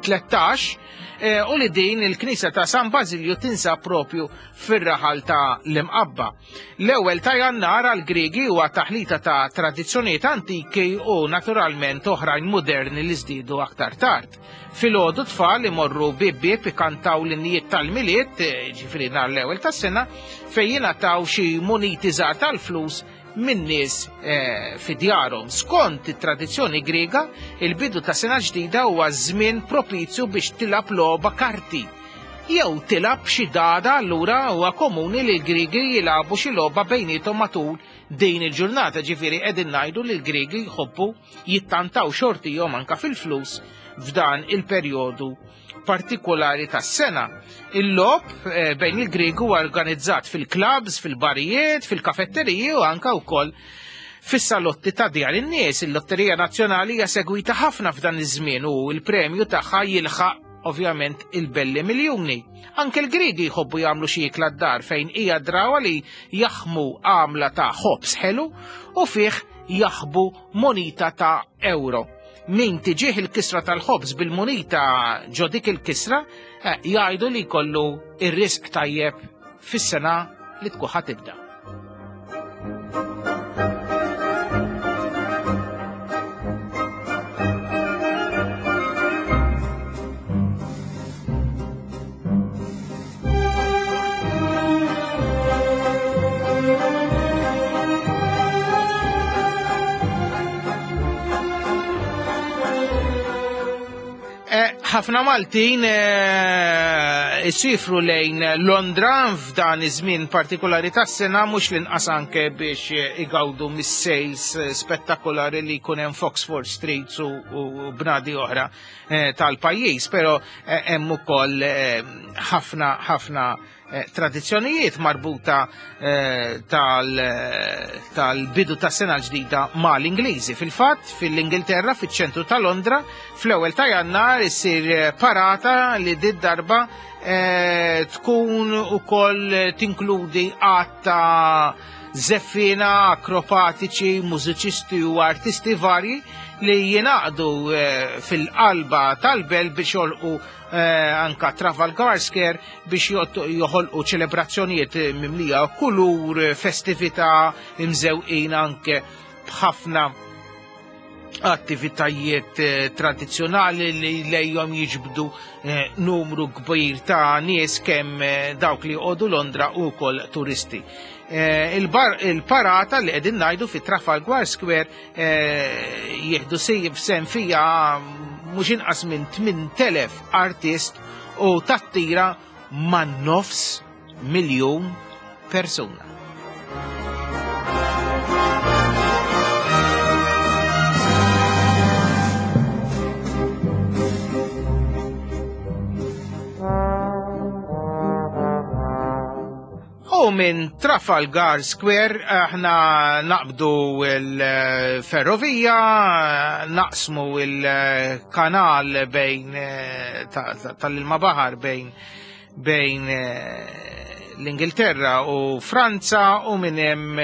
tlettax u li din il-knisja ta' San Basilju tinsab propju fir-raħal ta' l-Imqabba. L-ewwel ta' Jannar għall-Griegi huwa taħlita ta' tradizzjonijiet antiki u naturalment oħrajn moderni li żdiedu aktar tard. Filgħodu tfal imorru bieb bieb ikantaw l-innijiet tal-Milied, ġifieri nhar l-ewwel tas-sena, fejn jingħataw xi muniti żgħar tal-flus minn nies fi djarhom. Skont it-tradizzjoni Griega, il-bidu ta' sena ġdida huwa żmien propizju biex tilab logħba karti. Jew tilab xi dada, allura huwa komuni li l-Griegi jilagħbu xi logħba bejniethom matul din il-ġurnata, ġifieri qegħdin ngħidu li l-Griegi jħobbu jittantaw xortihom anke fil-flus f'dan il-perjodu partikolari tas-sena. Il-logħob bejn il-Griegi huwa organizzat fil-klabs, fil-barijiet, fil-kafetteriji u anke wkoll fis-salotti ta' djar in-nies. Il-Lotterija Nazzjonali hija segwita ħafna f'dan iż-żmien u l-premju tagħha jilħaq ovvjament il-belli miljuni. Anke l-Griegi jħobbu jagħmlu xi ikla d-dar fejn hija drawa li jaħmu għamla ta' ħobż ħelu u fih jaħbu monita ta' euro. Min tiġih il-kisra tal-ħobż bil-munita ġo dik il-kisra, jgħidu li jkollu ir-risq tajjeb fis-sena li tkun ħa tibda. Ħafna Maltin isifru lejn Londra f'dan iż-żmien partikolari tas-sena, mhux l-inqas anke biex igawdu mis-sales spettakolari li jkun hemm f'Oxford Street u bnadi oħra tal-pajjiż, però hemm ukoll ħafna ħafna tradizzjonijiet marbuta tal-bidu ta' sena ġdida mal-Ingliżi. Fil-fatt, fil-Ingilterra, fiċ-ċentru ta' Londra, fl-ewwel ta' Jannar issir parata li did darba tkun ukoll tinkludi għadd ta' żeffina, akropatiċi, mużiċisti u artisti varji li jingħaqdu fil-qalba tal-belt biex jolqu anka Trafalgar Square biex joħolqu ċelebrazzjonijiet mimlija kulur, festività, imżewqin anke b'ħafna attivitajiet tradizzjonali li lejhom jiġbdu numru kbir ta' nies kemm dawk li joqogħdu Londra u wkoll turisti. Il-parata li qegħdin ngħidu fi Trafalgar Square jieħdu sehem fiha mhux inqas minn tmien elef artist u tattira man nofs miljun persuna. U minn Trafalgar Square aħna naqbdu l-ferrovija, naqsmu il-kanal bejn tal-ilma baħar bejn bejn l-Ingilterra u Franza, u minn hemm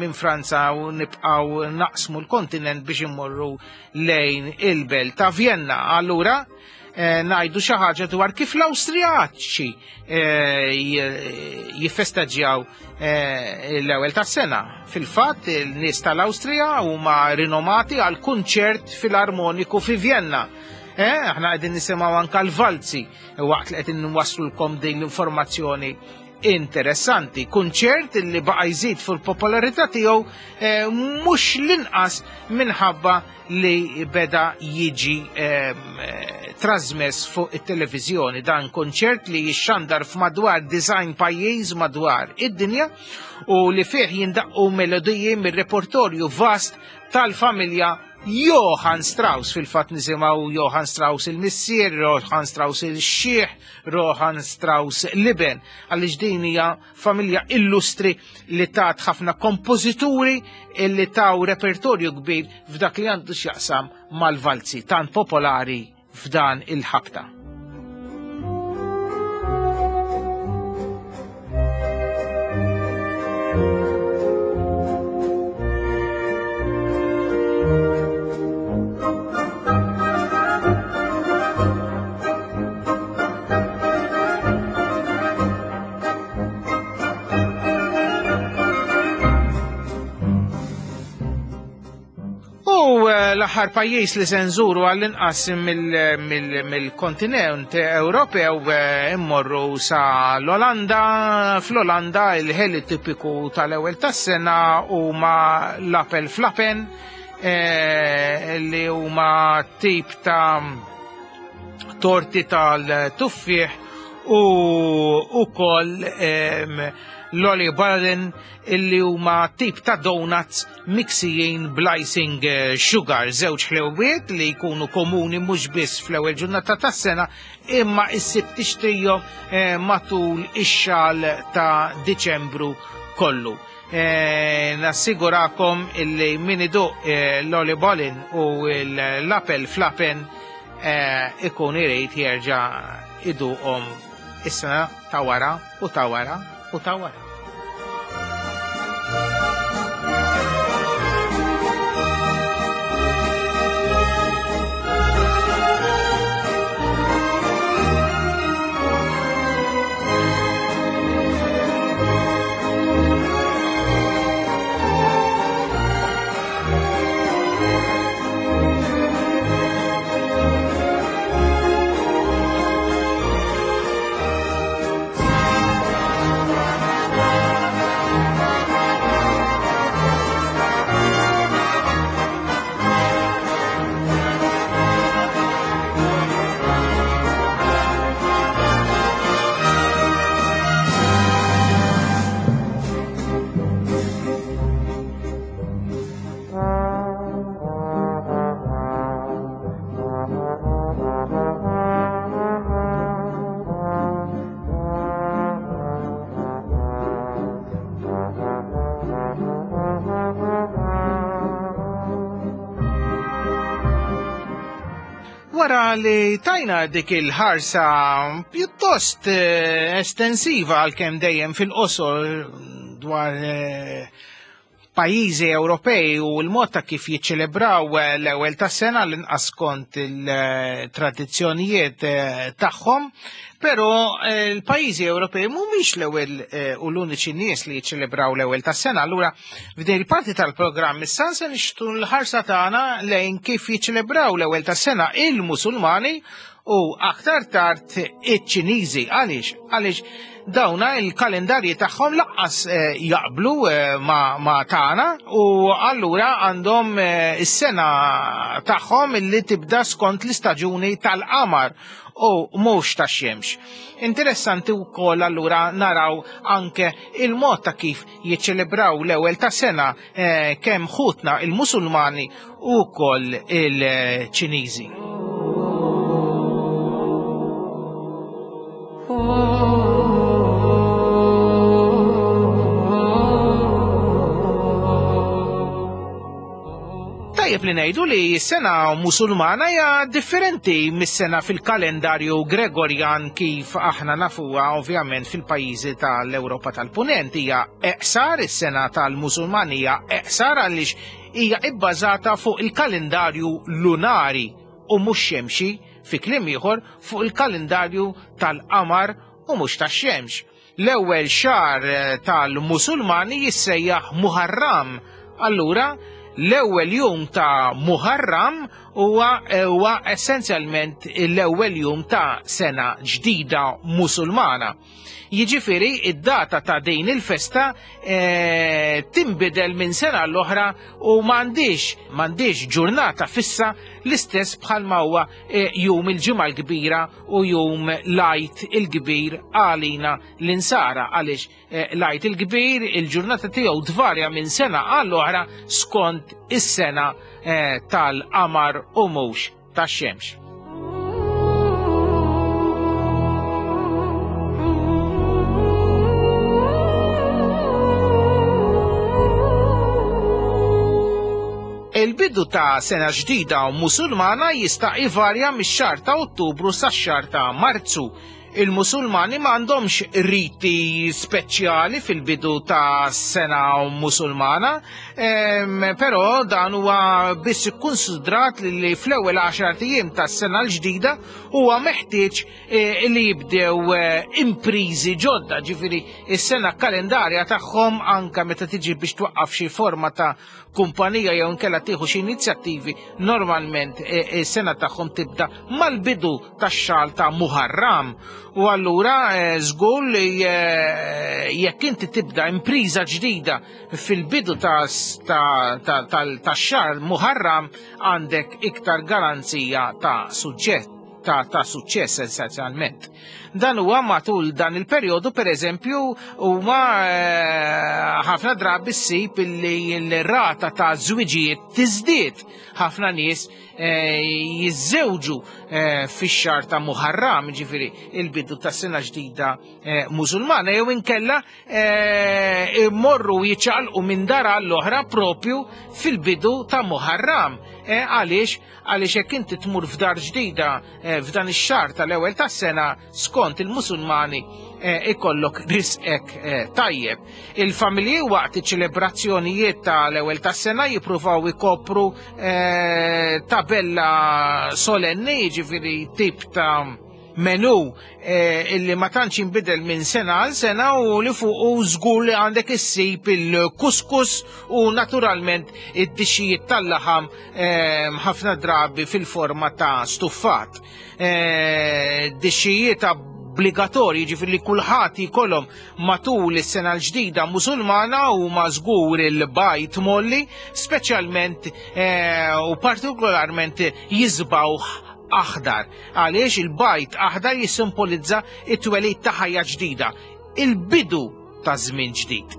minn Franza u nibqgħu naqsmu l-kontinent biex immorru lejn il-belt ta' Vienna. Allura ngħidu xi ħaġa dwar kif l-Awstrijaċi jiffestaġġjaw l-ewwel tas-sena. Fil-fatt, il-nies tal-Awstrija huma rinomati għal kunċert filarmoniku fi Vienna. Aħna qegħdin nisimgħu anke l-valzi waqt li qegħdin nwasslulkom din l-informazzjoni interessanti. Kunċert li baqa' jżid fil-popolarità tiegħu mhux l-inqas minħabba li beda jiġi trasmess fuq it-televiżjoni. Dan kunċert li jixxandar f'madwar design pajjiż madwar id-dinja u li fih jindaqqu melodiji mir-repertorju vast tal-familja Johann Strauss. Fil-fatt nisimgħu Johann Strauss il-missier, Johann Strauss il-xieħ, Johann Strauss l-iben, għaliex din hija familja illustri li tat ħafna kompożituri li taw repertorju kbir f'dak li għandu x'jaqsam mal-valzi tant popolari f'dan il-ħabta. L-aħħar pajjiż li se nżuru għall-inqas mill-kontinent Ewropew immorru sa l-Olanda. Fl-Olanda il-ħeli tipiku tal-ewwel tas-sena huma l-apel flapen, li huma tip ta' torti tal-tuffieħ u ukoll l-oliebollen illi huma tip ta' donuts miksijin bl-icing sugar, żewġ ħlewwiet li jkunu komuni mhux biss fl-ewwel ġurnata tas-sena imma issib tixtrihom matul ix-xahar ta' Diċembru kollu. Nassigurakom illi min iduq l-oliebollen u l-apel flapen ikun irid jerġa' iduqhom is-sena ta' wara u ta' wara u ta' wara. Thank you. Wara li tajna dik il-ħarsa pjuttost eh, estensiva għalkemm dejjem fil-qosor dwar eh, pajjiżi Ewropej u l-mod ta' kif jiċċelebraw l-ewwel tas-sena l-inqas kont il-tradizzjonijiet tagħhom, però l-pajjiżi Ewropej mhumiex l-ewwel u l-uniċi nies li jiċċelebraw l-ewwel tas-sena. Allura f'din il-parti tal-programm issa se nixtu l-ħarsa tagħna lejn kif jiċċelebraw l-ewwel tas-sena il-Musulmani u aktar tard iċ-Ċiniżi. Għaliex? Għaliex dawna il-kalendarji tagħhom laqqas jaqblu ma, ma tagħna u allura għandhom is-sena tagħhom illi tibda skont l-istaġuni tal-qamar u mhux tax-xemx. Interessanti wkoll allura naraw anke il-mod ta' kif jiċċelebraw l-ewwel tas-sena eh, kemm ħutna il-Musulmani u wkoll il-Ċiniżi. Tajjeb li ngħidu li s-sena Musulmana hija differenti mis-sena fil-kalendarju Gregorjan kif aħna nafuha ovvjament fil-pajjiżi tal-Ewropa tal-Punent. Hija eqsar, is-sena tal-Musulmani hija eqsar għaliex hija ibbażata fuq il-kalendarju lunari u mhux xemxi, fi kliem ieħor fuq il-kalendarju tal-qamar u mhux tax-xemx. L-ewwel xahar tal-Musulmani jissejjaħ Muharram. Allura l-ewwel jum ta' Muharram huwa huwa essenzjalment l-ewwel jum ta' sena ġdida Musulmana. Jiġifieri id-data ta' din il-festa e, tinbidel minn sena l-oħra u m'għandix m'għandix ġurnata fissa l-istess bħalma huwa e, jum il-Ġimgħa l-Kbira u jum l-Għid il-Kbir għalina l-insara, għaliex e, l-Għid il-Kbir il-ġurnata tiegħu tvarja minn sena għall-oħra skont is-sena e, tal-qamar u mhux tax-xemx. Il-bidu ta' sena ġdida u Musulmana jista' ivarja mix-xahar ta' Ottubru sax-xahar ta' Marzu. Il-Musulmani m'għandhomx riti speċjali fil-bidu ta' sena Musulmana, ehm, però dan huwa biss ikkunsidrat li fl-ewwel għaxar ijiem tas-sena l-ġdida huwa meħtieġ eh, li jibdew eh, imprizi ġodda, ġifieri is-sena kalendarja tagħhom anke meta tiġi biex twaqqaf xi forma ta' kumpanija jew inkella tieħu xi inizjattivi, normalment is-sena tagħhom tibda mal-bidu tax-xahar ta' Muharram. U allura żgur li jekk inti tibda impriża ġdida fil-bidu tax-xahar Muharram għandek iktar garanzija ta' suġġett ta' ta' suċċess essenzjalment. Dan huwa matul dan il-perjodu pereżempju huma ħafna drabi ssib li l-rata ta' żwiġijiet tiżdied. Ħafna nies jiżżewġu fix-xahar ta' Muharram, ġifieri il-bidu tas-sena ġdida Musulmana, jew inkella immorru jiċċaqalqu minn dar għall-oħra propju fil-bidu ta' Muharram. Għaliex? Għaliex jekk inti tmur f'dar ġdida f'dan ix-xahar tal-ewwel tas-sena skont il-Musulmani ikollok risqek tajjeb. Il-familji waqt iċ-ċelebrazzjonijiet tal-ewwel tas-sena jippruvaw ikopru tabella solenni, jiġifieri tip ta' menu illi ma tantx jinbidel minn sena għal sena u li fuq żgur li għandek issib il-kuskus u naturalment id-dixxijiet tal-laħam ħafna drabi fil-forma ta' stuffat. Dixxijiet obbligatorji, ġifieri li kulħadd jkollhom matul is-sena l-ġdida Musulmana u żgur il-bajt molli, speċjalment u partikolarment jiżbgħu aħdar. Għaliex il-bajt aħdar jissimbolizza it-twelid ta' ħajja ġdida, il-bidu ta' żmien ġdid.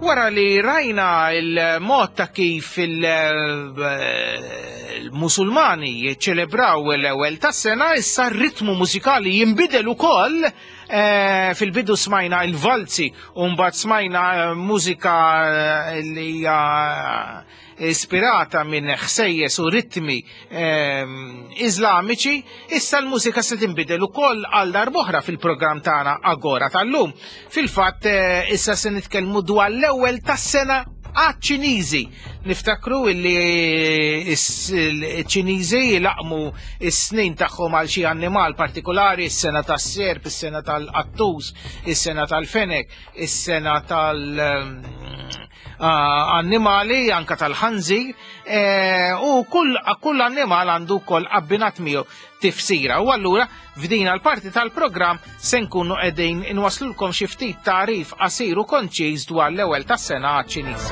Wara Wara li rajna il-mod ta' kif il-Musulmani jiċċelebraw l-ewwel tas-sena, issa r-ritmu mużikali jinbidel ukoll. Fil-bidu smajna il-valzi u mbagħad smajna mużika li hija ispirata minn ħsejjes u ritmi iżlamiċi, issa l-mużika se tinbidel ukoll għal darb'oħra fil-programm tagħna Agora tal-lum. Fil-fatt issa se nitkellmu dwar l-ewwel tas-sena għaċ-Ċiniżi. Niftakru illi ċ-Ċiniżi jilaqmu s-snin tagħhom għal xi annimal partikolari, is-sena tas-serp, is-sena tal-qattus, is-sena tal-fenek, is-sena tal-annimali, anka tal-ħanżir, u kull kull annimal għandu wkoll abbinat miegħu tifsira. U allura f'din l-parti tal-programm se nkunu qegħdin inwaslulkom xi ftit tagħrif qasir u konċiż dwar l-ewwel tas-sena għaċ-Ċiniż.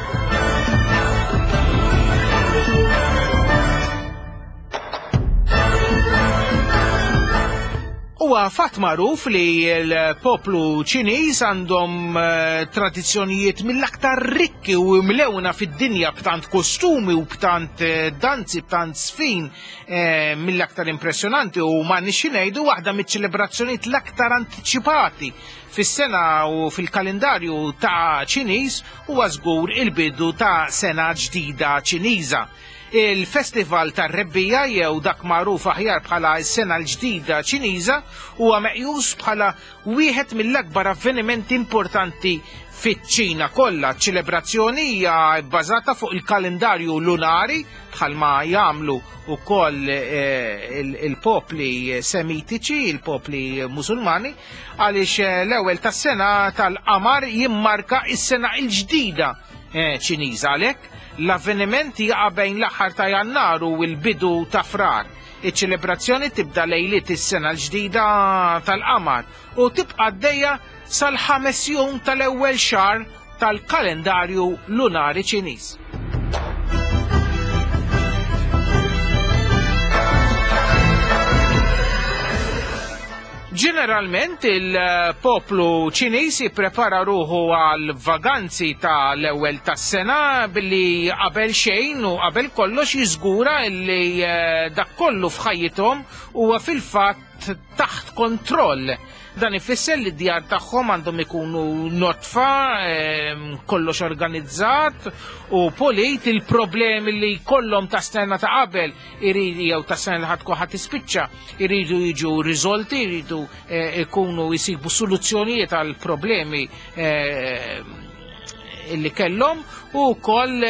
Huwa fatt magħruf li l-poplu Ċiniż għandhom tradizzjonijiet mill-aktar rikki u mlewna fid-dinja b'tant kostumi u b'tant danzi, b'tant sfin mill-aktar impressjonanti, u ma nixxi ngħidu waħda miċ-ċelebrazzjonijiet l-aktar antiċipati fis-sena u fil-kalendarju ta' Ċiniż huwa żgur il-bidu ta' sena ġdida Ċiniża. Il-Festival tar-Rebbija jew dak magħruf aħjar bħala s-sena l-ġdida Ċiniża huwa meqjus bħala wieħed mill-akbar avvenimenti importanti fiċ-Ċina kollha. Ċelebrazzjoni hija bbażata fuq il-kalendarju lunari bħalma jagħmlu wkoll il-popli semitiċi, il-popli Musulmani, għaliex l-ewwel tas-sena tal-qamar jimmarka s-sena l-ġdida Ċiniża. Għalhekk l-avveniment jaqa' bejn l-aħħar ta' Jannar u l-bidu ta' Frar. Iċ-ċelebrazzjoni tibda lejliet is-sena l-ġdida tal-qamar u tibqa' għaddejja sal-ħames jum tal-ewwel xahar tal-kalendarju lunari Ċiniż. Ġeneralment il-poplu Ċiniż jipprepara ruħu għal vaganzi tal-ewwel tas-sena billi qabel xejn u qabel kollox jiżgura li dak kollu f'ħajjithom huwa fil-fatt taħt kontroll. Dan ifisser li d-djar tagħhom għandhom ikunu notfa, kollox organizzat u polit. Il-problemi li kollhom ta' sena ta' qabel iridu jew ta' sena li ħadd ħadd tispiċċa iridu jiġu riżolti, iridu ikunu jsibu soluzzjonijiet għal problemi illi kellhom, u wkoll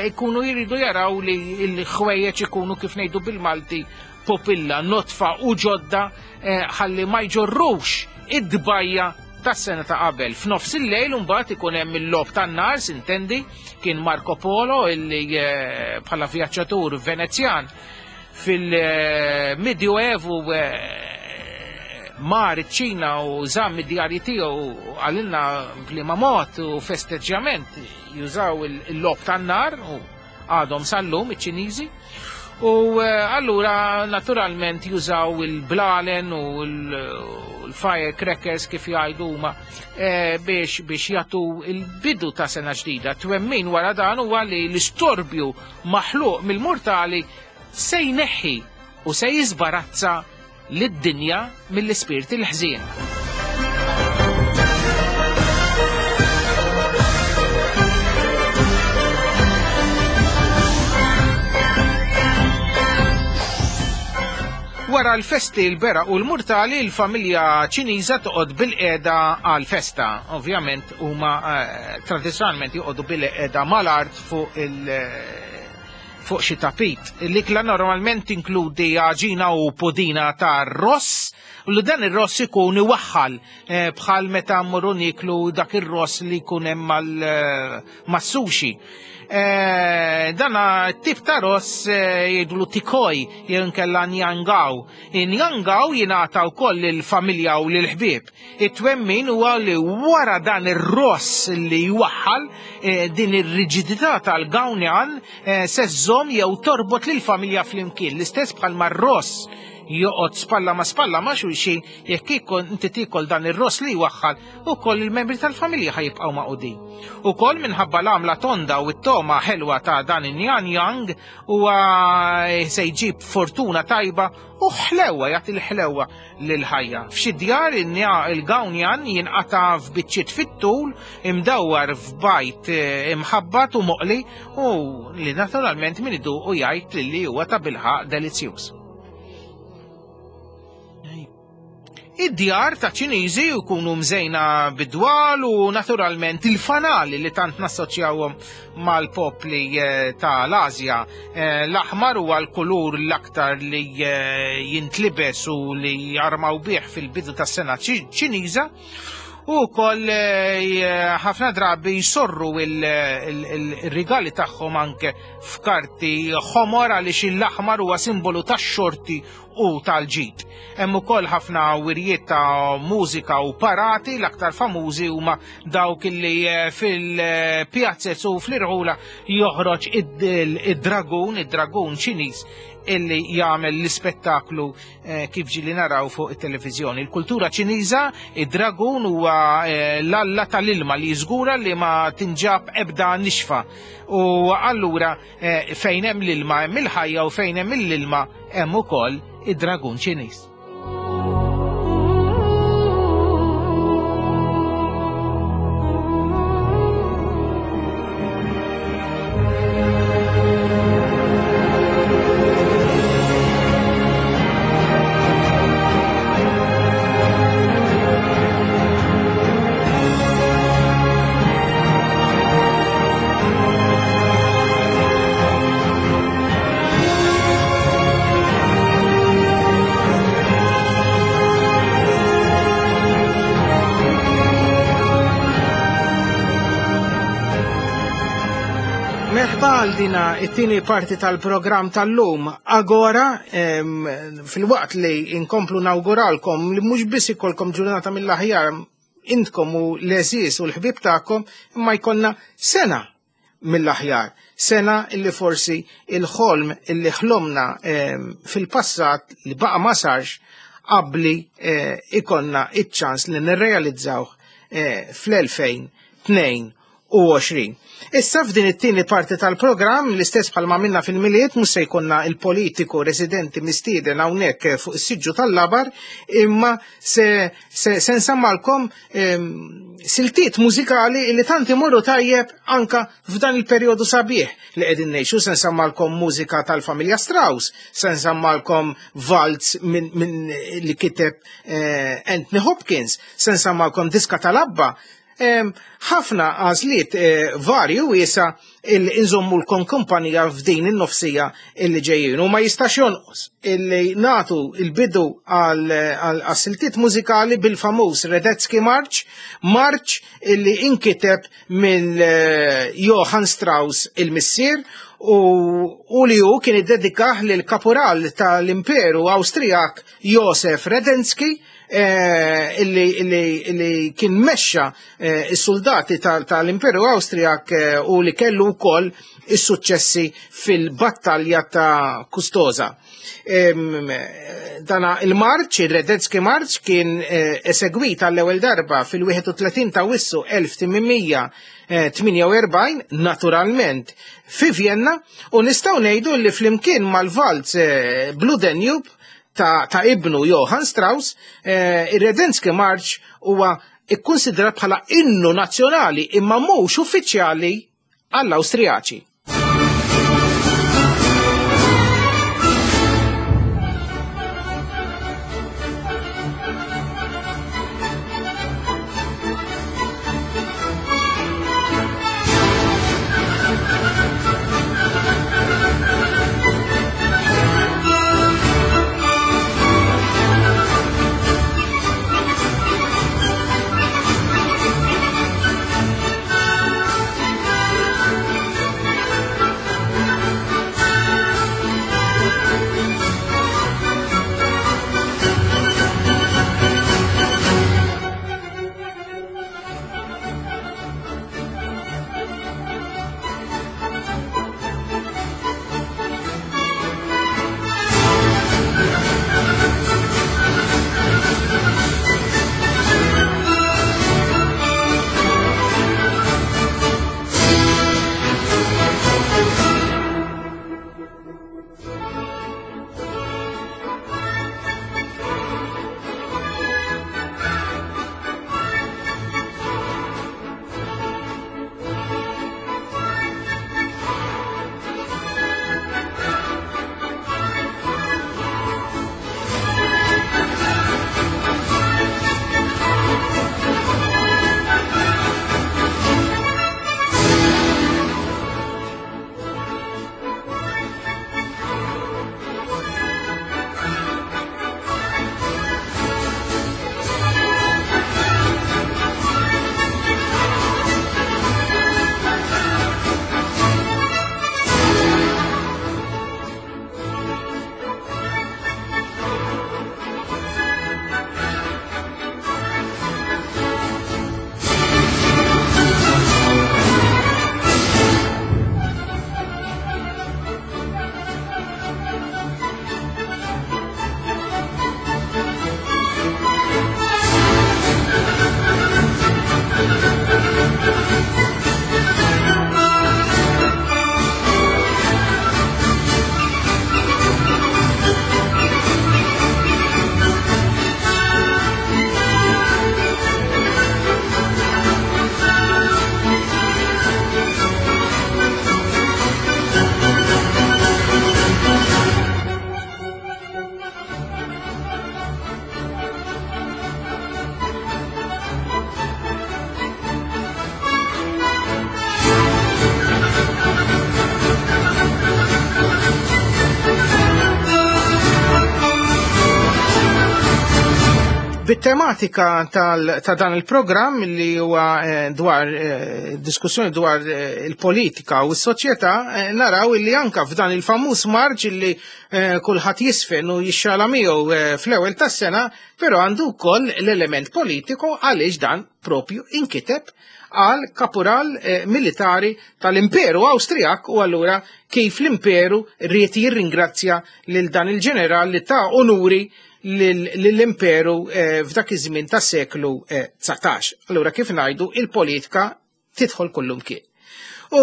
ikunu jridu jaraw li l-ħwejjeġ ikunu kif ngħidu bil-Malti popilla, notfa u ġodda, ħalli ma jġorrux id-dbajja tas-sena ta' qabel. F'nofs il-lejl mbagħad ikun hemm il-logħob tan-nar, sintendi, kien Marco Polo illi bħala vjaġġatur Venezjan fil-Medioevu mar iċ-Ċina u żamm id-djarji tiegħu għalilna b'liema mod u festeġġjament jużaw il-logħob tan-nar u għadhom sal-lum iċ-Ċiniżi. U allura naturalment jużaw il-blalen u l-firecrackers kif jgħidu huma biex biex jagħtu il-bidu ta' sena ġdida. Twemmin wara dan huwa li l-istorbju maħluq mill-mortali se jneħħi u se jiżbarazza lid-dinja mill-ispirti l-ħżien. Wara l-festi l-bera u l-murtali, l-familja Ċiniża toqgħod bil-qiegħda għal-festa. Ovvjament huma tradizzjonalment joqogħdu bil-qiegħda mal-art fuq il fuq xi tapit. L-ikla normalment tinkludi għaġina u pudina ta' ross, u li dan ir-ross ikun iwaħħal bħal meta mmorru nieklu dak ir-ross li jkun hemm mas-sushi. Dan tip ta' ross jgħidulu tikoj jew inkella njangaw. Njangaw jingħata wkoll lill-familja u lill-ħbieb. It-twemmin huwa li wara dan ir-ross li jwaħħal din ir-riġidità tal-gawnjan se żżomm jew torbot lill-familja flimkien. L-istess bħalma r-ross joqgħod spalla ma' spalla ma' xulxin, jekk ikun inti tiekol dan ir-ross li jwaħħal, ukoll il-membri tal-familja ħajibqgħu maqudin. Ukoll minħabba l-għamla tonda u t-toma ħelwa ta' dan in-Nyan Yang huwa se jġib fortuna tajba u ħlewa, jagħti l-ħlewa lil-ħajja. F'xi djar il-Gawnjan jinqata' f'biċċiet fit-tul imdawwar f'bajt imħabbat u moqli u li naturalment min iduqu jgħid li huwa ta' bilħaq delizzjuż. Id-djar ta' Ċiniżi jkunu mżejna bid-dwal u naturalment il-fanali li tant nassoċjawhom mal-popli ta' l-Asja. L-aħmar huwa l-kulur l-aktar li jintlibes u li jarmaw bih fil-bidu tas-sena Ċiniża, u wkoll ħafna drabi jsorru il-rigali tagħhom anke f'karti ħomor għaliex l-aħmar huwa simbolu tax-xorti u tal-ġid. Hemm ukoll ħafna wirjiet ta' mużika u parati, l-aktar famużi huma dawk li fil-pjazzez u fl-irħula joħroġ id-dragun, id-dragun Ċiniż illi jagħmel l-ispettaklu kif ġieli naraw fuq it-televiżjoni. Il-kultura Ċiniża, id-dragun huwa l-alla tal-ilma li jiżgura li ma tinġab ebda nixfa. U allura fejn hemm l-ilma hemm il-ħajja u fejn hemm l-ilma hemm ukoll id-dragun Ċiniż. Dina it-tieni parti tal-programm tal-lum Agora, fil-waqt li inkomplu nawguralkom li mhux biss ikolkom ġurnata mill-aħjar intkom u l-għeżież u l-ħbieb tagħkom, imma jkollna sena mill-aħjar, sena illi forsi il-ħolm illi ħlomna fil-passat li baqa ma sarx qabli ikonna iċ-ċans li nirrealizzawh fl-elfejn tnejn u għoxrin. Issa f'din it-tieni parti tal-programm, l-istess bħalma minna fil-Milied, mhux se jkollna il-politiku residenti mistieden hawnhekk fuq is-siġġu tal-labar, imma se se, se nsammalkom siltiet mużikali li tant imorru tajjeb anka f'dan il-perjodu sabiħ li qegħdin ngħixu. Se nsammalkom mużika tal-familja Strauss, se nsammalkom valz min, min li kiteb eh, Anthony Hopkins, se nsammalkom diska tal-Abba. Ħafna għażliet varju wiesa il-inżommu l-kon kumpanija f'din in-nofsija illi ġejjin. U ma jistax jonqos illi natu il-bidu għal siltiet mużikali bil-famuż Radetzky March, march illi inkiteb minn Johann Strauss il-missier u li hu kien iddedikah lil kapural tal-Imperu Awstrijak Josef Radetzky, illi, illi, illi kien mexxa is-soldati tal-Imperu Awstrijak u li kellu wkoll is-suċċessi fil-battalja ta' Custoza. Dana il-marċ, il-Radetzky March, kien esegwit għall-ewwel darba fil-wieħed u tletin ta' Wissu elf tmien tmienja u erbgħin, naturalment fi Vienna, u nistgħu ngħidu li flimkien mal-valz Blue Danube ta', ta' ibnu Johann Strauss, eh, ir-Radetzky March huwa ikkonsidrat bħala innu nazzjonali imma mhux uffiċjali għall-Awstrijaċi. Bit-tematika ta' dan il-programm li huwa eh, dwar eh, diskussjoni dwar eh, il-politika u s-soċjetà, naraw illi anka f'dan il-famuż marġ illi kulħadd jisfen u jixxala miegħu fl-ewwel tas-sena, però għandu wkoll l-element politiku għaliex dan propju inkiteb għal kapural militari tal-Imperu Awstrijak u allura kif l-Imperu ried jirringrazzja lil dan il-ġeneral li ta' onuri l-imperu f'dak iż-żmien tas-seklu dsatax. Allura kif ngħidu il-politika tidħol kullumkien. U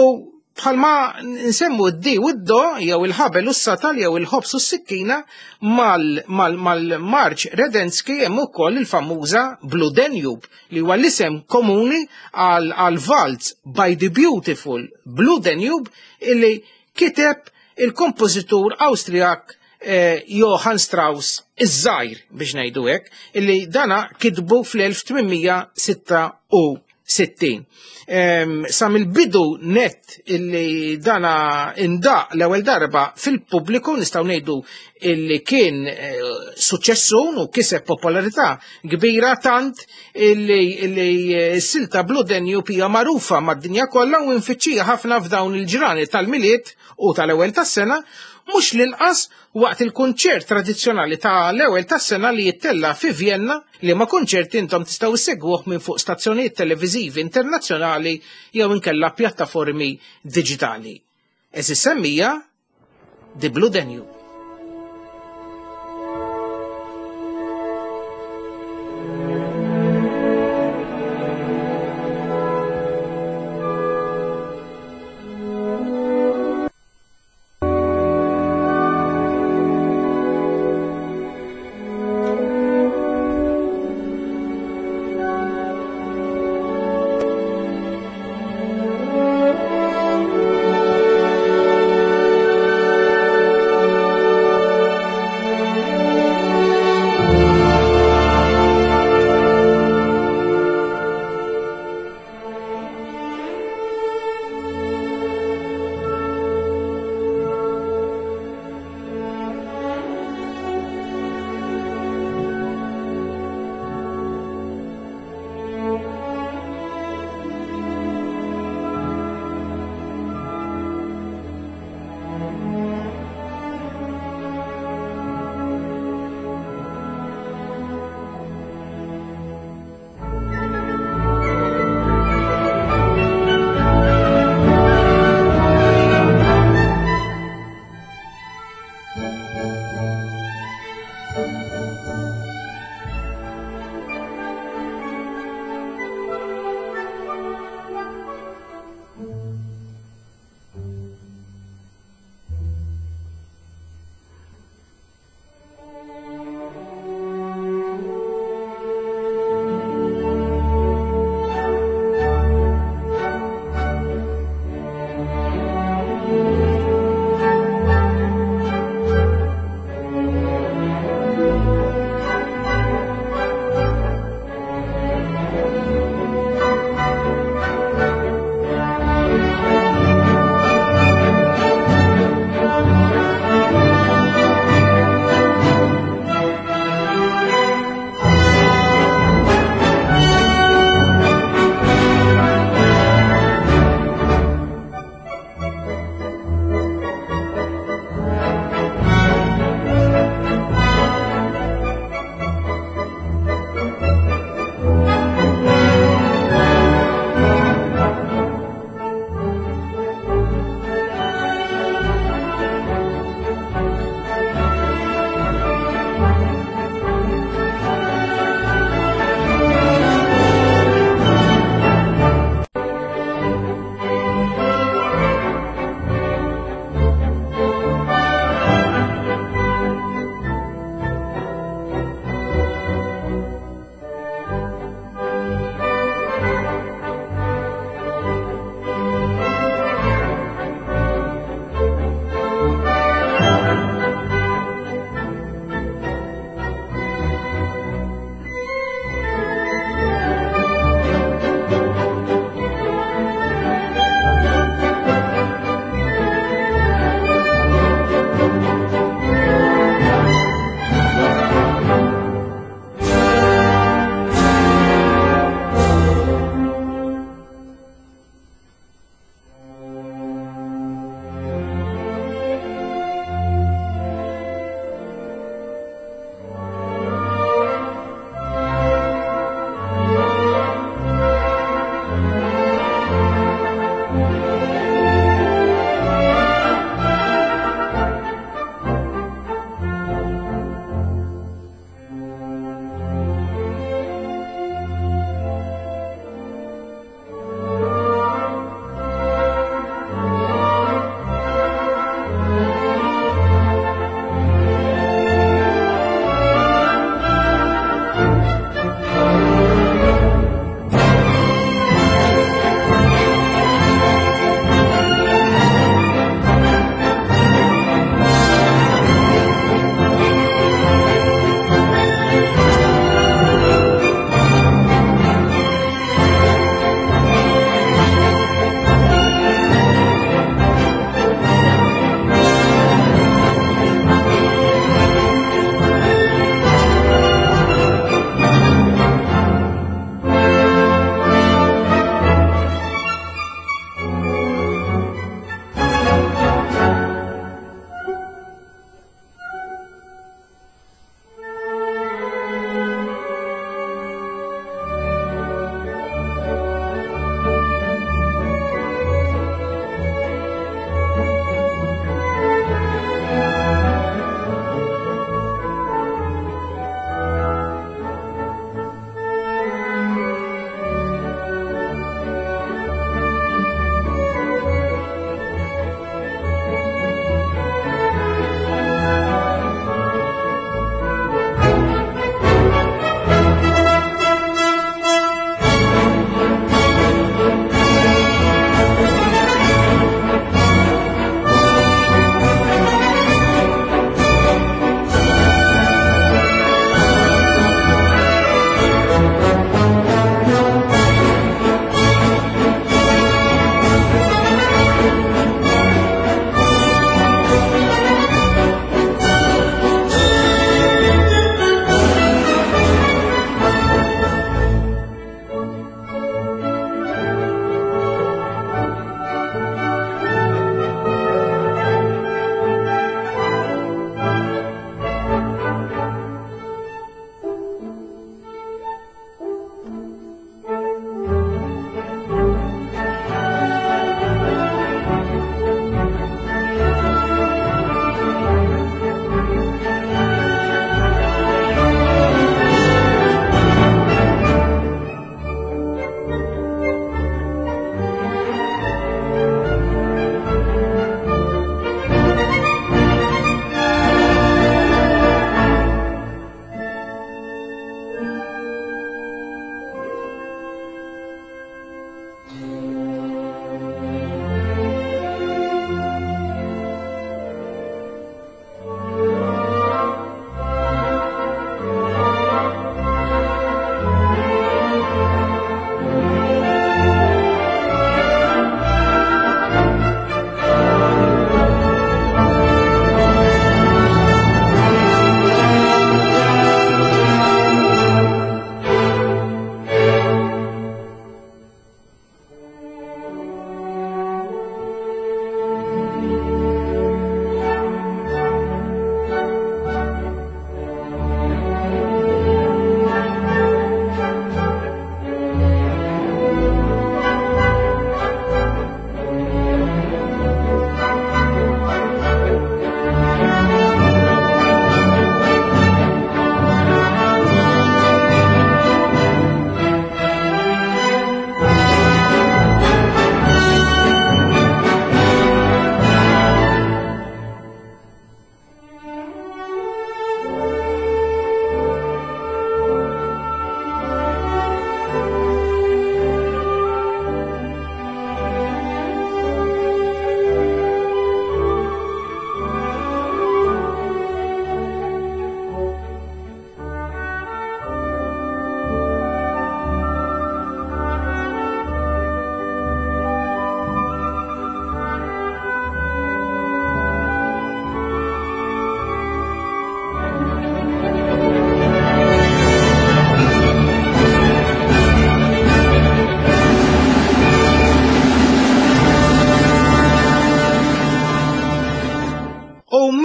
bħalma nsemmu d-di u d-do jew il-ħabel u s-satal jew il-ħobs u s-sikkina mal-Marċ Redenski hemm ukoll il-famuża Blue Danube li huwa l-isem komuni għal Waltz by the Beautiful Blue Danube illi kiteb il-kompożitur Awstrijak Johann Strauss iż-żgħir biex ngħidu hekk, illi dana kitbu fl-elf tmien sitta u sittin. Sa mill-bidu net illi dana indaq l-ewwel darba fil-pubbliku nistgħu ngħidu illi kien suċċessun u kiseb popolarità kbira tant illi s-silta Blue Danube hija magħrufa mad-dinja kollha u nfittxija ħafna f'dawn il-ġrani tal-Milied u tal-ewwel tas-sena, mhux l-inqas waqt il-kunċert tradizzjonali ta' l-ewwel tas-sena li jittella fi Vienna, li ma kunċert intom tistgħu issegwuh minn fuq stazzjonijiet televiżivi internazzjonali jew inkella pjattaformi diġitali. Eżis semmija The Blue Danube.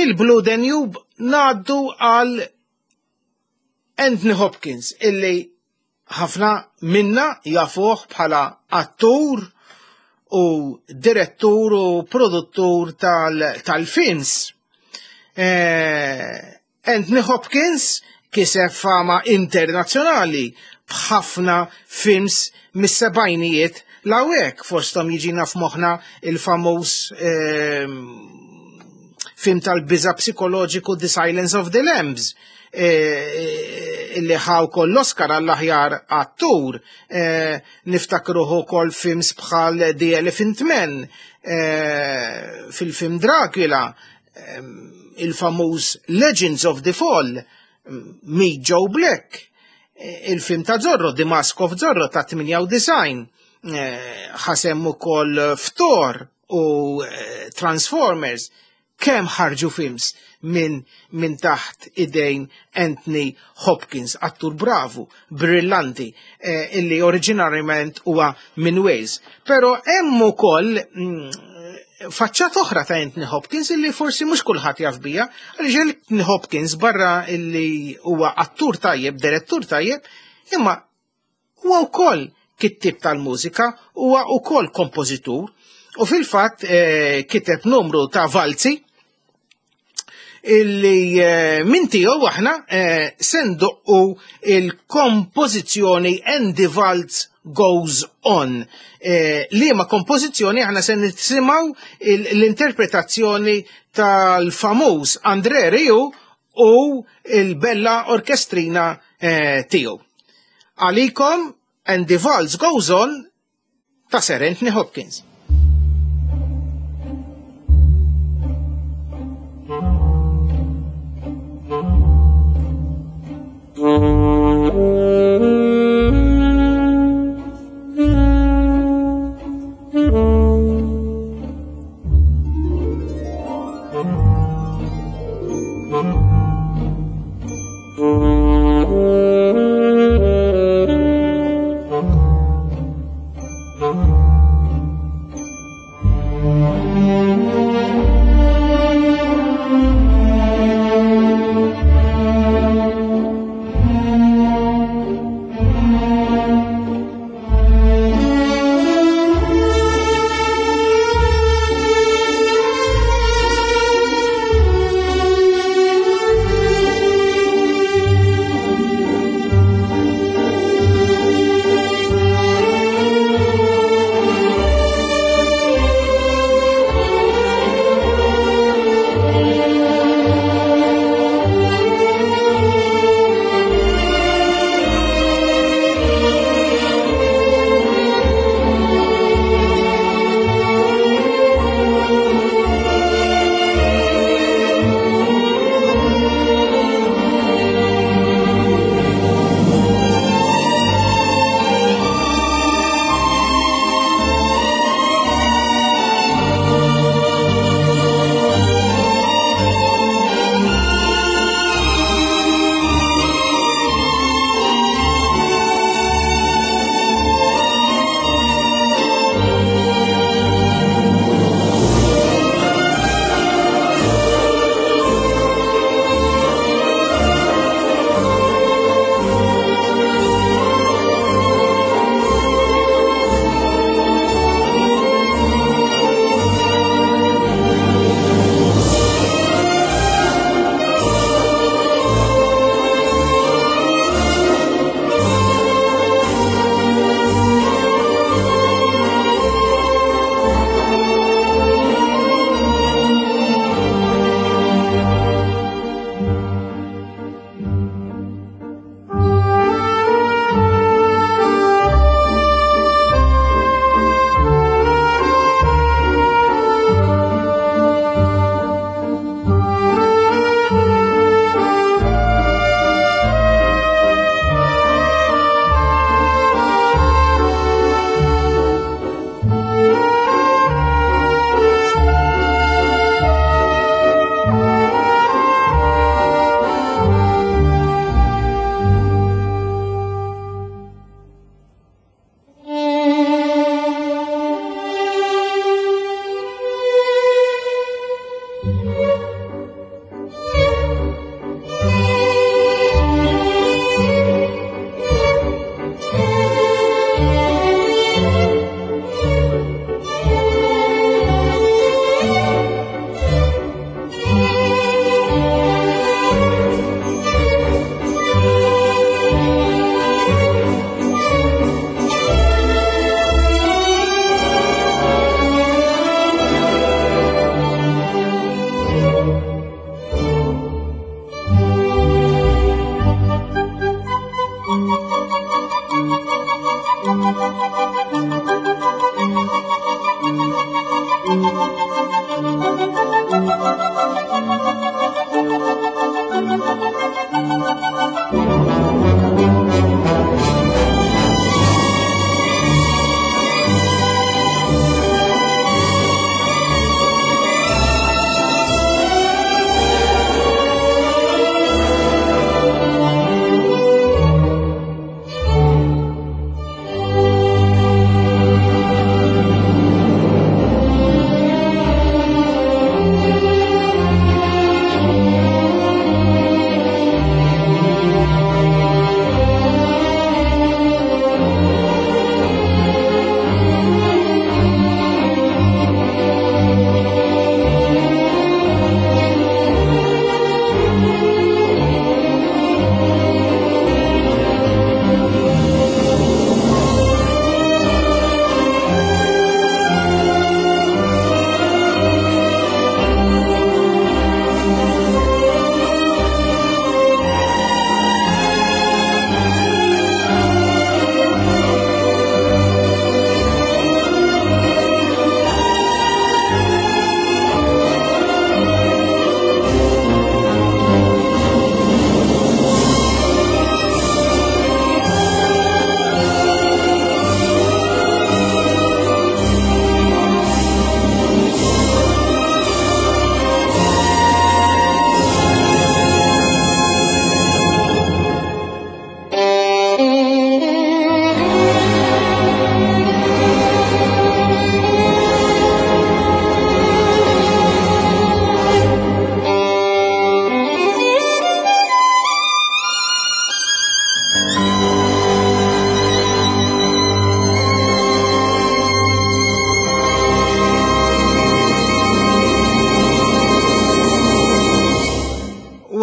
Mill-Blue Danube ngħaddu għal Anthony Hopkins, illi ħafna minna jafuh bħala attur u direttur u produttur tal-films. Eh, Anthony Hopkins kiseb fama internazzjonali b'ħafna films mis-sebgħinijiet lawek, fosthom jiġina f'moħħna il-famuż eh, film tal-biża psikoloġiku The Silence of the Lambs, eh, illi ħa wkoll l-Oscar għall-aħjar attur, eh, niftakruh ukoll films bħal The Elephant Man, eh, fil-film Dracula, eh, il-famuż Legends of the Fall, Meet Joe Black, il-film ta' Zorro, The Mask of Zorro ta' tmienja u disgħin, ħa sehem ukoll f'Thor u Transformers. Kemm ħarġu films minn min taħt idejn Anthony Hopkins, attur bravu, brillanti, eh, illi oriġinarjament huwa minn Wales. Pero hemm ukoll mm, faċċata oħra ta' Anthony Hopkins illi forsi mhux kulħadd jaf biha, għaliex Anthony Hopkins, barra illi huwa attur tajjeb, direttur tajjeb, imma huwa wkoll kittib tal-mużika, huwa wkoll kompożitur, u fil-fatt eh, kiteb numru ta' valzi illi eh, minn tiegħu aħna eh, se ndoqqu il-kompożizzjoni And the Waltz Goes On. Eh, liema kompożizzjoni aħna se nisimgħu l-interpretazzjoni tal-famuż André Rieu u il-Bella Orkestrina eh, tiegħu. Għalikom And the Waltz Goes On ta' Sir Anthony Hopkins.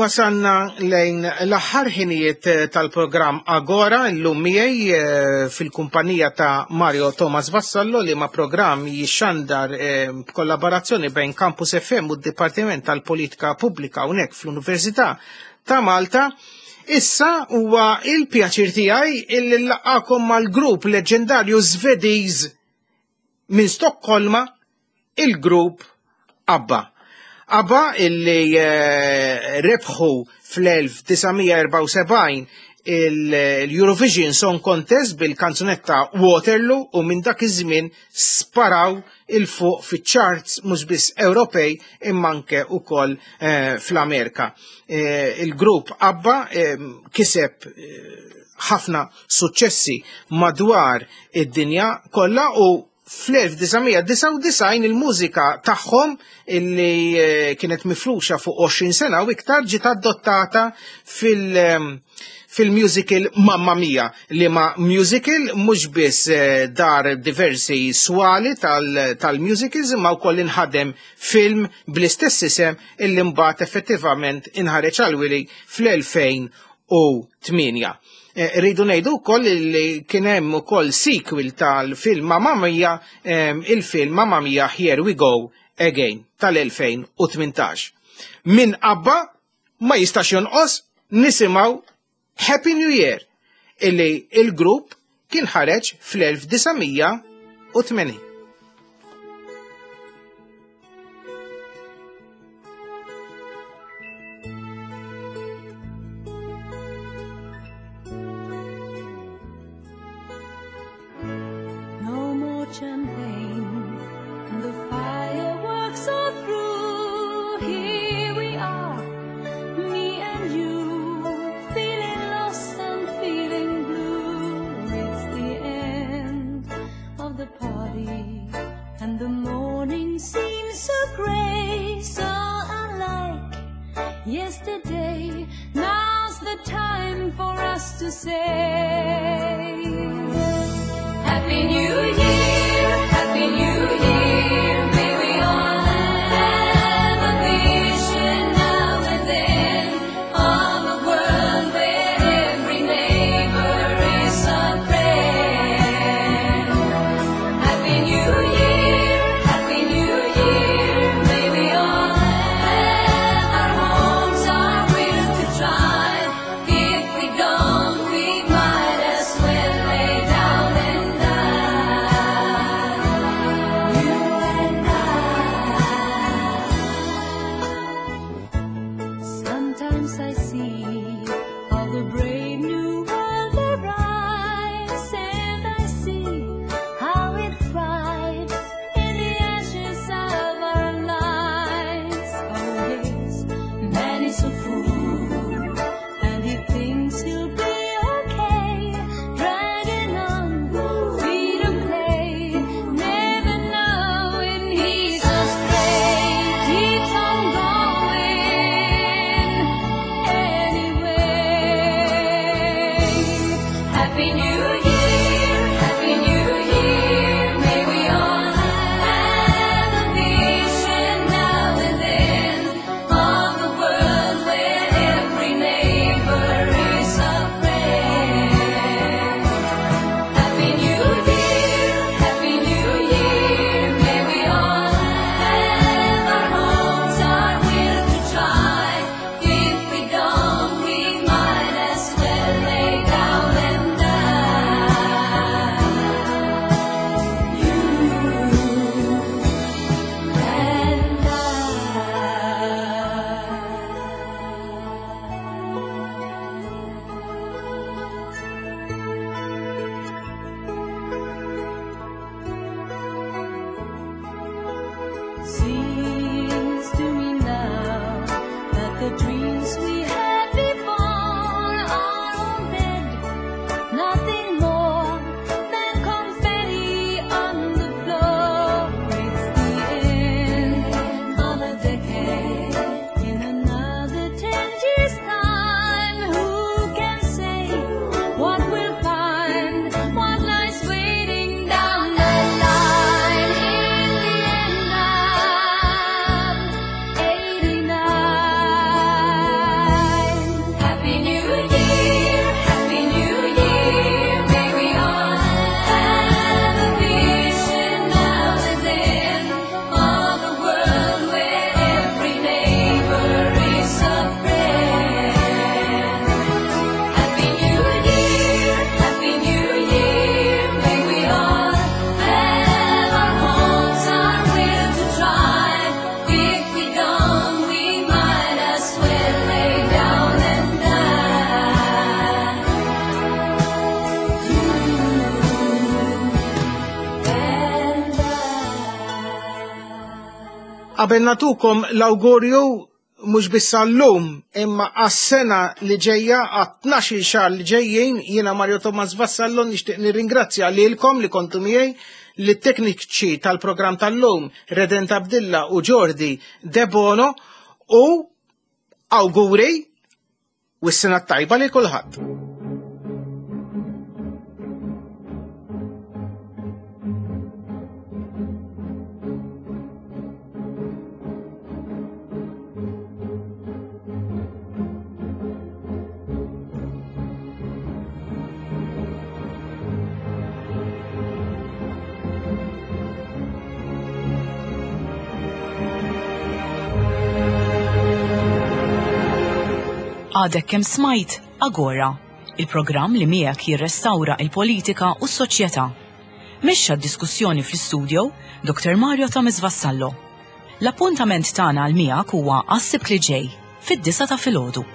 Wasanna lejn l-aħħar ħinijiet tal-programm Agora llum miegħi eh, fil-kumpanija ta' Mario Thomas Vassallo li ma' programm jixxandar eh, b'kollaborazzjoni bejn Campus F M u d-Dipartiment tal-Politika Pubblika hawnhekk fl-Università ta' Malta. Issa huwa il-pjaċir tiegħi illi nlaqgħakom mal-grupp leġendarju Svediż minn Stokkolma, il-grupp ABBA. ABBA illi eh, rebħu fl-elf disa' mija erbgħa u sebgħin il-Eurovision Song Contest bil-kanzunetta Waterloo u minn dak iż-żmien sparaw il-fuq fiċ-charts mhux biss Ewropej imma anke ukoll, eh, fl-Amerika. Eh, il-grupp ABBA, eh, kiseb, eh, ħafna suċċessi madwar id-dinja kollha u fl-elf disa' mija disgħa u disgħin il-mużika tagħhom illi, eh, kienet mifruxa fuq għoxrin sena u iktar ġiet adottata fil-, ehm, fil-musical Mamma Mia, li ma musical mhux biss, eh, dar diversi swali tal-, tal-musicals imma wkoll inħadem film bl-istess isem illi mbagħad effettivament inħareġ għal-wili fl-elfejn u tmienja. Eh, rridu ngħidu wkoll li kien hemm ukoll sequel tal-film Mamma Mia, ehm, il-film Mamma Mia Here We Go Again tal-elfejn u tmintax. Min ABBA ma jistax jonqos nisimgħu Happy New Year illi il-grupp kien ħareġ fl-elf disa' mija u tmenin. Champagne, and the fireworks are through. Here we are, me and you, feeling lost and feeling blue. It's the end of the party, and the morning seems so grey, so unlike yesterday. Now's the time for us to say Happy New Year, Happy New Year. May we all have a vision now and then of a world where every neighbor is a friend. Happy New Year, Happy New Year. May we all have our homes, our will to try. If we don't, we might as well lay down and die. You and Qabel nagħtukom l-awgurju mhux biss għallum imma għas-sena li ġejja, għat-tnax-il xahar li ġejjin, jiena Mario Thomas Vassallo nixtieq nirringrazzja lilkom li kontu miegħi, lit-tekniċi tal-programm tal-lum Redent Abdilla u Jordi Debono, u awguri u s-sena tajba li kulħadd. Għadek kemm smajt Agora, il-programm li miegħek jirrestawra il-politika u s-soċjetà. Mexxa d-diskussjoni fl-istudio Doktor Mario Thomas Vassallo. L-appuntament tagħna għal miegħek huwa għas-Sibt li ġej fid-disgħa ta' filgħodu.